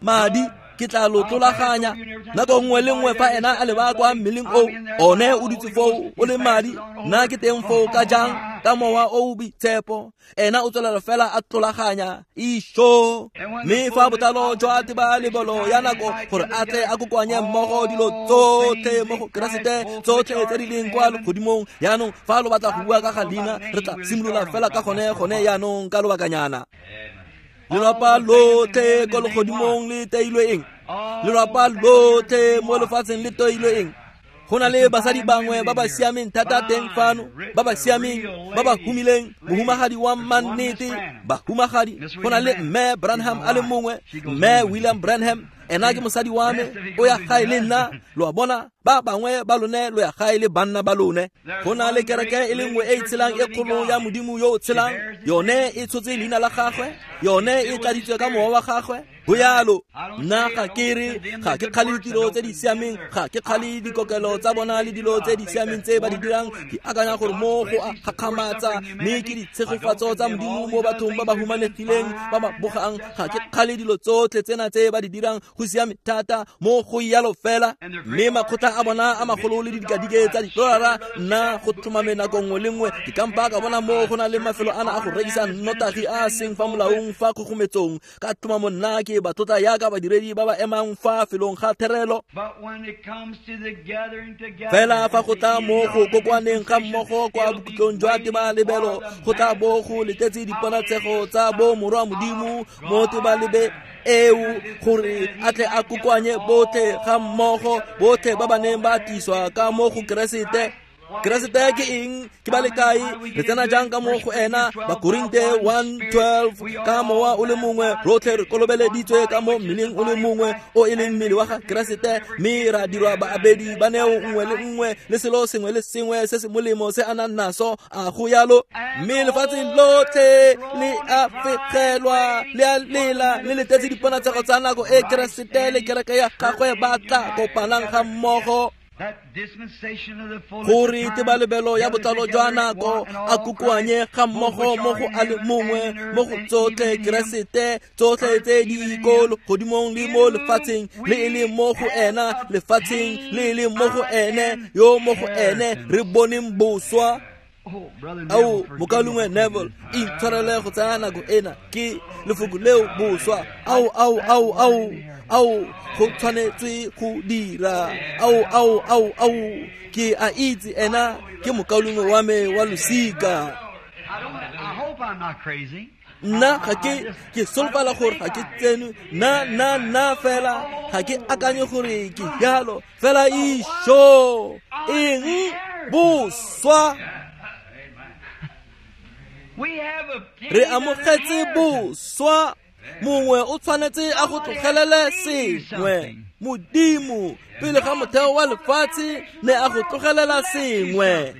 madi ke tla lo tlolaganya. Nako nngwe le nngwe fa ena a leba kwa mmeleng o, one o dutse foo o le madi, nna ke teng foo ka jang? Ka mowa o o boitshepo ena o tswelela fela a tlolaganya isho mme fa botlalo jwa tebalebelo ya nako gore a tle a kokoanye mmogo dilo tsotlhe mo go Keresete, tsotlhe tse di leng kwa legodimong. Yaanong fa lo batla go bua ka ga leina, re tla simolola fela ka gone yaanong ka lobakanyana. Lelapa lotlhe ko legodimong le teilwe eng? Lelapa lotlhe mo lefatsheng le teilwe eng? Go na le basadi bangwe ba ba siameng thata teng fano, ba ba siameng, ba ba humileng, mohumagadi wa mannete, bahumagadi. Go na le mme Branham a le mongwe, mme William Branham, ena ke mosadi wa me, o ya gae le nna. Lo a bona, ba bangwe ba lone lo ya gae le banna ba lone. Go na le kereke e le nngwe e e tshelang e kgolo ya Modimo yo o tshelang, yone e tshotse leina la gagwe, yone e tladitswe ka mowa wa gagwe. Go yalo, nna ga ke re ga ke kgale ditiro tse di siameng, ga ke kgale dikokelo tsa bona le dilo tse di siameng tse ba di dirang. Ke akanya gore mo go a gakgamatsa, mme ke ditshegofatso tsa Modimo mo bathong ba ba humanegileng, ba ba bogang. Ga ke kgale dilo tsotlhe tsena tse ba di dirang, go siame thata mo go yalo fela. Mme makgotla a bona a magolo le didikadike tsa didolara, nna go tlhomame nako nngwe le nngwe ke kampa ka bona mo go na le mafelo ana a go rekisa nnotagi a a seng fa molaong fa kgogometsong. Ka tlhomamo nna ke ba tlotla yaka badiredi ba ba emang fa felong ga therelo. Fela fa go tla mo go kokoaneng ga mmogo kwa bokhutlong jwa tebalebelo, go tla bo go letetse diponatshego tsa bo morwa Modimo mo tebalebe eo, gore a tle a kokoanye botlhe ga mmogo, botlhe ba ba neng ba tliswa ka mo go Keresete. Keresete ke eng? Ke ba le kae? Re tsena jang ka mo go ena? Bakorinte 1:12, ka mowa o le mongwe rotlhe re kolobeleditswe ka mo mmeleng o le mongwe o e leng mmele wa ga Keresete, mme ra dirwa baabedi ba neo nngwe le nngwe le selo sengwe le sengwe se se molemo se a nang naso. A go yalo? Mme lefatshe lotlhe le a fegelwa, le a lela, le letetse diponatshego tsa nako e Keresete le kereke ya gagwe ba tla kopanang ga mmogo, gore tebalebelo ya botlalo jwa nako a kokoanye ga mmogo mo go a le mongwe mo go tsotlhe Keresete, tsotlhe tse di ko legodimong le mo lefatsheng, le e leng mo go ena lefatsheng, le e leng mo go ene yo mo go ene re boneng boswa. Ao, mokaulengwe Neville, intshwarele go tsaya nako ena, ke lefoko leo boswa. Ao, ao, ao, ao, ao, go tshwanetswe go dira. Ao, ao, ao, ao, ke a itse ena ke mokaulengwe wa me wa losika. Nna ga ke solofela gore ga ke tsene, nna fela ga ke akanye gore ke yalo fela. Isho eng boswa? Re amogetse boswa. Mongwe o tshwanetse a go tlogelele sengwe. Modimo pele ga motheo wa lefatshe ne a go tlogelela sengwe,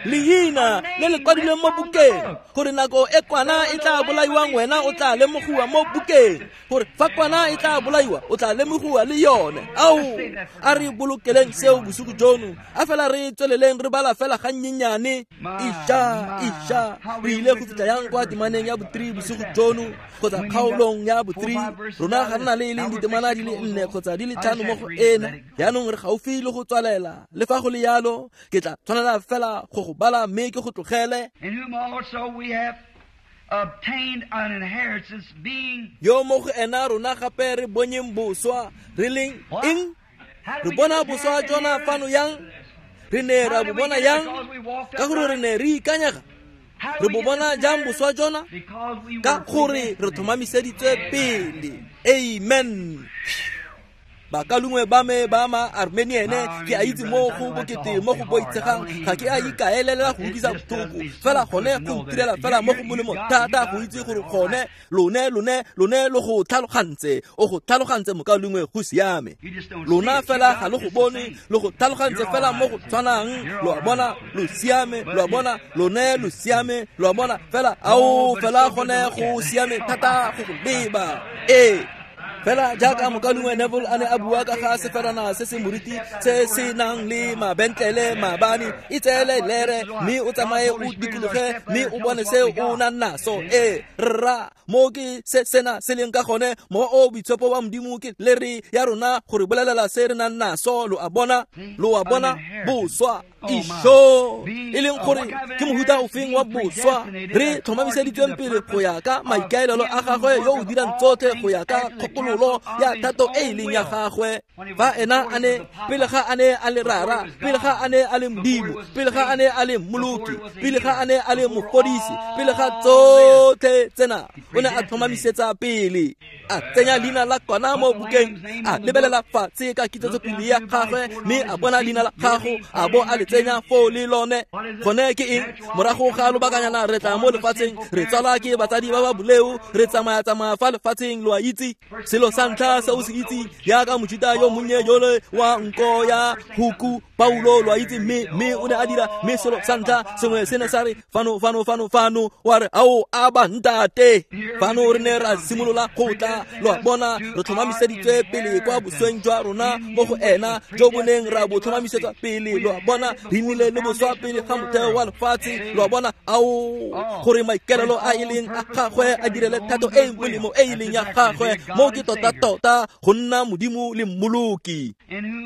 leina le le kwadilweng mo bukeng, gore nako e kwana e tla bolaiwang wena o tla lemogiwa mo bukeng, gore fa kwana e tla bolaiwa o tla lemogiwa le yone. Ao, a re bolokeleng seo bosigo jono, a fela re tsweleleng re bala fela gannyenyane. Isha, re ile go fitlha yang kwa temaneng ya bo-3 bosigo jono, kgotsa kgaolong ya bo-3. Rona ga re na le e leng ditemana di le 4 kgotsa di le 5 mo go ena. Yaanong re gaufi le go tswalela. Le fa go le yalo, ke tla tshwanela fela go go bala mme ke go tlogele. Yo mo go ena rona gape re bonyeng boswa, re leng eng? Re bona boswa jona fano yang? Re ne ra bo bona yang? Ka gore re ne re ikanyega. Re bo bona jang boswa jona? Ka gore re tlhomamiseditswe pele. Amen. Bakalungwe ba me ba ma Armeniene, ke a itse mo go bokete mo go boitshegang, ga ke a ikaelela go utlwisa botlhoko, fela gone go ntirela fela mo go molemo thata go itse gore gone lone lo go tlhalogantse. O go tlhalogantse mokalungwe, go siame. Lona fela ga lo go bone, lo go tlhalogantse fela mo go tshwanang. Lo a bona, lo siame, lo a bona, lone lo siame, lo a bona fela. Ao, fela gone go siame thata go go leba. Ee. Fela jaaka mokaulengwe Neville a ne a bua ka ga seferana se se moriti se se nang le mabentlele maabane, itseele lere mme o tsamaye o dikologe mme o bone se o nang naso. Ee, rra, mo ke se sena se leng ka gone. Mowa o boitshepo wa Modimo ke lere ya rona gore bolelela se re nang naso. Lo a bona, boswa. Isho e leng gore ke mohuta ofeng wa boswa re tlhomamiseditsweng pele go ya ka maikaelelo a gagwe yo o dirang tsotlhe go ya ka kgopololo ya thato e e leng ya gagwe. Fa ena a ne pele ga a ne a le rara, pele ga a ne a le modimo, pele ga a ne a le mmoloki, pele ga a ne a le mofodisi, pele ga tsotlhe tsena o ne a tlhomamisetsa pele, a tsenya leina la kwana mo bukeng, a lebelela fatshe ka kitsetsopele ya gagwe mme a bona leina la gago a bo a le tsenya foo le lone. Gone ke eng? Morago ga lobakanyana re tla mo lefatsheng, re tswalwa ke batsadi ba ba boleo, re tsamaya-tsamaya fa lefatsheng, lo a itse. Selo sa ntlha se o se itseng jaaka mojuta yo monnye jole wa nko ya huku Paulo, lo a itse, mme o ne a dira, mme selo sa ntlha sengwe se ne sa re fano fano fano fano, wa re ao a ba ntate. Fano re ne ra simolola go tla, lo a bona, re tlhomamiseditswe pele kwa bosweng jwa rona mo go ena jo bo neng ra bo tlhomamisetsa pele, lo a bona, re nnile le boswa pele ga motheo wa lefatshe, lo a bona, ao gore maikaelelo a e leng a gagwe a direle thato e e molemo e e leng ya gagwe. Mo ke tota-tota go nna modimo le mmoloki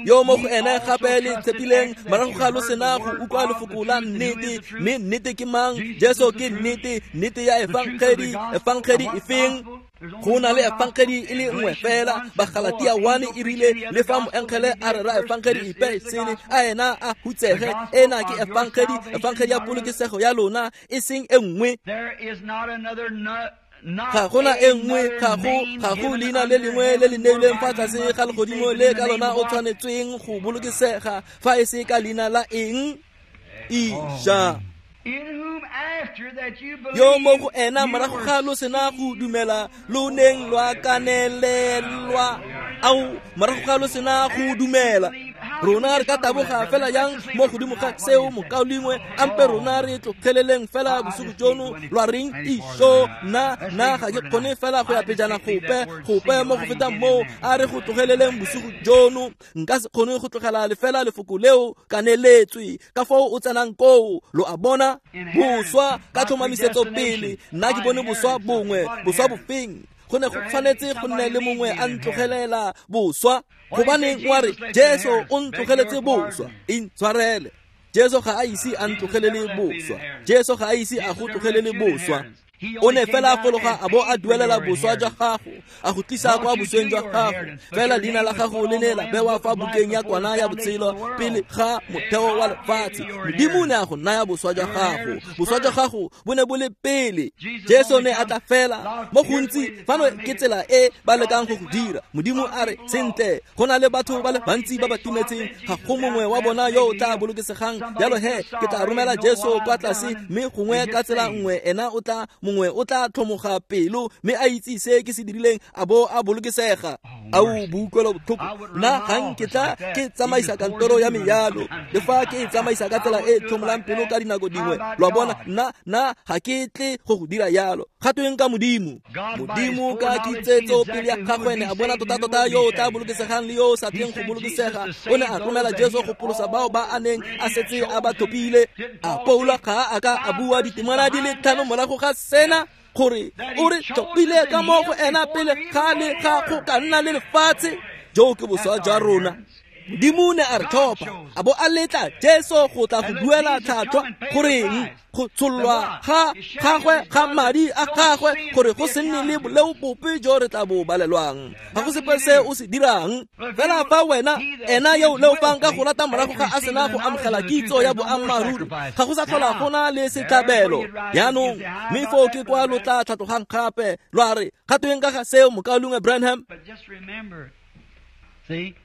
yo mo go ene gape le tshepileng morago ga lo sena go utlwa lefoko la nnete. Mme nnete ke mang? Jesu ke nnete, nnete ya efangedi. Efangedi efeng? Go na le efangedi e le nngwe fela. Bagalatia 1 e rile le fa moengele a rera efangedi epe sele, a ena a hutsege. Ena ke efangedi, efangedi ya polokesego ya lona, e seng e nngwe. Ga gona e nngwe, ga go leina le lengwe le le neilweng fa tlase ga legodimo le ka lona o tshwanetsweng go bolokesega fa e se ka leina la eng? Isha. Yo mo go ena morago ga lo sena go dumela lo neng lwa kanelelwa, ao morago ga lo sena go dumela. Rona re ka taboga fela yang mo godimo ga seo mokaulengwe, ampe rona re tlogeleleng fela bosigo jono, lwa reng? Isho, nna ga ke kgone fela go ya pejana gope mo go fetang moo, a re go tlogeleleng bosigo jono. Nka se kgone go tlogela lefela lefoko leo kaneletswe ka foo o tsenang koo, lo a bona. Boswa ka tlhomamisetso pele, nna ke bone boswa bongwe. Boswa bofeng? Go ne go tshwanetse go nne le mongwe a ntlogelela boswa. Gobaneng wa re Jesu o ntlogeletse boswa? Intshwarele, Jesu ga a ise a ntlogelele boswa. Jesu ga a ise a go tlogelele boswa. O ne fela a fologa a bo a duelela boswa jwa gago, a go tlisa kwa bosweng jwa gago. Fela leina la gago le ne la bewa fa bukeng ya kwana ya botshelo pele ga motheo wa lefatshe. Modimo o ne a go naya boswa jwa gago. Boswa jwa gago bo ne bo le pele. Jesu ne a tla fela mo gontsi. Fano ke tsela e ba lekang go go dira. Modimo a re sentle, go na le batho ba le bantsi ba ba timetseng, ga go mongwe wa bona yo o tla bolokesegang. Jalo he ke tla romela Jesu kwa tlase, mme gongwe ka tsela nngwe ena o tla mongwe o tla tlhomoga pelo mme a itse se ke se dirileng a bo a bolokesega. Ao boutlwelo botlhoko, nna ga nketla ke tsamaisa kantoro ya me yalo, le fa ke e tsamaisa ka tsela e tlhomolang pelo ka dinako dingwe, lo a bona, nna ga ke tle go go dira yalo. Ga tweng ka Modimo? Modimo ka kitsetso pele ya gagwe ne a bona tota-tota yo o tla bolokesegang le yo o sa tleng go bolokesega. O ne a romela Jesu go pholosa bao ba a neng a setse a ba tlhophile. A Paulo ga a ka a bua ditemana di le 5 morago ga sena gore o re tlhophile ka mo go ena pele ga le ga go ka nna le lefatshe? Jo ke boswa jwa rona. Modimo ne a re tlhopha a bo a letla Jesu go tla go duela tlhatlhwa, goreng go tshollwa ga gagwe ga madi a gagwe, gore go se nne le boleo bope jo re tla bo balelwang. Ga go sepe se o se dirang. Fela fa wena ena yo leofang ka go rata morago ga a sena go amogela kitso ya boammaaruri, ga go sa tlhola go na le setlhabelo jaanong. Mme foo ke kwa lo tla tlhatlogang gape lwa re ga tweng ka ga seo mokaulengwe Branham?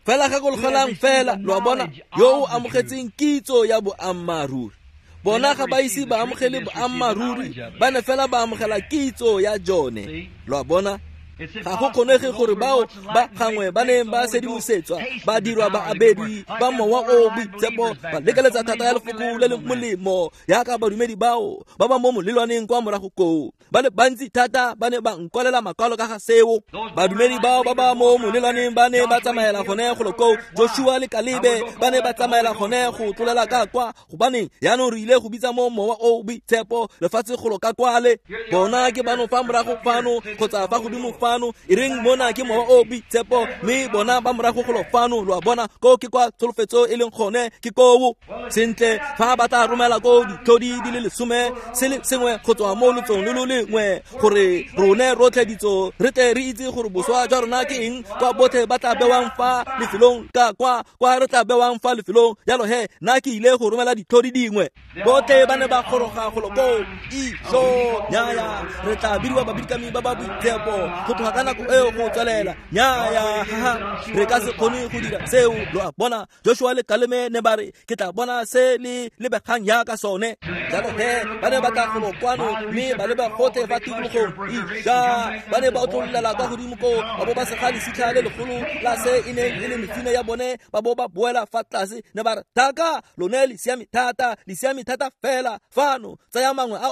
Fela gakologelang fela, lo a bona, yo o amogetseng kitso ya boammaaruri. Bona ga ba ise ba amogele boammaaruri, ba ne fela ba amogela kitso ya jone, lo a bona. Ga go kgonege gore bao ba gangwe ba neng ba sedimosetswa ba dirwa ba abedi ba mowa o boitshepo ba lekeletsa thata ya lefoko le le molemo yaka badumedi bao ba ba mo molelwaneng kwa morago koo. Ba le bantsi thata ba ne ba nkwalela makwalo ka ga seo. Badumedi bao ba ba mo molelwaneng ba ne ba tsamaela gone golo koo. Joshua le Kalebe ba ne ba tsamaela gone go tlolela ka kwa, gobaneng jaanong re ile go bitsa mo mowa o boitshepo lefatshe golo ka kwale. Bona ke bano fa morago fano kgotsa fa godimo fano, e reng mona ke mowa o boitshepo, mme bona ba morago golo fano, lo a bona, koo ke kwa tsholofetso e leng gone, ke koo. Sentle, fa ba tla romela ko ditlhodi di le 10 se le sengwe go tswa mo lotsong lo lo lengwe, gore rone rotlhe ditso re tle re itse gore boswa jwa rona ke eng, kwa botlhe ba tla bewang fa lefelong ka kwa re tla bewang fa lefelong. Jalo he, nna ke ile go romela ditlhodi dingwe. Botlhe ba ne ba goroga golo koo. Ijo, nyaya, re tla bidiwa babidikami ba ba boitshepo go tloga ka nako eo go tswelela. Nyaya, re ka se kgone go dira seo, lo a bona. Joshua le Kalebe ne ba re, ke tla bona se le lebegang jaaka sone. Jalo he, ba ne ba tla golo kwano mme ba leba gotlhe fa tikologong. Ija, ba ne ba otlololela kwa godimo koo, ba bo ba sega lesitlha le legolo la se e neng e le mefine ya bone, ba bo ba boela fa tlase. Ne ba re, thaka, lone le siame thata, le siame thata fela fano, tsaya mangwe a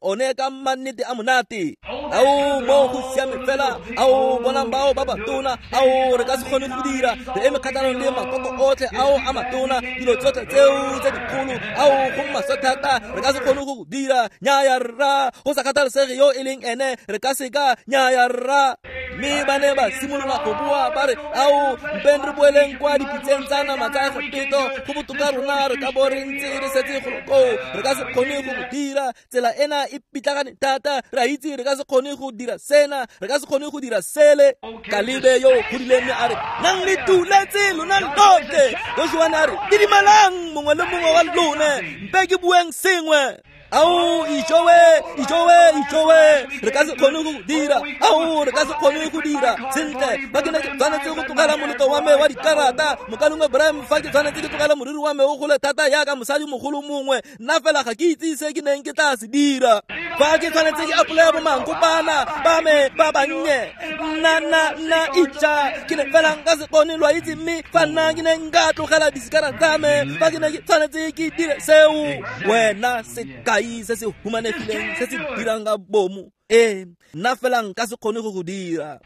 one ka mannete a monate. Ao, mo go siame fela, ao bonang bao ba batona, ao re ka se kgone go dira, re eme kgatlhanong le makoko otlhe ao a matona, dilo tsotlhe tseo tse dikgolo, ao go maswe thata, re ka se kgone go dira. Nyaya rra, go sa kgathalesege yo e leng ene, re ka seka. Nyaya rra. Mme ba ne ba simolola go bua ba re, ao mpeng re boeleng kwa dipitseng tsa nama tsa Egepeto, go botoka rona re ka bo re ntse re setse golo koo, re ka se kgone go dira. Tsela ena e pitlagane thata, re a itse re ka se kgone go dira sena, re ka se kgone go dira sele. Kalebe yo o godileng mme a re, nang le tuletse lona lotlhe. Joshua ne a re, didimalang mongwe le mongwe wa lone, mpe ke bueng sengwe. Ao, ijowe, ijowe, ijowe, re ka se kgone go dira. Ao, re ka se kgone go dira. Sentle, fa ke ne ke tshwanetse go tlogela moletlo wa me wa dikarata, mokalengwe Bram, fa ke tshwanetse ke tlogela moriri wa me o gole thata jaaka mosadi mogolo mongwe, nna fela ga ke itse se ke neng ke tla se dira. Fa ke tshwanetse ke apolaya bomankopana ba me ba bannye, nna ija, ke ne fela nka se kgone, lo a itse. Mme fa nna ke ne nka tlogela disikara tsa me, fa ke ne ke tshwanetse ke dire seo, wena sekai se se humanegileng se se dirang ka bomo, ee, nna fela nka se kgone go go dira.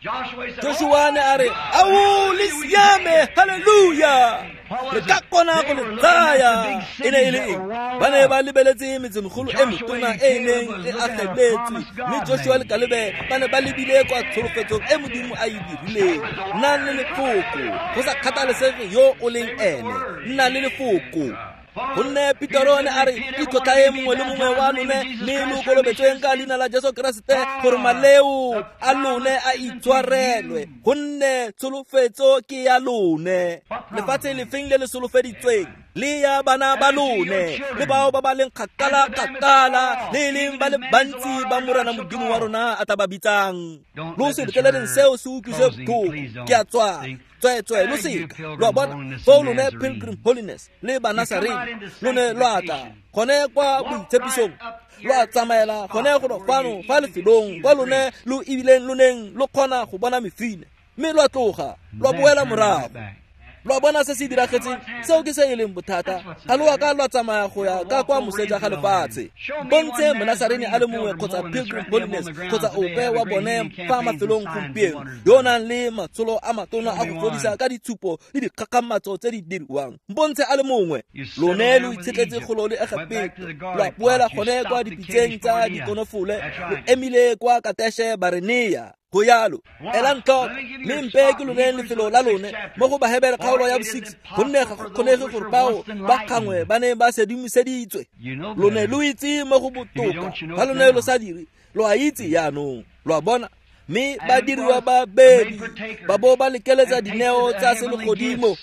Joshua ne a re, ao le siame, halleluja, re ka kgona go le tsaya. E ne e le eng? Ba ne ba lebeletse metsemegolo e metona e e neng e ageletswe, mme Joshua le Kalebe ba ne ba lebile kwa tsholofetsong e Modimo a e dirileng. Nna le lefoko, go sa kgathalesege yo o leng ene, nna le lefoko. Gonne Petero ne a re, itlhotlhae mongwe le mongwe wa lone, mme lo kolobetsweng ka leina la Jesu Keresete gore maleo a lone a itshwarelwe, gonne tsholofetso ke ya lone. Lefatshe lefeng le le solofeditsweng le ya bana ba lone, le bao ba ba leng kgakala kgakala, le e leng ba le bantsi ba Morena Modimo wa rona a tla ba bitsang. Lo se letleleleng seo se utlwise botlhoko. Ke a tswa, tsweetswe, lo seka, lo a bona. Foo lone Pilgrim Holiness le Banasarene lo ne lwa tla gone kwa boitshepisong, lwa tsamaela gone golo fano fa lefelong kwa lone lo ebileng lo neng lo kgona go bona mefine, mme lwa tloga lwa boela morago. Lwa bona se se diragetseng, seo ke se e leng bothata. Ga lo a ka lwa tsamaya go ya ka kwa moseja ga lefatshe. Bontshe Monasarene a le mongwe kgotsa Pilgrim Holiness kgotsa ope wa bone fa mafelong gompieno yo o nang le matsholo a matona a go fodisa ka ditshupo le dikgakgamatso tse di diriwang. Bontshe a le mongwe. Lone lo itshetletse golo le Egepeto, lwa boela gone kwa dipitseng tsa dikonofole, lo emile kwa Kateshe Barenea. Go yalo, elang tlhoko, mme mpe ke loneng lefelo la lone mo go Bahebere kgaolo ya bo-6, gonne ga go kgonege gore bao ba kgangwe ba ne ba sedimoseditswe. Lone lo itse mo go botoka, fa lone lo sa dire, lo a itse jaanong, lo a bona. Mme ba diriwa babedi, ba bo ba lekeletsa dineo tsa selegodimo,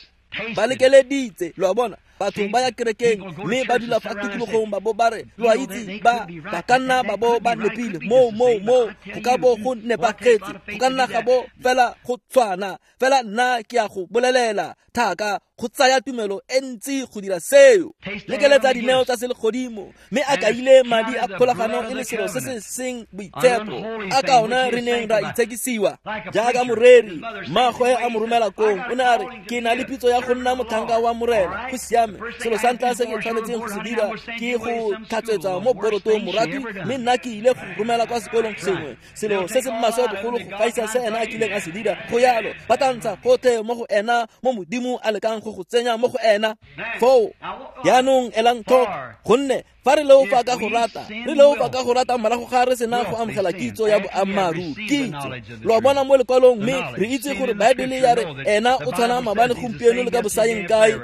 ba lekeleditse, lo a bona. Batho ba ya kerekeng mme ba dula fa tikologong, ba bo ba re, lo a itse, ba ka nna ba bo ba nepile moo, go ka bo go nepagetse, go ka nna ga bo fela go tshwana. Fela nna ke a go bolelela, thaka, go tsaya tumelo e ntsi go dira seo. Lekeletsa dineo tsa selegodimo, mme a kaile madi a kgolagano e le selo se se seng boitshepo, a ka ona re neng ra itshekisiwa. Jaaka moreri, mmagwe a mo romela kong, o ne a re, ke na le pitso ya go nna motlhanka wa Morena. Go siame, selo sa ntlha se ke tshwanetseng go se dira ke go tlhatswetsa mo borotong morati, mme nna ke ile go romela kwa sekolong sengwe, selo se se maswe bogolo go gaisa se ena a kileng a se dira. Go yalo, ba tla ntsha gotlhe mo go ena mo Modimo a lekang go go tsenya mo go ena. Foo jaanong elang tlhoko, gonne Fa re leofa ka go rata, re leofa ka go rata morago ga re sena go amogela kitso ya boammaaruri. Kitso lo a bona mo lekwalong, mme re itse gore Baebele ya re ena o tshwana maabane, gompieno le ka bosayeng kae.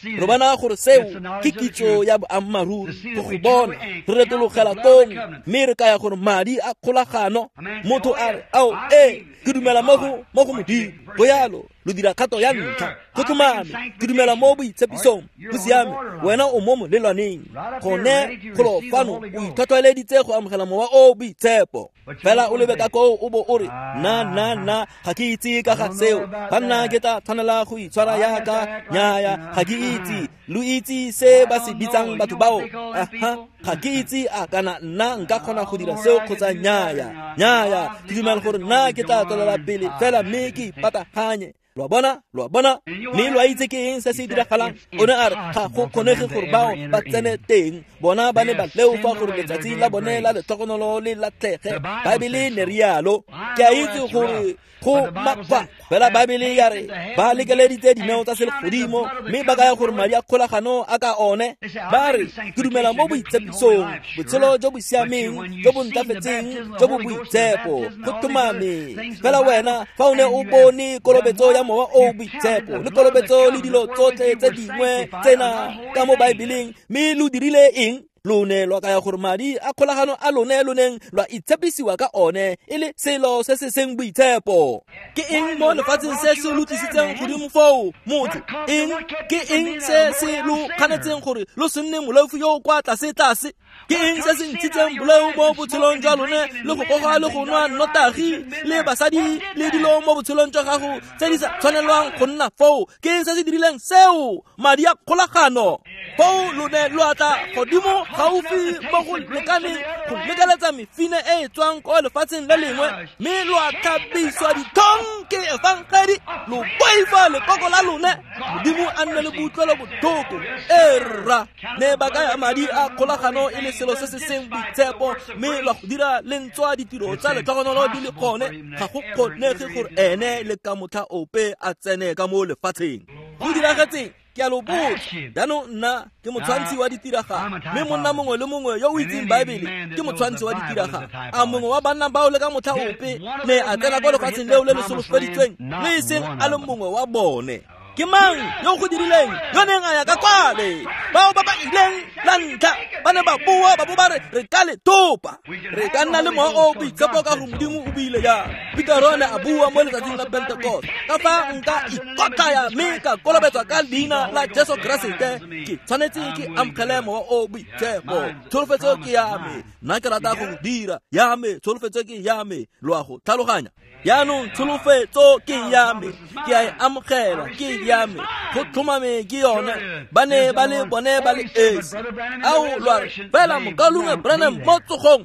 Re bona gore seo ke kitso ya boammaaruri. Go go bona re retologela kong, mme re kaya gore madi a kgolagano. Motho a re, ao, ee, ke dumela mo go Modimo. Go yalo, lo dira kgato ya ntlha. Go tlhomame, ke dumela mo boitshepisong. Go siame, wena o mo molelwaneng. Gone golo fano o itlhotlheleditse go amogela mowa o boitshepo. Fela o lebe ka koo o bo o re, nna ga ke itse ka ga seo. Banna ke tla tshwanela go itshwara yaka. Nnyaya, ga ke itse. Lo itse se ba se bitsang batho bao? Aha, ga ke itse a kana nna nka kgona go dira seo kgotsa nnyaya. Nnyaya, ke dumela gore nna ke tla tswelela pele fela mme ke ipataganye. Lo a bona, lo a bona. Mme lo a itse ke eng se se diragalang? O ne a re ga go kgonege gore bao ba tsene teng. Bona ba ne ba leofa gore letsatsi la bone la letlhogonolo le latlhege. Baebele ne rialo. Ke a itse gore go makgwa, fela Baebele ya re ba lekeleditse dineo tsa selegodimo, mme ba kaya gore madi a kgolagano a ka one. Ba re ke dumela mo boitshepisong, botshelo jo bo siameng, jo bo ntlafetseng, jo bo boitshepo. Go tlhomame. Fela wena fa o ne o bone kolobetso ya mowa o boitshepo le kolobetso le dilo tsotlhe tse dingwe tsena ka mo Baebeleng, mme lo dirile eng? Lo ne lwa kaya gore madi a kgolagano a lone lo neng lwa itshepisiwa ka one e le selo se se seng boitshepo. Ke eng mo lefatsheng se se lo tlisitseng godimo foo, motho? Eng? Ke eng se se lo kganetseng gore lo se nne moleofi yo o kwa tlase-tlase? Ke eng se se ntshitseng boleo mo botshelong jwa lone le go goga le go nwa nnotagi le basadi le dilo mo botshelong jwa gago tse di sa tshwanelwang go nna foo? Ke eng se se dirileng seo? Madi a kgolagano. Foo lo ne lo atla godimo gaufi mo go lekaneng go lekeletsa mefine e e tswang ko lefatsheng le lengwe, mme lo a tlhabiswa ditlhong ke efangedi, lo boifa lekoko la lone. Modimo a nne le boutlwelo botlhoko. E rra, ne ba kaya madi a kgolagano e le selo se se seng boitshepo, mme lwa go dira lentswa ditiro tsa letlhogonolo di le gone. Ga go kgonege gore ene le ka motlha ope a tsene ka mo lefatsheng. Go diragetseng? Ke a lo botsa. Jaanong nna ke motshwantshi wa ditiragalo, mme monna mongwe le mongwe yo o itseng Baebele ke motshwantshi wa ditiragalo. A mongwe wa banna bao le ka motlha ope ne a tsena kwa lefatsheng leo le le solofeditsweng? Le e seng a le mongwe wa bone. Ke mang yo go dirileng yo neng a ya ka kwale? Bao ba ba ileng la ntlha ba ne ba boa ba bo ba re re ka le thopa, re ka nna le mowa o boitshepo ka gore Modimo o buile jang. Petero ne a bua mo letsatsing la Pentekoste, ka fa nka ikotlaya mme ka kolobetswa ka leina la Jesu Keresete, ke tshwanetse ke amogele mowa o boitshepo. Tsholofetso ke ya me, nna ke rata go dira ya me, tsholofetso ke ya me. Lo a go tlhaloganya? Jaanong tsholofetso ke ya me, ke a e amogela, ke ya me. Go tlhomame ke yone. Ba ne ba le bone ba le esi. Ao, lo a re, fela mokaulengwe Branham mo tsogong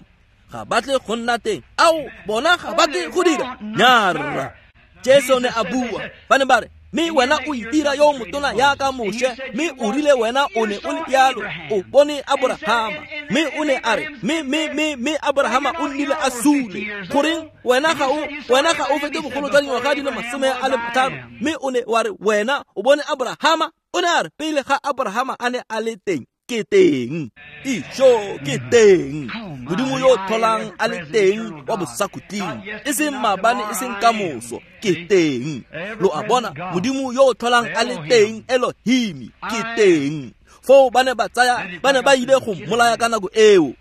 ga batle go nna teng. Ao, bona ga batle go dira. Nyarra. Jesu ne a bua. Ba ne ba re, mme wena o itira yo motona yaka Moshe, mme o rile wena o ne o le jalo, o bone Aborahama. Mme o ne a re, mme Aborahama o nnile a sule. Goreng wena ga o fete bogolo jwa dingwaga di le 50, mme o ne wa re wena o bone Aborahama? O ne a re, pele ga Aborahama a ne a le teng, ke teng. Ijo, ke teng. Modimo yo tlholang a le teng wa bosakhutleng, e seng maabane, e seng kamoso, ke teng. Lo a bona, Modimo yo tlholang a le teng, Elohim, ke teng. Foo ba ne ba tsaya, ba ne ba ile go mmolaya ka nako eo.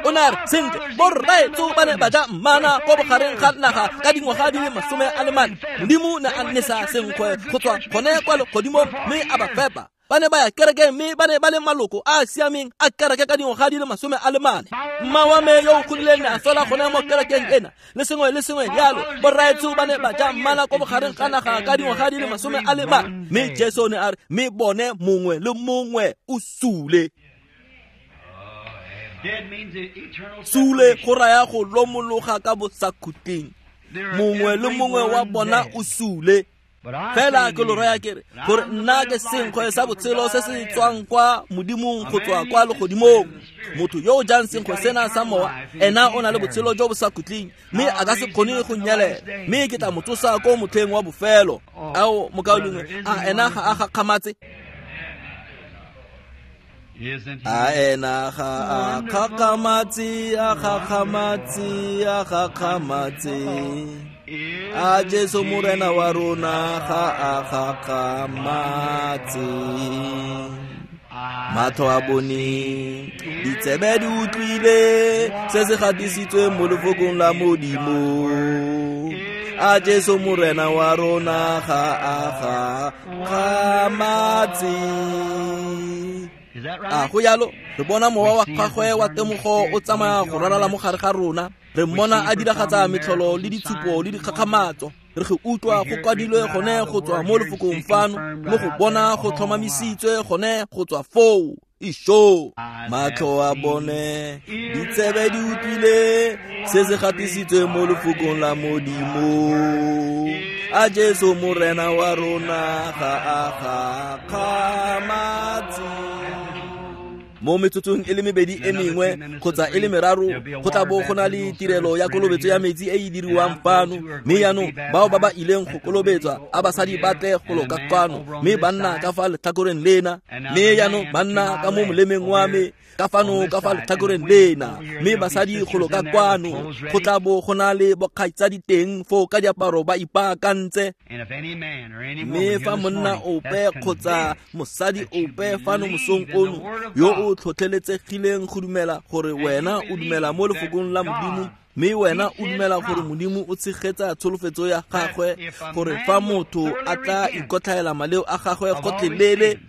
O ne a re, sentle, borraetsho ba ne ba ja mmana ko bogareng ga naga ka dingwaga di le 44. Modimo ne a nesa senkgwe go tswa gone kwa legodimong mme a ba fepa. Ba ne ba ya kerekeng mme ba ne ba le maloko a a siameng a kereke ka dingwaga di le 44. Mma wa me yo o godileng ne a swela gone mo kerekeng ena le sengwe le sengwe jalo. Borraetsho ba ne ba ja mmana ko bogareng ga naga ka dingwaga di le 44. Mme Jesu ne a re, mme bone mongwe le mongwe o sule. Sule go raya go lomologa ka bosakhutleng. Mongwe le mongwe wa bona o sule. Fela ke lo raya ke re, gore nna ke senkgwe sa botshelo se se tswang kwa Modimong go tswa kwa legodimong. Motho yo o jang senkgwe sena sa mowa, ena o na le botshelo jo bo sa khutleng, mme a ka se kgone go nyelela, mme ke tla mo tsosa ko motlheng wa bofelo. Ao, mokaulengwe, a ena ga a gakgamatse? A ena ga a kgakgamatse, a kgakgamatse, a kgakgamatse. A Jesu Morena wa rona ga a kgakgamatse. Matlho a bone, ditsebe di utlwile se se gatisitsweng mo lefokong la Modimo. A Jesu Morena wa rona ga a kgakgamatse. A go yalo, re bona mowa wa gagwe wa temogo o tsamaya go ralala mo gare ga rona. Re mmona a diragatsa metlholo le ditshupo le dikgakgamatso. Re go utlwa go kwadilwe gone go tswa mo lefokong fano, mo go bona go tlhomamisitswe gone go tswa foo. Isho, matlho a bone, ditsebe di utlwile se se gatisitswe mo lefokong la Modimo. A Jesu Morena wa rona ga a kgakgamatse. Mo metsotsong e le mebedi e mengwe kgotsa e le meraro go tla bo go na le tirelo ya kolobetso ya metsi e e diriwang fano. Mme jaanong bao ba ba ileng go kolobetswa a basadi ba tle go loka kwano, mme banna ka fa letlhakoreng lena, mme jaanong banna ka mo molemeng wa me ka fano ka fa letlhakoreng lena, mme basadi go loka kwano. Go tla bo go na le bokgaitsadi teng foo ka diaparo ba ipaakantse. Mme fa monna ope kgotsa mosadi ope fano mosong ono yo o tlhotlheletsegileng go dumela gore wena o dumela mo lefokong la Modimo, mme wena o dumela gore Modimo o tshegetsa tsholofetso ya gagwe, gore fa motho a tla ikotlhaela maleo a gagwe gotlhelele,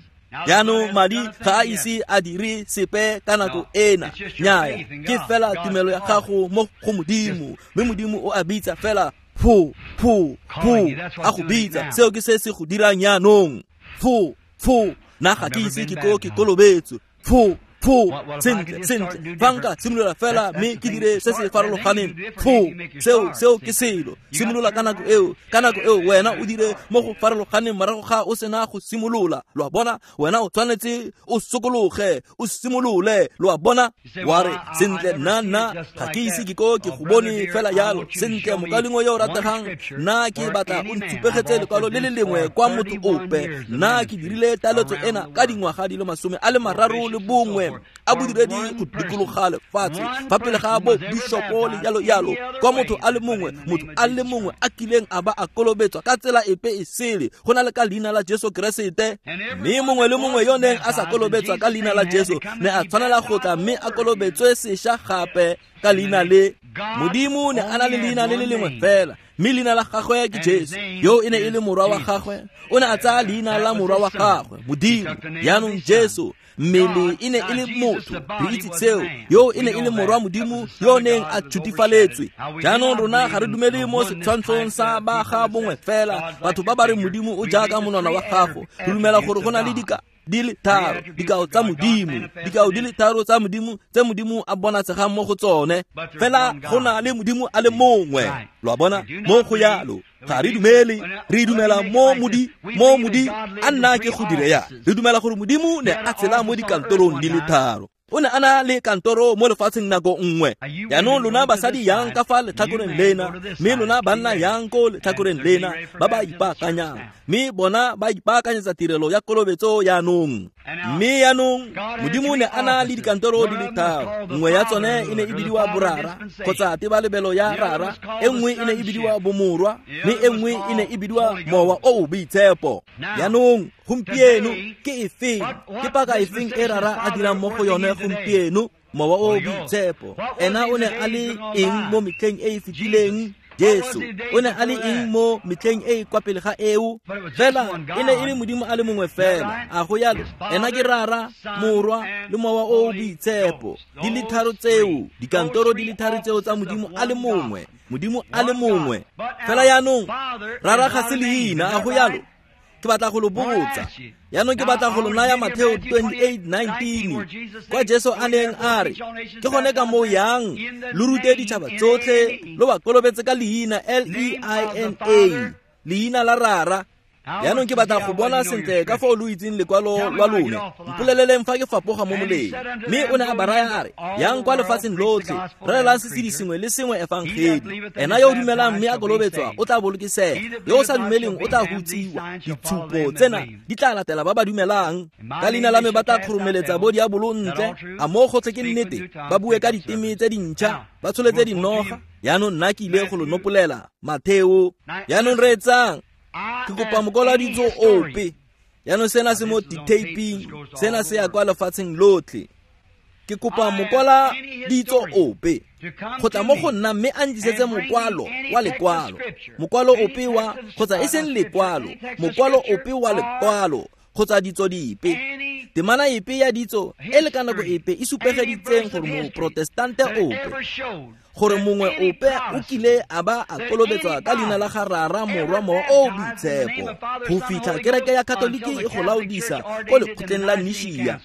jaanong madi ga a ise a dire sepe ka nako ena. Nnyaya, ke fela tumelo ya gago mo go Modimo, mme Modimo o a bitsa fela pho pho pho, a go bitsa. Seo ke se se go dirang jaanong. Pho pho, nna ga ke ise ke ko ke kolobetswe. Pho pho, sentle sentle, fa nka simolola fela mme ke dire se se farologaneng. Pho, seo ke selo. Simolola ka nako eo, ka nako eo wena o dire mo go farologaneng morago ga o sena go simolola. Lo a bona, wena o tshwanetse o sokologe, o simolole. Lo a bona, wa re sentle, nna ga ke ise ke ko ke go bone fela yalo. Sentle, mokalengwe yo o rategang, nna ke batla o ntshupegetse lekwalo le le lengwe kwa motho ope. Nna ke dirile taletso ena ka dingwaga di le 31 a bodiredi go dikologa lefatshe fa pele ga bo bishopo le yalo yalo, kwa motho a le mongwe, motho a le mongwe a kileng a ba a kolobetswa ka tsela epe e sele go na le ka leina la Jesu Keresete. Mme mongwe le mongwe yo neng a sa kolobetswa ka leina la Jesu ne a tshwanela go tla mme a kolobetswe sešwa gape ka leina le. Modimo ne a na le leina le le lengwe fela, mme leina la gagwe ke Jesu. Yo e ne e le morwa wa gagwe, o ne a tsaya leina la morwa wa gagwe, Modimo. Jaanong Jesu mmele e ne e le motho, re itse seo. Yo e ne e le morwa Modimo yo neng a tshutifaletswe. Jaanong rona ga re dumele mo setshwantshong sa ba ga bongwe fela, batho ba ba re Modimo o jaaka monwana wa gago. Re dumela gore go na le di le tharo, dikao tsa Modimo, dikao di le tharo tsa Modimo tse Modimo a bonatsegang mo go tsone. Fela go na le Modimo a le mongwe. Lo a bona, mo go yalo ga re dumele, re dumela mo modi a nna ke go dire ya. Re dumela gore Modimo ne a tshela mo dikantorong di le tharo. O ne a na le kantoro mo lefatsheng nako nngwe. Jaanong lona basadi yang ka fa letlhakoreng lena, mme lona banna yang ko letlhakoreng lena ba ba ipaakanyang, mme bona ba ipaakanyetsa tirelo ya kolobetso jaanong. Mme jaanong Modimo ne a na le dikantoro di le tharo. Nngwe ya tsone e ne e bidiwa borara kgotsa tebalebelo ya rara, e nngwe e ne e bidiwa bomorwa, mme e nngwe e ne e bidiwa mowa o o boitshepo. Jaanong gompieno ke efeng, ke paka efeng e rara a dirang mo go yone gompieno? Mowa o boitshepo. Ena o ne a le eng mo metlheng e e fetileng? Jesu. O ne a le eng mo metlheng e e kwa pele ga eo? Fela e ne e le Modimo a le mongwe fela. A go yalo, ena ke rara, morwa le mowa o boitshepo. Di le tharo tseo, dikantoro di le tharo tseo tsa Modimo a le mongwe, Modimo a le mongwe. Fela jaanong rara ga se leina, a go yalo? Ke batla go lo botsa. Jaanong ke batla go lo naya Mateo 28:19, kwa Jesu a neng a re, ke gone ka moo yang lo rute ditšhaba tsotlhe, lo ba kolobetse ka leina L-E-I-N-A, leina la rara. Jaanong ke batla go bona sentle ka fao lo itseng lekwalo lwa lone. Mpoleleleng fa ke fapoga mo moleng. Mme o ne a ba raya a re, yang kwa lefatsheng lotlhe, rerelang sesedi sengwe le sengwe efangedi. Ena yo o dumelang mme a kolobetswa o tla bolokesega, yo o sa dumeleng o tla hutsiwa. Ditshupo tsena di tla latela ba ba dumelang. Ka leina la me ba tla kgoromeletsa bo diabolo ntle. A mo gotlhe ke nnete, ba bue ka diteme tse dintšha, ba tsholetse dinoga. Jaanong nna ke ile go lo nopolela Matheo. Jaanong reetsang, ke kopa mokoladitso ope. Jaanong sena se mo ditaping, sena se ya kwa lefatsheng lotlhe. Ke kopa mokola ditso ope go tla mo go nna mme a ntlisetse mokwalo wa lekwalo, mokwalo ope wa, kgotsa e seng lekwalo, mokwalo ope wa lekwalo, kgotsa ditso dipe, temana epe ya ditso e le ka nako epe e supegeditseng gore moprotestante ope, gore mongwe ope o kile a ba a kolobetswa ka leina la ga Rara, Morwa, Mowa o Boitshepo, go fitlha kereke ya Katoliki e go laodisa ko lekgotleng la Nishia.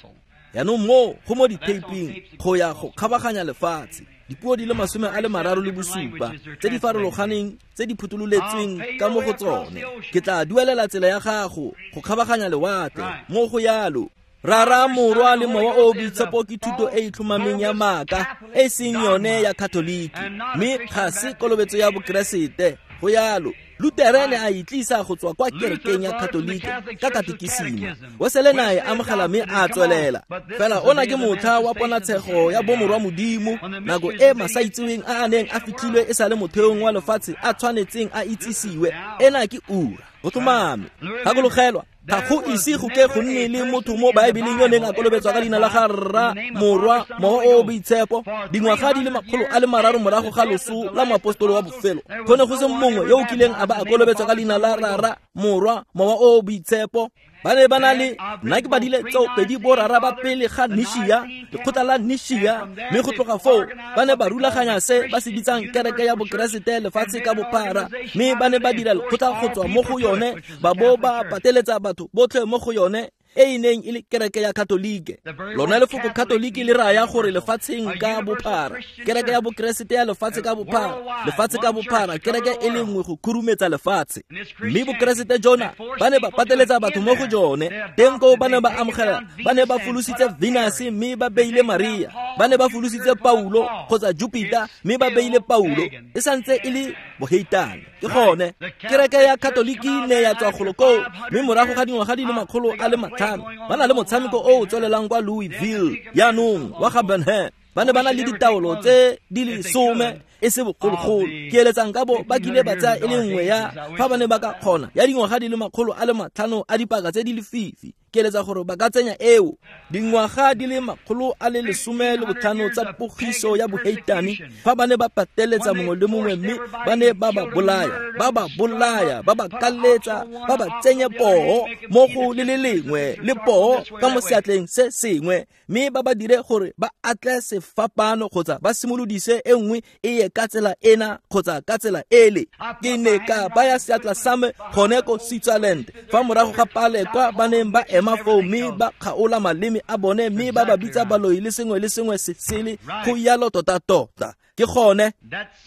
Jaanong mo go mo ditaping go ya go kgabaganya lefatshe, dipuo di le 37 tse di farologaneng tse di phuthololetsweng ka mo go tsone. Ke tla duelela tsela ya gago go kgabaganya lewatle mo go yalo. Rara, Morwa le Mowa o Boitshepo ke thuto e e tlhomameng ya maaka, e seng yone ya Katoliki, mme ga se kolobetso ya Bokeresete. Go yalo. Lutere ne a itlisa go tswa kwa kerekeng ya Katoliki ka katekisima. Wesele ne a e amogela mme a tswelela. Fela ona ke motlha wa ponatshego ya bomorwa Modimo, nako e masaitseweng a a neng a fitlhilwe e sa le motheong wa lefatshe a tshwanetseng a itsisiwe. Ena ke ura. Go tlhomame. Gakologelwa, ga go ise go ke go nne le motho mo Baebeleng yo neng a kolobetswa ka leina la ga Rra, Morwa, Mowa o o Boitshepo. Dingwaga di le 300 morago ga loso la moapostolo wa bofelo, go ne go se mongwe yo o kileng a ba a kolobetswa ka leina la Rara, Morwa, Mowa o o Boitshepo. Ba ne ba na le, nna ke badile tseo pedi borara ba pele ga Nishia, lekgotla la Nishia, mme go tloga foo ba ne ba rulaganya se ba se bitsang kereke ya Bokeresete lefatshe ka bophara, mme ba ne ba dira lekgotla go tswa mo go yone, ba bo ba pateletsa batho botlhe mo go yone, e e neng e le kereke ya Katolike. Lona lefoko Katoliki le raya gore lefatsheng ka bophara, kereke ya Bokeresete ya lefatshe ka bophara, lefatshe ka bophara, kereke e le nngwe go khurumetsa lefatshe. Mme Bokeresete jona ba ne ba pateletsa batho mo go jone. Teng koo ba ne ba amogela, ba ne ba folositse Venus mme ba beile Maria, ba ne ba folositse Paulo kgotsa Jupiter mme ba beile Paulo. E santse e le boheitane. Ke gone kereke ya Katoliki ne ya tswa golo koo, mme morago ga dingwaga di le 500 ba na le motshameko o o tswelelang kwa Louisville jaanong wa ga Benham. Ba ne ba na le ditaolo tse di le 10 e se bogologolo. Ke eletsang ka bo ba kile ba tsaya e le nngwe ya fa ba ne ba ka kgona ya dingwaga di le 500 a dipaka tse di lefifi. Ke eletsa gore ba ka tsenya eo dingwaga di le 115 tsa pogiso ya boheitane, fa ba ne ba pateletsa mongwe le mongwe mme ba ne ba ba bolaya, ba ba bolaya, ba ba kaletsa, ba ba tsenye poo mo go le le lengwe le poo ka mo seatleng se sengwe, mme ba ba dire gore ba atle sefapano kgotsa ba simolodise e nngwe e ye ka tsela ena kgotsa ka tsela ele. Ke ne ka baya seatla sa me gone ko Switzerland fa morago ga pale kwa ba neng ba ema foo mme ba kgaola maleme a bone mme ba ba bitsa baloi le sengwe le sengwe se sele. Go yalo tota-tota. Ke gone.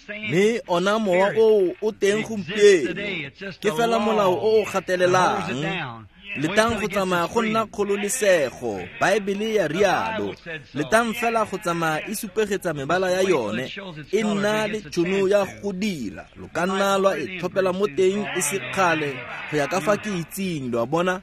Mme ona mowa oo o teng gompieno. Ke fela molao o o gatelelang. Letang go tsamaya go nna kgololesego, Baebele ya rialo. Letang fela go tsamaya e supegetsa mebala ya yone, e nna le tšhono ya go dira. Lo ka nna lwa e tlhopela mo teng e se kgale, go ya ka fa ke itseng, lo a bona.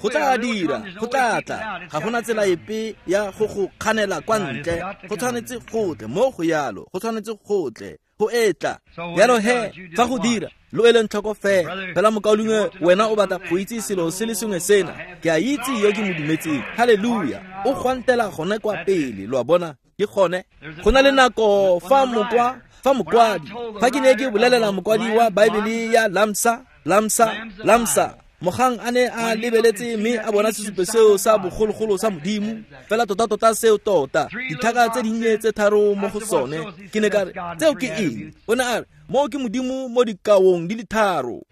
Go tla dira, go tla tla. Ga gona tsela epe ya go go kganela kwa ntle. Go tshwanetse go tle mo go yalo, go tshwanetse go tle. Go etla. Jalo he, fa go dira, lo eleng tlhoko fela. Fela mokaulengwe, wena o batla go itse selo se le sengwe sena. Ke a itse yo ke mo dumetseng. Haleluya. O gwantela gone kwa pele, lo a bona. Ke gone. Go na le nako fa mokwadi, fa ke ne ke bolelela mokwadi wa Baebele ya Lamsa, Lamsa, Lamsa, mogang a ne a lebeletse mme a bona sesupo seo sa bogologolo sa Modimo, fela tota-tota seo tota, ditlhaka tse dinnye tse tharo mo go sone. Ke ne ka re, tseo ke eng? O ne a re, moo ke Modimo mo dikaong di le tharo.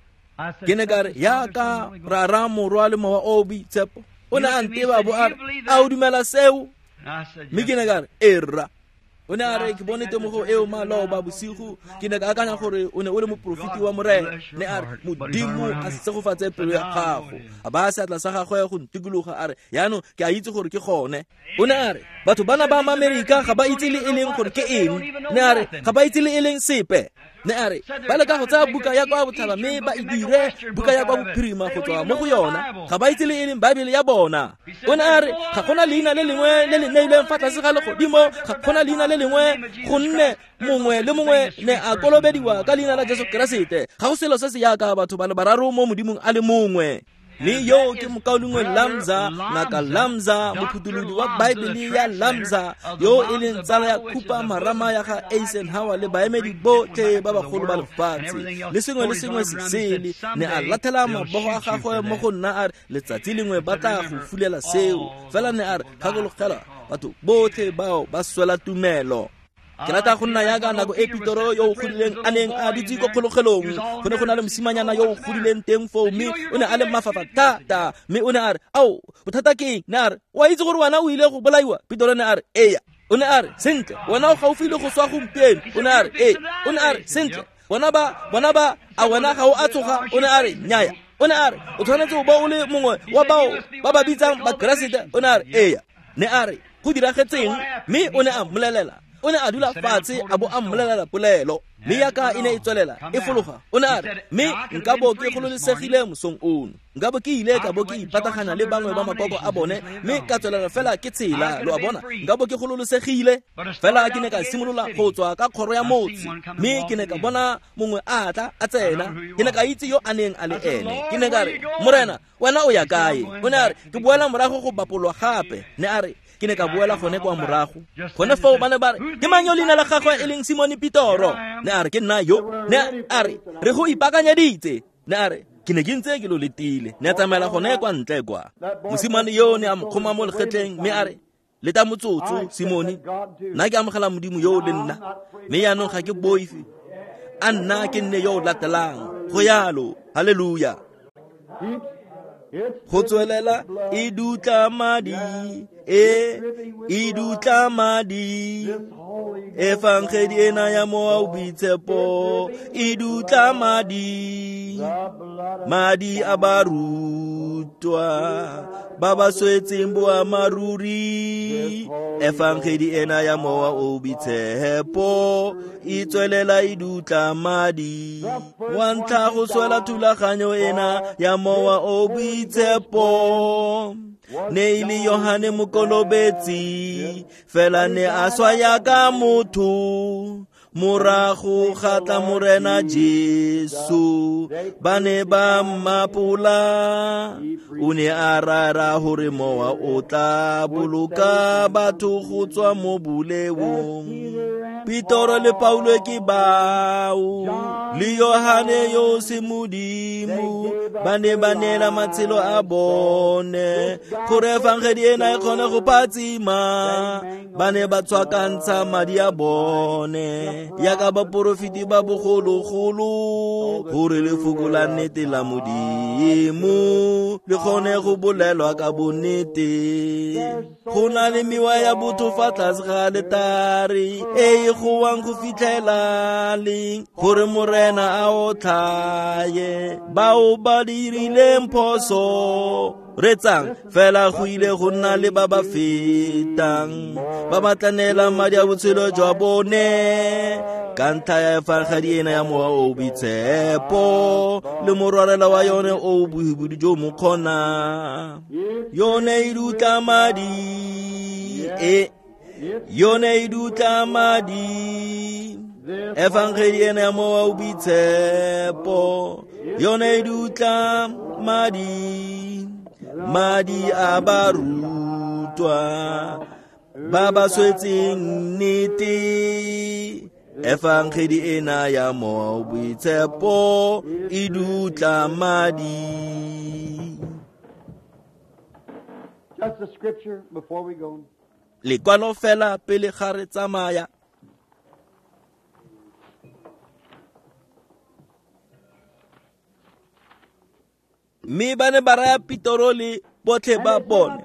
Ke ne ka re, yaka Rara, Morwa le Mowa o o Boitshepo. O ne a nteba bo a re, a o dumela seo? Mme ke ne ka re, ee rra. O ne a re ke bone temogo eo maloba bosigo, ke ne ka akanya gore o ne o le moporofeti wa Morena. Ne a re Modimo a segofatse pelo ya gago. A baya seatla sa gagwe go ntikologa, a re yaanong ke a itse gore ke gone. O ne a re batho bana ba Amerika ga ba itse le e leng gore ke eng. Ne a re ga ba itse le e leng sepe. Ne a re ba leka go tsaya buka ya kwa botlhaba mme ba e dire buka ya kwa bophirima go tswa mo go yona, ga ba itse le e leng Baebele ya bona. O ne a re ga gona leina le lengwe le le neilweng fa tlase ga legodimo, ga gona leina le lengwe, gonne mongwe le mongwe ne a kolobediwa ka leina la Jesu Keresete. Ga go selo se se yaka batho ba le bararo mo Modimong a le mongwe. Mme yo ke mokaulengwe Lamza, Ngaka Lamza, mophutholodi wa Baebele ya Lamza, yo e leng tsala ya khupa marama ya ga Eisenhower le baemedi botlhe ba bagolo ba lefatshe le sengwe le sengwe se sele. Ne a lathela mabogo a gagwe mo go nna a re letsatsi lengwe ba tla go fulela seo. Fela ne a re gakologelwa batho botlhe bao ba swela tumelo. Ke rata go nna yaka nako e Petoro yo o godileng a neng a dutse ko kgologelong. Go ne go na le mosimanyana yo o godileng teng foo, mme o ne a le mafafa thata. Mme o ne a re, ao, bothata ke eng? Ne a re, o a itse gore wena o ile go bolaiwa? Petoro ne a re, eya. O ne a re, sentle, wena o gaufi le go swa gompieno. O ne a re, ee. O ne a re, sentle, bona ba, a wena ga o a tsoga? O ne a re, nnyaya. O ne a re, o tshwanetse o bo o le mongwe wa bao ba ba bitsang Bakeresete. O ne a re, eya. Ne a re, go diragetseng? Mme o ne a mmolelela. O ne a dula fatshe a bo a mmolelela polelo, mme yaka e ne e tswelela e fologa. O ne a re, mme nka bo ke gololesegile mosong ono, nka bo ke ile ka bo ke ipatagana le bangwe ba makoko a bone, mme ka tswelela fela ke tshela. Lo a bona, nka bo ke gololesegile. Fela ke ne ka simolola go tswa ka kgoro ya motse, mme ke ne ka bona mongwe a tla a tsena. Ke ne ka itse yo a neng a le ene. Ke ne ka re, Morena, wena o ya kae? O ne a re, ke boela morago go bapolwa gape. Ne a re, ke ne ka boela gone kwa morago. Gone foo ba ne ba re, ke mang yo leina la gagwe e leng Simone Petoro? Ne a re, ke nna yo. Ne a re, re go ipaakanyeditse. Ne a re, ke ne ke ntse ke lo letile. Ne a tsamaela gone kwa ntle kwa. Mosimane yo ne a mo kgoma mo legetleng, mme a re, leta motsotso, Simone, nna ke amogela Modimo yo le nna, mme yaanong ga ke boife. A nna ke nne yo o latelang. Go yalo, haleluya. Go tswelela e dutla madi, e dutla madi. Efangedi ena ya Mowa o Boitshepo e dutla madi, madi a barutwa ba ba swetseng boammaaruri. Efangedi ena ya Mowa o Boitshepo e tswelela e dutla madi. Wa ntlha go swela thulaganyo ena ya Mowa o Boitshepo ne e le Yohane Mokolobetsi, fela ne a swa yaka motho. Morago ga tla Morena Jesu, ba ne ba mmapola. O ne a rara gore Mowa o tla boloka batho go tswa mo boleong. Petoro le Paulo ke bao, le Yohane yo se Modimo, ba ne ba neela matshelo a bone gore efangedi ena e kgone go phatsima. Ba ne ba tswakantsha madi a bone yaka baporofeti ba bogologolo, gore lefoko la nnete la Modimo le kgone go bolelwa ka bonnete. Go na le mewa ya botho fa tlase ga letare e e gowang go fitlhela leng, gore Morena a otlhaye bao ba dirileng phoso. Retsang fela go ile go nna le ba ba fetang, ba ba tla neelang madi a botshelo jwa bone ka ntlha ya efangedi ena ya Mowa o Boitshepo le morwalela wa yone o bohibidu jo mo kgona. Yone e dutla madi, yone e dutla madi. Efangedi ena ya Mowa o Boitshepo yone e dutla madi, madi a barutwa ba ba swetseng nnete. Efangedi ena ya Mowa o Boitshepo e dutla madi. Just the scripture before we go. Lekwalo fela pele ga re tsamaya. Mme ba ne ba raya Petoro le botlhe ba bone,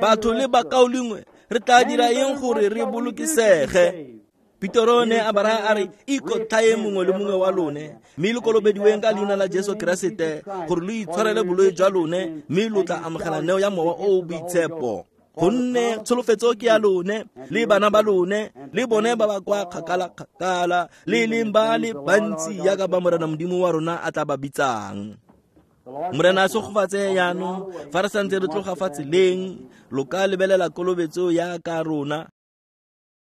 batho le bakaulengwe, re tla dira eng gore re bolokesege? Petero ne a ba raya a re, Ikotlhaeng mongwe le mongwe wa lone, mme lo kolobediweng ka leina la Jesu Keresete gore lo itshwarele boloi jwa lone, mme lo tla amogela neo ya Mowa o o Boitshepo. Gonne tsholofetso ke ya lone le bana ba lone le bone ba ba kwa kgakala-kgakala, le e leng ba le bantsi yaka ba Morena Modimo wa rona a tla ba bitsang. Morena a segofatse jaanong fa re santse re tloga fa tseleng, lo ka lebelela kolobetso ya ka rona.